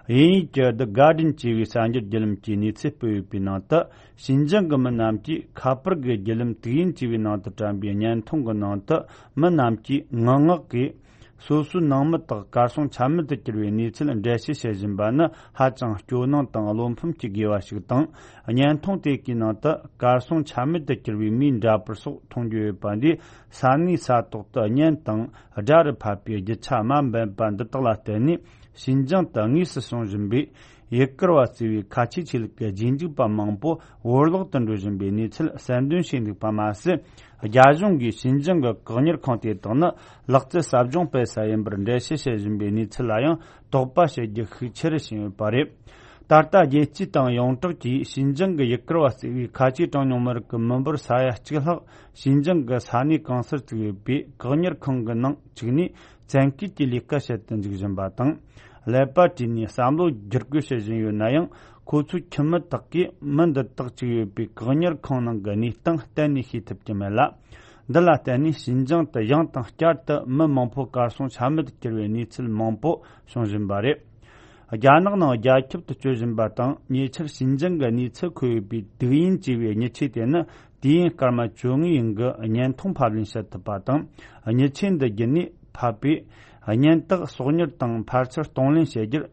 དབྱིན་ཡིག་གི་The Guardian་ཅེས་པའི་གསར་འགྱུར་བརྒྱུད་ལམ་གྱིས་གནས་ཚུལ་སྤེལ་ཡོད་པའི་ནང་དུ། ཞིན་ཅང་གི་མི་རྣམས་ཀྱིས་ཁ་པར་གྱི་བརྒྱུད་ལམ་དུག་ཡིན་ཅེས་པའི་ནང་དུ་བཀྲམ་པའི་བརྙན་ཐུང་གི་ནང་དུ། མི་རྣམས་ཀྱིས་ངུ་ངག་གིས། སོ་སོའི་ནང་མི་དག་གར་སོང་ཆ་མེད་དུ་གྱུར་བའི་གནས་ཚུལ་འགྲེལ་བཤད་བྱེད་བཞིན་པ་ནི་ཧ་ཅང་སྐྱོ་སྣང་དང་བློ་ཕམ་སྐྱེ་དགོས་པ་ཞིག་དང་། བརྙན་ཐུང་དེ་གའི་ནང་དུ་གར་སོང་ཆ་མེད་དུ་གྱུར་བའི་མིའི་འདྲ་པར་སོགས་མཐོང་རྒྱུ་ཡོད་པ་འདིས། ས་གནས་ས་ཐོག་ཏུ་བརྙན་དང་སྒྲ་རུ་ཕབ་པའི་རྒྱུ་ཆ་དམའ་འབེབས་པ་འདི་དག་ལ་བརྟེན་ནས། ཞིན་ཅང་དུ་དངོས་སུ་བྱུང་བཞིན་པའི་ཡུ་གུར་བ་ཟེར་བའི་ཁ་ཆེའི་ཆོས་ལུགས་ཀྱི་རྗེས་འཇུག་པ་མང་པོ་བོར་བརླག་ཏུ་འགྲོ་བཞིན་པའི་གནས་ཚུལ་གསལ་འདོན་བྱས་འདུག་པ་མ་ཟད། རྒྱ་གཞུང་གིས་ཞིན་ཅང་གི་བཀག་ཉར་ཁང་དེ་དག་ནི་ལག་རྩལ་ཟབ་སྦྱོང་སྤེལ་ས་ཡིན་པར་འགྲེལ་བཤད་བྱེད་བཞིན་པའི་གནས་ཚུལ་ལ་ཡང་དོགས་པ་བྱེད་རྒྱུ་ཤུགས་ཆེ་རུ་ཕྱིན་ཡོད་པ་རེད། ད་ལྟ་རྒྱལ་སྤྱིའི་སྟེང་ཡོངས་གྲགས་ཀྱིས་ཞིན་ཅང་གི་ཡུ་གུར་བ་ཟེར་བའི་ཁ་ཆེའི་གྲངས་ཉུང་མི་རིགས་ཀྱི་མི་འབོར་ས་ཡ་གཅིག་ལྷག་ཞིན་ཅང་གི་ས་གནས་གང་སར་བཙུགས་ཡོད་པའི་བཀག་ཉར་ཁང་གི་ནང་བཅུག་ནས། བཙན་སྐུལ་གྱི་ལས་ཀ་བྱེད་དུ་འཇུག་བཞིན་པ་དང་། ཀླད་པ་བཀྲུས་ནས་བསམ་བློ་བསྒྱུར་བཀོད་བྱེད་བཞིན་ཡོད་ན་ཡང་། ཁོ་ཚོའི་ཁྱིམ་མི་དག་གིས་མི་འདི་དག་བཅུག་ཡོད་པའི་བཀག་ཉར་ཁང་ནང་གི་གནས་སྟངས་གཏན་ནས་ཤེས་ཐུབ་ཀྱི་མེད་ལ། འདི་ལ་བརྟེན་ནས་ཞིན་ཅང་དུ་ཡང་དང་བསྐྱར་དུ་མི་མང་པོ་གར་སོང་ཆ་མེད་དུ་གྱུར་བའི་གནས་ཚུལ་མང་པོ་བྱུང་བཞིན་པ་རེད། རྒྱ་ནག་ནང་རྒྱ་ཁྱབ་ཏུ་སྤྱོད་བཞིན་པ་དང་། ཉེ་ཆར་ཞིན་ཅང་གི་གནས་ཚུལ་འཁོད་ཡོད་པའི་དུག་ཡིན་ཅེས་པའི་མྱི་ཆས་དེ་ནི། དུས་ཡུན་སྐར་མ་བཅོ་ལྔའི་རིང་གི་བརྙན་ཐུང་ཕབ་ལེན་བྱེད་ཐུབ་པ་དང་། མྱི་ཆས་འདི་བརྒྱུད་ནས་ ཕབ་པས། གཉེན་རྟགས་གསོག་ཉར་དང་ཕར་ཚུར་གཏོང་ལེན་བྱེད་རྒྱུར་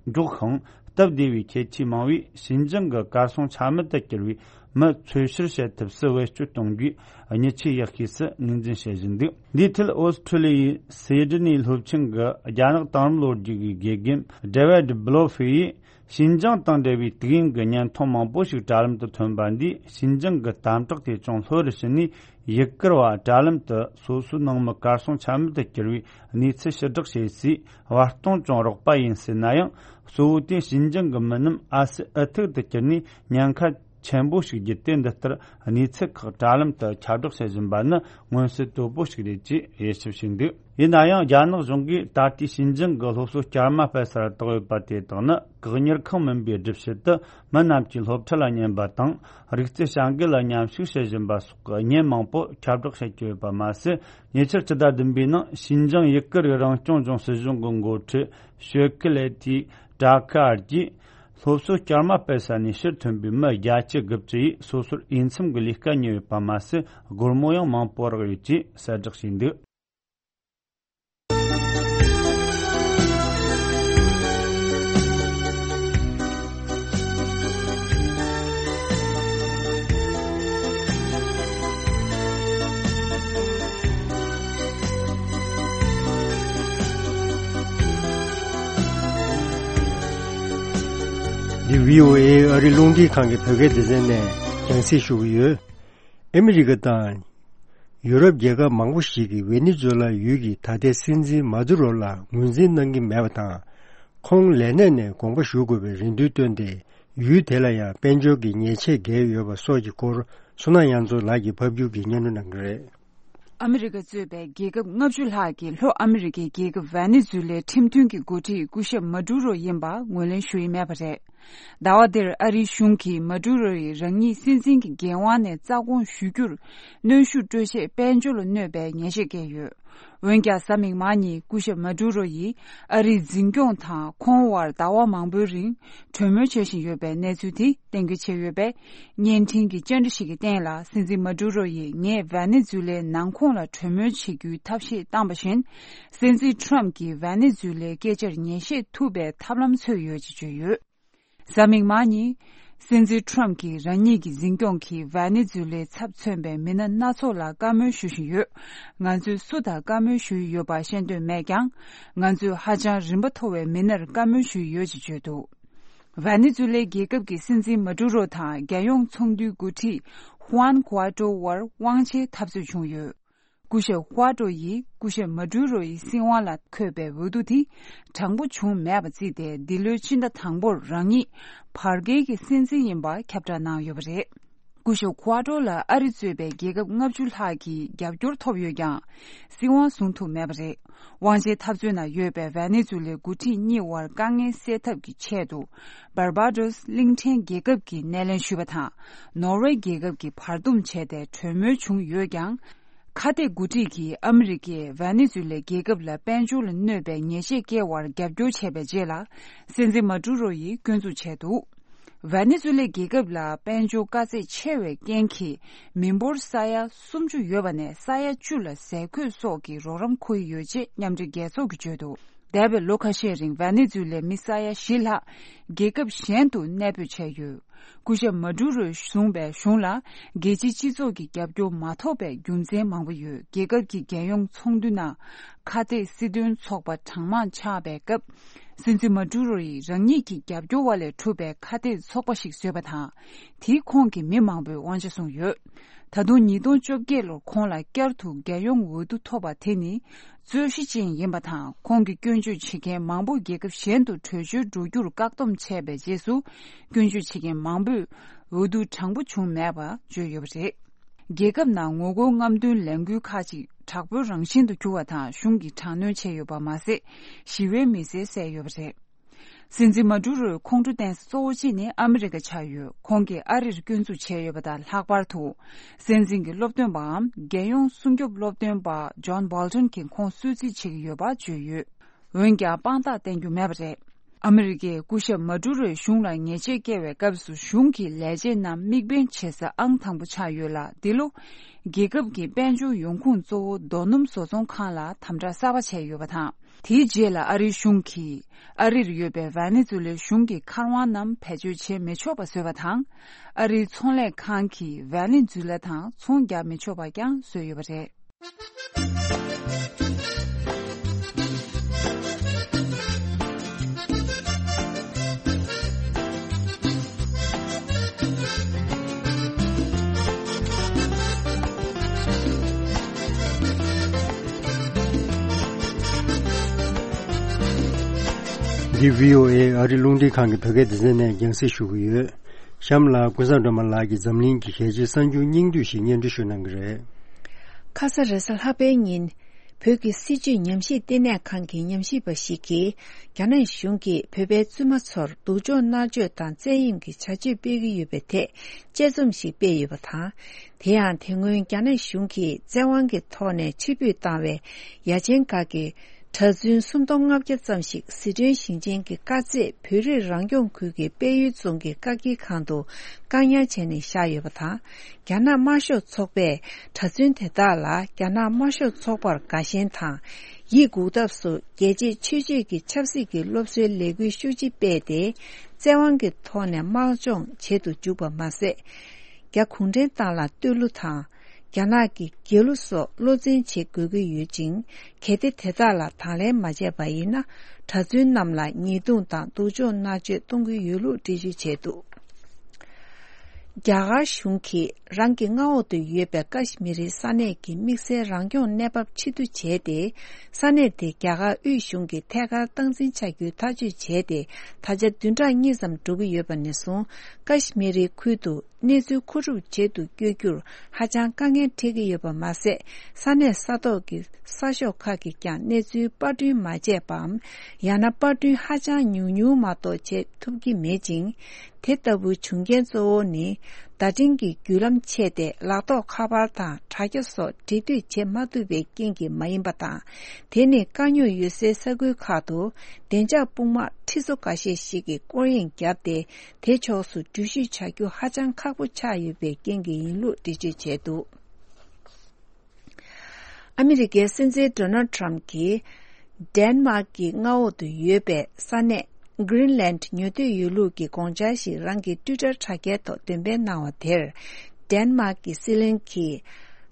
མགྱོགས་ཤིང་སྟབས་བདེ་བའི་ཁྱད་ཆོས་མང་བས། ཤིན་ཅང་གི་གར་སོང་ཆ་མེད་དུ་གྱུར་བའི་མི་འཚོལ་བཤེར་བྱེད་ཐབས་སུ་བེད་སྤྱོད་གཏོང་རྒྱུའི་མྱི་ཆེས་ཡག་ཤོས་སུ་ངོས་འཛིན་བྱེད་བཞིན་འདུག་འདིའི་ཁྲོད་ཨོ་སི་ཁྲུ་ལི་ཡའི་སེ་ཌི་ནི་སློབ་ཆེན་གྱི་རྒྱ་ནག་དེང་རབས་ལོ་རྒྱུས་ཀྱི་དགེ་རྒན་ཌེ་ཝིད་བྷི་ལོ་ཕི་ཡིས། ཤིན་ཅང་དང་འབྲེལ་བའི་དུས་ཡུན་གྱི་བརྙན་ཐུང་མང་པོ་ཞིག་དྲ་ལམ་དུ་ཐོན་པ་འདིས། ཤིན་ཅང་གི་དམ་དྲག་དེ་ཅུང་ལྷོད་རུ་ཕྱིན་ནས། ཡུ་གུར་བ་དྲ་ལམ་དུ་སོ་སོའི་ནང་མི་གར་སོང་ཆ་མེད་དུ་གྱུར་བའི་གནས་ཚུལ་ཕྱིར་བསྒྲགས་བྱས་སའི་བར་སྟོང་ཅུང་རགས་པ་ཡིན་སྲིད་ན་ཡང་། གཙོ་བོ་དེ་ཤིན་ཅང་གི་མི་རྣམས་ཨ་སི་ཨུ་ཐུག་ཏུ་གྱུར་ནས་ཉེན་ཁ་ཆེན་པོ་ཞིག་བརྒྱུད་དེ། འདི་ལྟར་གནས་ཚུལ་ཁག་དྲ་ལམ་དུ་ཁྱབ་བསྒྲགས་བྱེད་བཞིན་པ་ནི་མངོན་གསལ་དོད་པོ་ཞིག་རེད་ཅེས་དབྱེ་ཞིབ་བྱས་འདུག་ཡིན་ན་ཡང་། རྒྱ་ནག་གཞུང་གིས་ད་ལྟའི་ཤིན་ཅང་གི་སློབ་གསོ་བསྐྱར་མ་སྤེལ་སར་བཏང་ཡོད་པ་དེ་དག་ནི། བཀག་ཉར་ཁང་མིན་པའི་སྒྲུབ་བྱེད་དུ་མི་རྣམས་ཀྱིས་སློབ་ཁྲིད་ལ་ཉན་པ་དང་། རིག་རྩལ་བྱ་འགུལ་ལ་མཉམ་ཞུགས་བྱེད་བཞིན་པ་སོགས་ཀྱི་བརྙན་མང་པོ་ཁྱབ་བསྒྲགས་བྱེད་ཀྱི་ཡོད་པ་མ་ཟད། ཉེ་ཆར་སྤྱི་ཟླ་བདུན་པའི་ནང་ཤིན་ཅང་ཡུ་གུར་རང་སྐྱོང་ལྗོངས་སྲིད་གཞུང་གི་འགོ་ཁྲིད་ཞོ་ཁི་ལེ་ཐི་ཀྲ་ཁ་ཨར་གྱིས། སློབ་གསོ་བསྐྱར་མ་སྤེལ་ས་ནས་ཕྱིར་ཐོན་པའི་མི་བརྒྱད་ཅུ་དགུ་བཅུ་ཡིས་སོ་སོར་འོས་འཚམ་གྱི་ལས་ཀ་རྙེད་ཡོད་པ་མ་ཟད། སྒོར་མོ་ཡང་མང་པོ་རག་ཡོད་ཅེས་གསལ་བསྒྲགས་བྱས་འདུག་འདི་བྷི་ཨོ་ཨེ་ཨ་རི་རླུང་འཕྲིན་ཁང་གི་བོད་སྐད་སྡེ་ཚན་ནས་རྒྱང་སྲིང་ཞུ་གི་ཡོད། ཨ་མི་རི་ཀ་དང་ཡུ་རོབ་རྒྱལ་ཁབ་མང་པོ་ཞིག་གིས་ཝེ་ནེ་ཛུ་ལ་ཡུལ་གྱི་ད་ལྟའི་སྲིད་འཛིན་མ་དུ་རོ་ལ་ངོས་འཛིན་གནང་གི་མེད་པ་དང་། ཁོང་ལས་གནས་ནས་དགོངས་པ་ཞུ་དགོས་པའི་རེ་འདུན་བཏོན་ཏེ། ཡུལ་དེ་ལ་ཡང་དཔལ་འབྱོར་གྱི་ཉེས་ཆད་བཀལ་ཡོད་པ་སོགས་ཀྱི་སྐོར། བསོད་ནམས་དབྱངས་མཚོ་ལགས་ཀྱིས་ཕབ་སྒྱུར་གྱིས་སྙན་སྒྲོན་གནང་གི་རེད། ཨ་མི་རི་ཀ་གཙོས་པའི་རྒྱལ་ཁབ་ལྔ་བཅུ་ལྷག་གིས་ལྷོ་ཨ་མི་རི་ཀའི་རྒྱལ་ཁབ་ཝེ་ནེ་ཛུ་ལའི་ཁྲིམས་མཐུན་གྱི་འགོ་ཁྲིད་སྐུ་ཞབས་མ་ཌུ་རོ་ཡིན་པ་ངོས་ལེན་ཞུ་ཡི་མེད་པ་རེད། ཟླ་བ་འདིར་ཨ་རིའི་གཞུང་གིས་མ་ཌུ་རོ་ཡིས་རང་ཉིད་སྲིད་འཛིན་གྱི་འགན་དབང་ནས་རྩ་དགོངས་ཞུ་རྒྱུར་གནོན་ཤུགས་སྤྲོད་ཆེད་དཔལ་འབྱོར་ལ་གནོད་པའི་ཉེས་ཆད་བཀལ་ཡོད། འོན་ཀྱང་། གཟའ་མིག་དམར་ཉིན་སྐུ་ཞབས་མ་ཌུ་རོ་ཡིས་ཨ་རིའི་འཛིན་སྐྱོང་དང་ཁོང་དབར་ཟླ་བ་མང་པོའི་རིང་གྲོས་མོལ་བྱེད་བཞིན་ཡོད་པའི་གནས་ཚུལ་དེ་གཏན་འཁེལ་བྱས་ཡོད་པས། བརྙན་འཕྲིན་གྱི་བཅར་འདྲི་ཞིག་གི་སྟེང་ལ། སྲིད་འཛིན་མ་ཌུ་རོ་ཡིས་ངས་ཝེ་ནེ་ཛུ་ལའི་ནང་ཁོངས་ལ་གྲོས་མོལ་བྱེད་རྒྱུའི་ཐབས་ཤེས་བཏང་པ་བཞིན། སྲིད་འཛིན་ཁྲོམ་གྱིས་ཝེ་ནེ་ཛུ་ལའི་སྐད་ཆར་ཉན་བཤད་ཐུབ་པའི་ཐབས་ལམ་འཚོལ་ཡོད་ཅེས་བརྗོད་ཡོད། གཟའ་མིག་དམར་ཉིན། སྲིད་འཛིན་ཁྲོམ་གྱིས་རང་ཉིད་ཀྱི་འཛིན་སྐྱོང་གིས་ཝེ་ནེ་ཛུ་ལའི་ཚབ་མཚོན་པའི་མི་སྣ་སྣ་ཚོགས་ལ་བཀའ་མོལ་ཞུ་བཞིན་ཡོད། ང་ཚོས་སུ་དང་བཀའ་མོལ་ཞུ་ཡི་ཡོད་པ་ཤེས་འདོད་མེད་ཀྱང་། ང་ཚོས་ཧ་ཅང་རིམ་པ་མཐོ་བའི་མི་སྣར་བཀའ་མོལ་ཞུ་ཡི་ཡོད་ཅེས་བརྗོད་འདུག་ཝེ་ནེ་ཛུ་ལའི་རྒྱལ་ཁབ་ཀྱི་སྲིད་འཛིན་མ་ཌུ་རོ་དང་རྒྱལ་ཡོངས་ཚོགས་འདུའི་འགོ་ཁྲིད་ཧུའན་གུ་ཨ་ཏྲོ་དབར་དབང་ཆའི་འཐབ་རྩོད་བྱུང་ཡོད། སྐུ་ཞབས་ཧུ་ཨ་ཏྲོ་ཡིས་སྐུ་ཞབས་མ་ཌུ་རོ་ཡི་སྲིད་དབང་ལ་འཁོད་པའི་འོས་བསྡུ་དེ་དྲང་པོ་བྱུང་མེད་པ་བརྩིས་ཏེ། འདི་ལོའི་ཕྱི་ཟླ་དང་པོར་རང་ཉིད་བར་བརྒལ་གྱི་སྲིད་འཛིན་ཡིན་པ་ཁྱབ་བསྒྲགས་གནང་ཡོད་པ་རེད། སྐུ་ཞབས་ཧུ་ཨ་ཏྲོ་ལ་ཨ་རི་གཙོས་པའི་རྒྱལ་ཁབ་ལྔ་བཅུ་ལྷག་གིས་རྒྱབ་སྐྱོར་ཐོབ་ཡོད་ཀྱང་། སྲིད་དབང་བཟུང་ཐུབ་མེད་པ་རེད། དབང་ཆའི་འཐབ་རྩོད་ནང་ཡོད་པའི་ཝེ་ནེ་ཛུ་ལའི་འགོ་ཁྲིད་གཉིས་དབར་དཀའ་ངལ་སེལ་ཐབས་ཀྱི་ཆེད་དུ། བར་བ་ཌོས་གླིང་ཕྲན་རྒྱལ་ཁབ་ཀྱིས་སྣེ་ལེན་ཞུས་པ་དང་། ནོར་ཝེ་རྒྱལ་ཁབ་ཀྱིས་བར་འདུམ་བྱས་ཏེ་གྲོས་མོལ་བྱུང་ཡོད་ཀྱང་། ཁ་གཏད་འགོ་ཁྲིད་ཀྱིས་ཨ་མི་རི་ཀས་ཝེ་ནེ་ཛུ་ལའི་རྒྱལ་ཁབ་ལ་དཔལ་འབྱོར་ལ་གནོད་པའི་ཉེས་ཆད་བཀལ་བར་རྒྱབ་སྐྱོར་བྱས་པའི་རྗེས་ལ། སྲིད་འཛིན་མ་ཏུ་རོ་ཡིས་སྐྱོན་འཛུགས་བྱས་འདུག་ཝེ་ནེ་ཛུ་ལའི་རྒྱལ་ཁབ་ལ་དཔལ་འབྱོར་དཀའ་ཚེགས་ཆེ་བའི་རྐྱེན་གྱིས། མི་འབོར་ས་ཡ་སུམ་ཅུ་ཡོད་པ་ནས་ས་ཡ་བཅུ་ལ་ཟས་གོས་སོགས་ཀྱི་རོགས་རམ་འཁུར་ཡི་ཡོད་ཅེས་མཉམ་འབྲེལ་རྒྱལ་ཚོགས་ཀྱིས་བརྗོད་འདུག་འདས་པའི་ལོ་ཁ་ཤས་རིང་ཝེ་ནེ་ཛུ་ལའི་མི་ས་ཡ་བཞི་ལྷག་རྒྱལ་ཁབ་གཞན་དུ་གནས་སྤོས་བྱས་ཡོད། སྐུ་ཞབས་མ་ཏུ་རོས་བཟུང་པའི་གཞུང་ལ་རྒྱལ་སྤྱིའི་སྤྱི་ཚོགས་ཀྱི་རྒྱབ་སྐྱོར་མ་ཐོབ་པའི་རྒྱུ་མཚན་མང་པོ་ཡོད། རྒྱལ་ཁབ་ཀྱི་རྒྱལ་ཡོངས་ཚོགས་འདུ་ནང་ཁ་གཏད་སྲིད་དོན་ཚོགས་པ་གྲངས་མང་ཆགས་པའི་སྐབས། སྲིད་འཛིན་མ་ཏུ་རོ་ཡིས་རང་ཉིད་ཀྱི་རྒྱབ་སྐྱོར་བ་ལས་གྲུབ་པའི་ཁ་གཏད་ཚོགས་པ་ཞིག་བཟོས་པ་དང་། དེས་ཁོང་གི་མི་མང་པོས་དབང་ཆ་བཟུང་ཡོད། ད་དུང་ཉིས་སྟོང་བཅོ་བརྒྱད་ལོར་ཁོང་ལ་བསྐྱར་དུ་རྒྱལ་ཡོངས་འོས་བསྡུ་ཐོབ་པ་དེ་ནི་རྩོད་གཞི་ཅན་ཡིན་པ་དང་། ཁོང་གིས་སྐྱོན་བརྗོད་བྱེད་མཁན་མང་པོ་རྒྱལ་ཁབ་གཞན་དུ་བྲོས་བྱོལ་འགྲོ་རྒྱུར་བཀག་སྡོམ་བྱས་པའི་རྗེས་སུ། སྐྱོན་བརྗོད་བྱེད་མཁན་མང་པོས་འོས་བསྡུ་དྲང་པོ་བྱུང་མེད་པ་བརྗོད་ཡོད་པ་རེད། རྒྱལ་ཁབ་ནང་ངོ་རྒོལ་རྔམ་སྟོན་ལས་འགུལ་ཁག་ཅིག་དྲག་པོའི་རང་བཞིན་དུ་གྱུར་བ་དང་། གཞུང་གིས་དྲག་གནོན་བྱས་ཡོད་པ་མ་ཟད། ཞི་བའི་མི་སེར་བསད་ཡོད་པ་རེད། སྲིད་འཛིན་མ་ཏུ་རོའི་ཁོང་ཁྲོ་བསྟན་ས་གཙོ་བོ་གཅིག་ནི་ཨ་མི་རི་ཀ་ཆགས་ཡོད། ཁོང་གིས་ཨ་རིར་སྐྱོན་འཛུགས་བྱས་ཡོད་པ་དང་། ལྷག་པར་དུ་སྲིད་འཛིན་གྱི་སློབ་སྟོན་པའམ་རྒྱལ་ཡོངས་སྲུང་སྐྱོབ་སློབ་སྟོན་པ་ཇོན་བོལ་ཏོན་གྱིས་ཁོང་གསོད་རྩིས་བྱེད་ཀྱི་ཡོད་པ་བརྗོད་ཡོད། འོན་ཀྱང་དཔང་རྟགས་བསྟན་རྒྱུ་མེད་པ་རེད། ཨ་མི་རི་ཀས་སྐུ་ཞབས་མ་ཌུ་རོའི་གཞུང་ལ་ཉེས་ཆད་བཀལ་བའི་སྐབས་སུ་གཞུང་གི་ལས་བྱེད་རྣམས་དམིགས་འབེན་བྱེད་ས་ཨང་དང་པོ་ཆགས་ཡོད་ལ། འདི་ལོ་རྒྱལ་ཁབ་ཀྱི་དཔལ་འབྱོར་ཡོང་ཁུངས་གཙོ་བོ་རྡོ་སྣུམ་བཟོ་ཚོང་ཁང་ལ་དམ་དྲག་གསར་པ་བྱས་ཡོད་པ་དང་། དེའི་རྗེས་ལ་ཨ་རིའི་གཞུང་གིས་ཨ་རིར་ཡོད་པའི་ཝེ་ནེ་ཛུ་ལའི་གཞུང་གི་མཁར་དབང་རྣམས་བེད་སྤྱོད་བྱེད་མི་ཆོག་པ་བཟོས་པ་དང་། ཨ་རིའི་ཚོང་ལས་ཁང་གིས་ཝེ་ནེ་ཛུ་ལ་དང་ཚོང་རྒྱག་མི་ཆོག་པ་ཀྱང་བཟོས་ཡོད་པ་རེད། འདི་བྷི་ཨོ་ཨེ་ཨ་རི་རླུང་འཕྲིན་ཁང་གི་བོད་སྐད་སྡེ་ཚན་ནས་རྒྱང་སྲིང་ཞུ་གི་ཡོད། གཤམ་ལ་ཀུན་བཟང་སྒྲོལ་མ་ལགས་ཀྱིས་འཛམ་གླིང་གི་གལ་ཆེའི་གསར་འགྱུར་སྙིང་བསྡུས་ཤིག་སྙན་སྒྲོན་ཞུ་གནང་གི་རེད། ཁ་ས་རེས་གཟའ་ལྷག་པའི་ཉིན། བོད་ཀྱི་སྲིད་བྱུས་ཉམས་ཞིབ་ལྟེ་གནས་ཁང་གི་ཉམས་ཞིབ་པ་ཞིག་གིས། རྒྱ་ནག་གཞུང་གིས་བོད་པའི་བཙུན་མ་ཚོར་སྡུག་སྦྱོང་མནར་གཅོད་དང་བཙན་གཡེམ་གྱི་བྱ་སྤྱོད་སྤེལ་གྱི་ཡོད་པའི་ཐད་དཔྱད་རྩོམ་ཞིག་སྤེལ་ཡོད་པ་དང་། དེ་ཡང་དེ་སྔོན་རྒྱ་ནག་གཞུང་གིས་བཙན་དབང་གི་ཐོག་ནས་ཕྱིར་འབུད་བཏང་བའི་ཡ་ཆེན་ཁག་གི་གྲྭ་བཙུན་སུམ་སྟོང་ལྔ་བརྒྱ་ཙམ་ཞིག་ཟི་ཁྲོན་ཞིང་ཆེན་གྱི་དཀར་མཛེས་བོད་རིགས་རང་སྐྱོང་ཁུལ་གྱི་དཔལ་ཡུལ་རྫོང་གི་བཀག་སྐྱིལ་ཁང་དུ་བཀག་ཉར་བྱས་ནས་བཞག་ཡོད་པ་དང་། རྒྱ་ནག་དམར་ཤོག་ཚོགས་པས་གྲྭ་བཙུན་དེ་དག་ལ་རྒྱ་ནག་དམར་ཤོག་ཚོགས་པར་དགའ་ཞེན་དང་། ཡིད་འགུག་ཐབས་སུ་རྒྱལ་གཅེས་ཆོས་གཅེས་ཀྱི་ཆབ་སྲིད་ཀྱི་སློབ་གསོའི་ལས་འགུལ་ཤུགས་ཆེ་སྤེལ་ཏེ། བཙན་དབང་གི་ཐོག་ནས་དམག་སྦྱོང་བྱེད་དུ་འཇུག་པ་མ་ཟད། རྒྱ་གུང་ཁྲན་ཏང་ལ་བསྟོད་གླུ་དང་། རྒྱ་ནག་གི་རྒྱལ་གླུ་སོགས་བློ་འཛིན་བྱེད་དགོས་ཀྱི་ཡོད་ཅིང་། གལ་ཏེ་དེ་དག་ལ་དང་ལེན་མ་བྱས་པ་ཡིན་ན། གྲྭ་བཙུན་རྣམས་ལ་ཉེས་རྡུང་དང་སྡུག་སྦྱོང་མནར་གཅོད་གཏོང་གི་ཡོད་ལུགས་འགྲེལ་བརྗོད་བྱས་འདུག། རྒྱ་གར་གཞུང་གིས་རང་གི་མངའ་འོག་ཏུ་ཡོད་པའི་ཀ་ཤི་མི་རི་ས་གནས་ཀྱི་དམིགས་བསལ་རང་སྐྱོང་གནས་བབ་ཕྱིར་བསྡུ་བྱས་ཏེ། ས་གནས་དེ་རྒྱ་གར་དབུས་གཞུང་གི་ཐད་ཀར་སྟངས་འཛིན་བྱ་རྒྱུའི་ཐག་གཅོད་བྱས་ཏེ། ད་ཆ་བདུན་ཕྲག་གཉིས་ཙམ་འགྲོ་གི་ཡོད་པ་ནས་བཟུང་། ཀ་ཤི་མི་རི་ཁུལ་དུ་གནས་ཚུལ་མཁོ་སྒྲུབ་བྱེད་དུ་བསྐྱོད་རྒྱུར་ཧ་ཅང་དཀའ་ངལ་འཕྲད་ཀྱི་ཡོད་པ་མ་ཟད། ས་གནས་ས་ཐོག་གི་གསར་ཤོག་ཁག་གིས་ཀྱང་གནས་ཚུལ་པར་སྐྲུན་མ་བྱས་པའམ། ཡང་ན་པར་སྐྲུན་ཧ་ཅང་ཉུང་ཉུང་མ་གཏོགས་བྱེད་ཐུབ་ཀྱི་མེད་ཅིང་། དེ་ལྟ་བུའི་བྱུང་རྐྱེན་གཙོ་བོ་ནི། བརྡ་འཕྲིན་གྱི་བརྒྱུད་ལམ་ཆད་དེ། ལག་ཐོགས་ཁ་པར་དང་དྲ་རྒྱ་སོགས་འབྲེལ་མཐུད་བྱེད་མ་ཐུབ་པའི་རྐྱེན་གྱིས་མ་ཡིན་པ་དང་། དེ་ནི་དཀའ་རྙོག་ཡོད་སའི་ས་ཁུལ་ཁག་ཏུ་བདེ་འཇགས་དཔུང་དམག་ཁྲི་ཚོ་འགའ་ཤས་ཤིག་གིས་སྐོར་གཡེང་བརྒྱབ་སྟེ། དེ་ཕྱོགས་སུ་འགྲུལ་བཞུད་བྱ་རྒྱུ་ཧ་ཅང་ཁག་པོ་ཆགས་ཡོད་པའི་རྐྱེན་གྱིས་ཡིན་ལུགས་འགྲེལ་བརྗོད་བྱས་འདུག། ཨ་མི་རི་ཀའི་སྲིད་འཛིན་ཌོ་ནལ་ཊམ་གྱིས། ཌེན་མཱག་གི་མངའ་འོག་ཏུ་ཡོད་པའི་ས་གནས་གྷི་རིན་ལན་ཉོ་འདོད་ཡོད་ལུགས་ཀྱི་དགོངས་འཆར་ཞིག་རང་གི་ཊུའི་ཊར་དྲ་རྒྱའི་ཐོག་འདོན་སྤེལ་གནང་བ་དེར། ཌེན་མཱག་གི་སྲིད་བློན་གྱིས་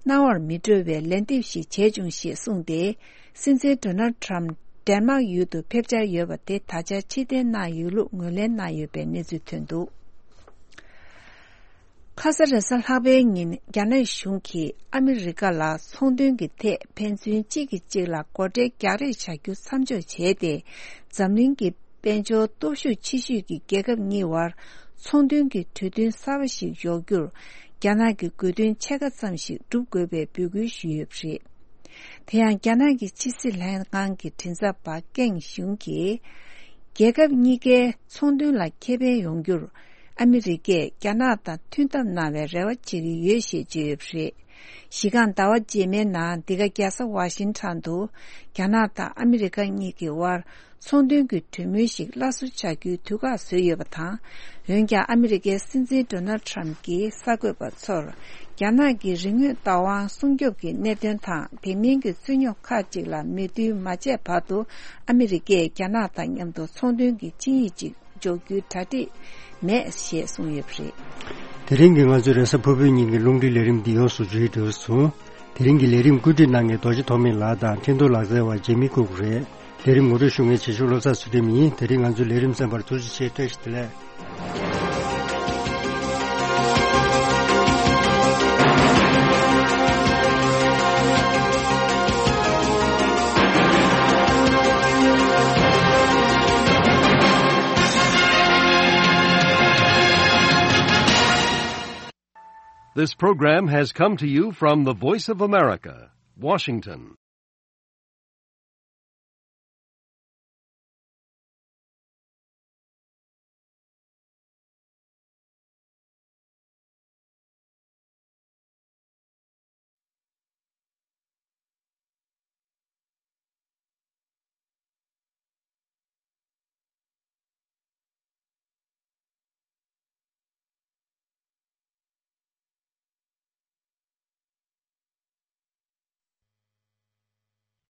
སྣང་བར་མི་འགྲོ་བའི་ལན་འདེབས་ཤིག་བྱས་བྱུང་ཞེས་གསུངས་ཏེ། སྲིད་འཛིན་ཌོ་ནལ་ཊམ་ཌེན་མཱག་ཡུལ་དུ་ཕེབས་འཆར་ཡོད་པ་དེ་ད་ཆ་ཕྱིར་འཐེན་གནང་ཡོད་ལུགས་ངོས་ལེན་གནང་ཡོད་པའི་གནས་ཚུལ་ཐོན་འདུག། ཁ་ས་རེས་གཟའ་ལྷག་པའི་ཉིན། རྒྱ་ནག་གཞུང་གིས་ཨ་མི་རི་ཀ་ལ་ཚོང་དོན་གྱི་ཐད་ཕན་ཚུན་གཅིག་གིས་གཅིག་ལ་སྒོ་ཁྲལ་རྒྱག་རེས་བྱ་རྒྱུ་མཚམས་འཇོག་བྱས་ཏེ། འཛམ་གླིང་གི་དཔལ་འབྱོར་སྟོབས་ཤུགས་ཆེ་ཤོས་ཀྱི་རྒྱལ་ཁབ་གཉིས་བར་ཚོང་དོན་གྱི་གྲོས་མཐུན་གསར་པ་ཞིག་འཇོག་རྒྱུར། རྒྱ་ནག་གི་དགོས་འདུན་ཕྱེད་ཀ་ཙམ་ཞིག་སྒྲུབ་དགོས་པའི་འབོད་སྐུལ་ཞུས་ཡོད་པ་རེད། དེ་ཡང་རྒྱ་ནག་གི་ཕྱི་སྲིད་ལྷན་ཁང་གི་མགྲིན་ཚབ་པ་ཀེང་ཞུང་གིས། རྒྱལ་ཁབ་གཉིས་ཀའི་ཚོང་དོན་ལ་ཁེ་ཕན་ཡོང་རྒྱུར། ཨ་མི་རི་ཀས་རྒྱ་ནག་དང་མཐུན་ཐབས་གནང་བའི་རེ་བ་བྱེད་ཀྱི་ཡོད་ཞེས་བརྗོད་ཡོད་པ་རེད། གཞི་རྐང་ཟླ་བ་རྗེས་མའི་ནང་འདི་ག་རྒྱལ་ས་ཝ་ཤིང་ཊོན་དུ། རྒྱ་ནག་དང་ཨ་མི་རི་ཀ་གཉིས་ཀྱི་དབར། ཚོང་དོན་གྱི་གྲོས་མོལ་ཞིག་སླར་གསོ་བྱ་རྒྱུའི་དུས་བཀག་བཟོས་ཡོད་པ་དང་། འོན་ཀྱང་ཨ་མི་རི་ཀའི་སྲིད་འཛིན་ཌོ་ནལ་ཊམ་གྱིས་གསར་འགོད་པ་ཚོར། རྒྱ་ནག་གི་རིག་དངོས་བདག་དབང་སྲུང་སྐྱོབ་ཀྱི་གནད་དོན་དང་དེ་མིན་གྱི་རྩོད་རྙོག་ཁག་ཅིག་ལ་མོས་མཐུན་མ་བྱས་བར་དུ། ཨ་མི་རི་ཀས་རྒྱ་ནག་དང་མཉམ་དུ་ཚོང་དོན་གྱི་ཆིངས་ཡིག་ཅིག་འཇོག་རྒྱུའི་གྲ་སྒྲིག་མེད་ཞེས་གསུངས་ཡོད་པ་རེད། དེ་རིང་གི་ང་ཚོའི་རེས་གཟའ་ཕུར་བུའི་ཉིན་གྱི་རླུང་འཕྲིན་ལས་རིམ་འདི་ཡོངས་སུ་མཇུག་སྒྲིལ་སོང་། དེ་རིང་གི་ལས་རིམ་བཀོད་སྒྲིག་གནང་མཁན་རྡོ་རྗེ་ཐོགས་མེད་ལགས་དང་འཕྲིན་ཐོག་ལག་རྩལ་བ་ཇེ་མི་ཀུག་རེད། ལས་རིམ་ངོ་སྤྲོད་ཞུ་མཁན་བྱེད་ཤོག་བློ་བཟང་ཚུལ་ཁྲིམས་ཡིན། དེ་རིང་ང་ཚོའི་ལས་རིམ་གསན་པར་ཐུགས་རྗེ་ཆེ། བཀྲ་ཤིས་བདེ་ལེགས། This program has come to you from the Voice of America, Washington.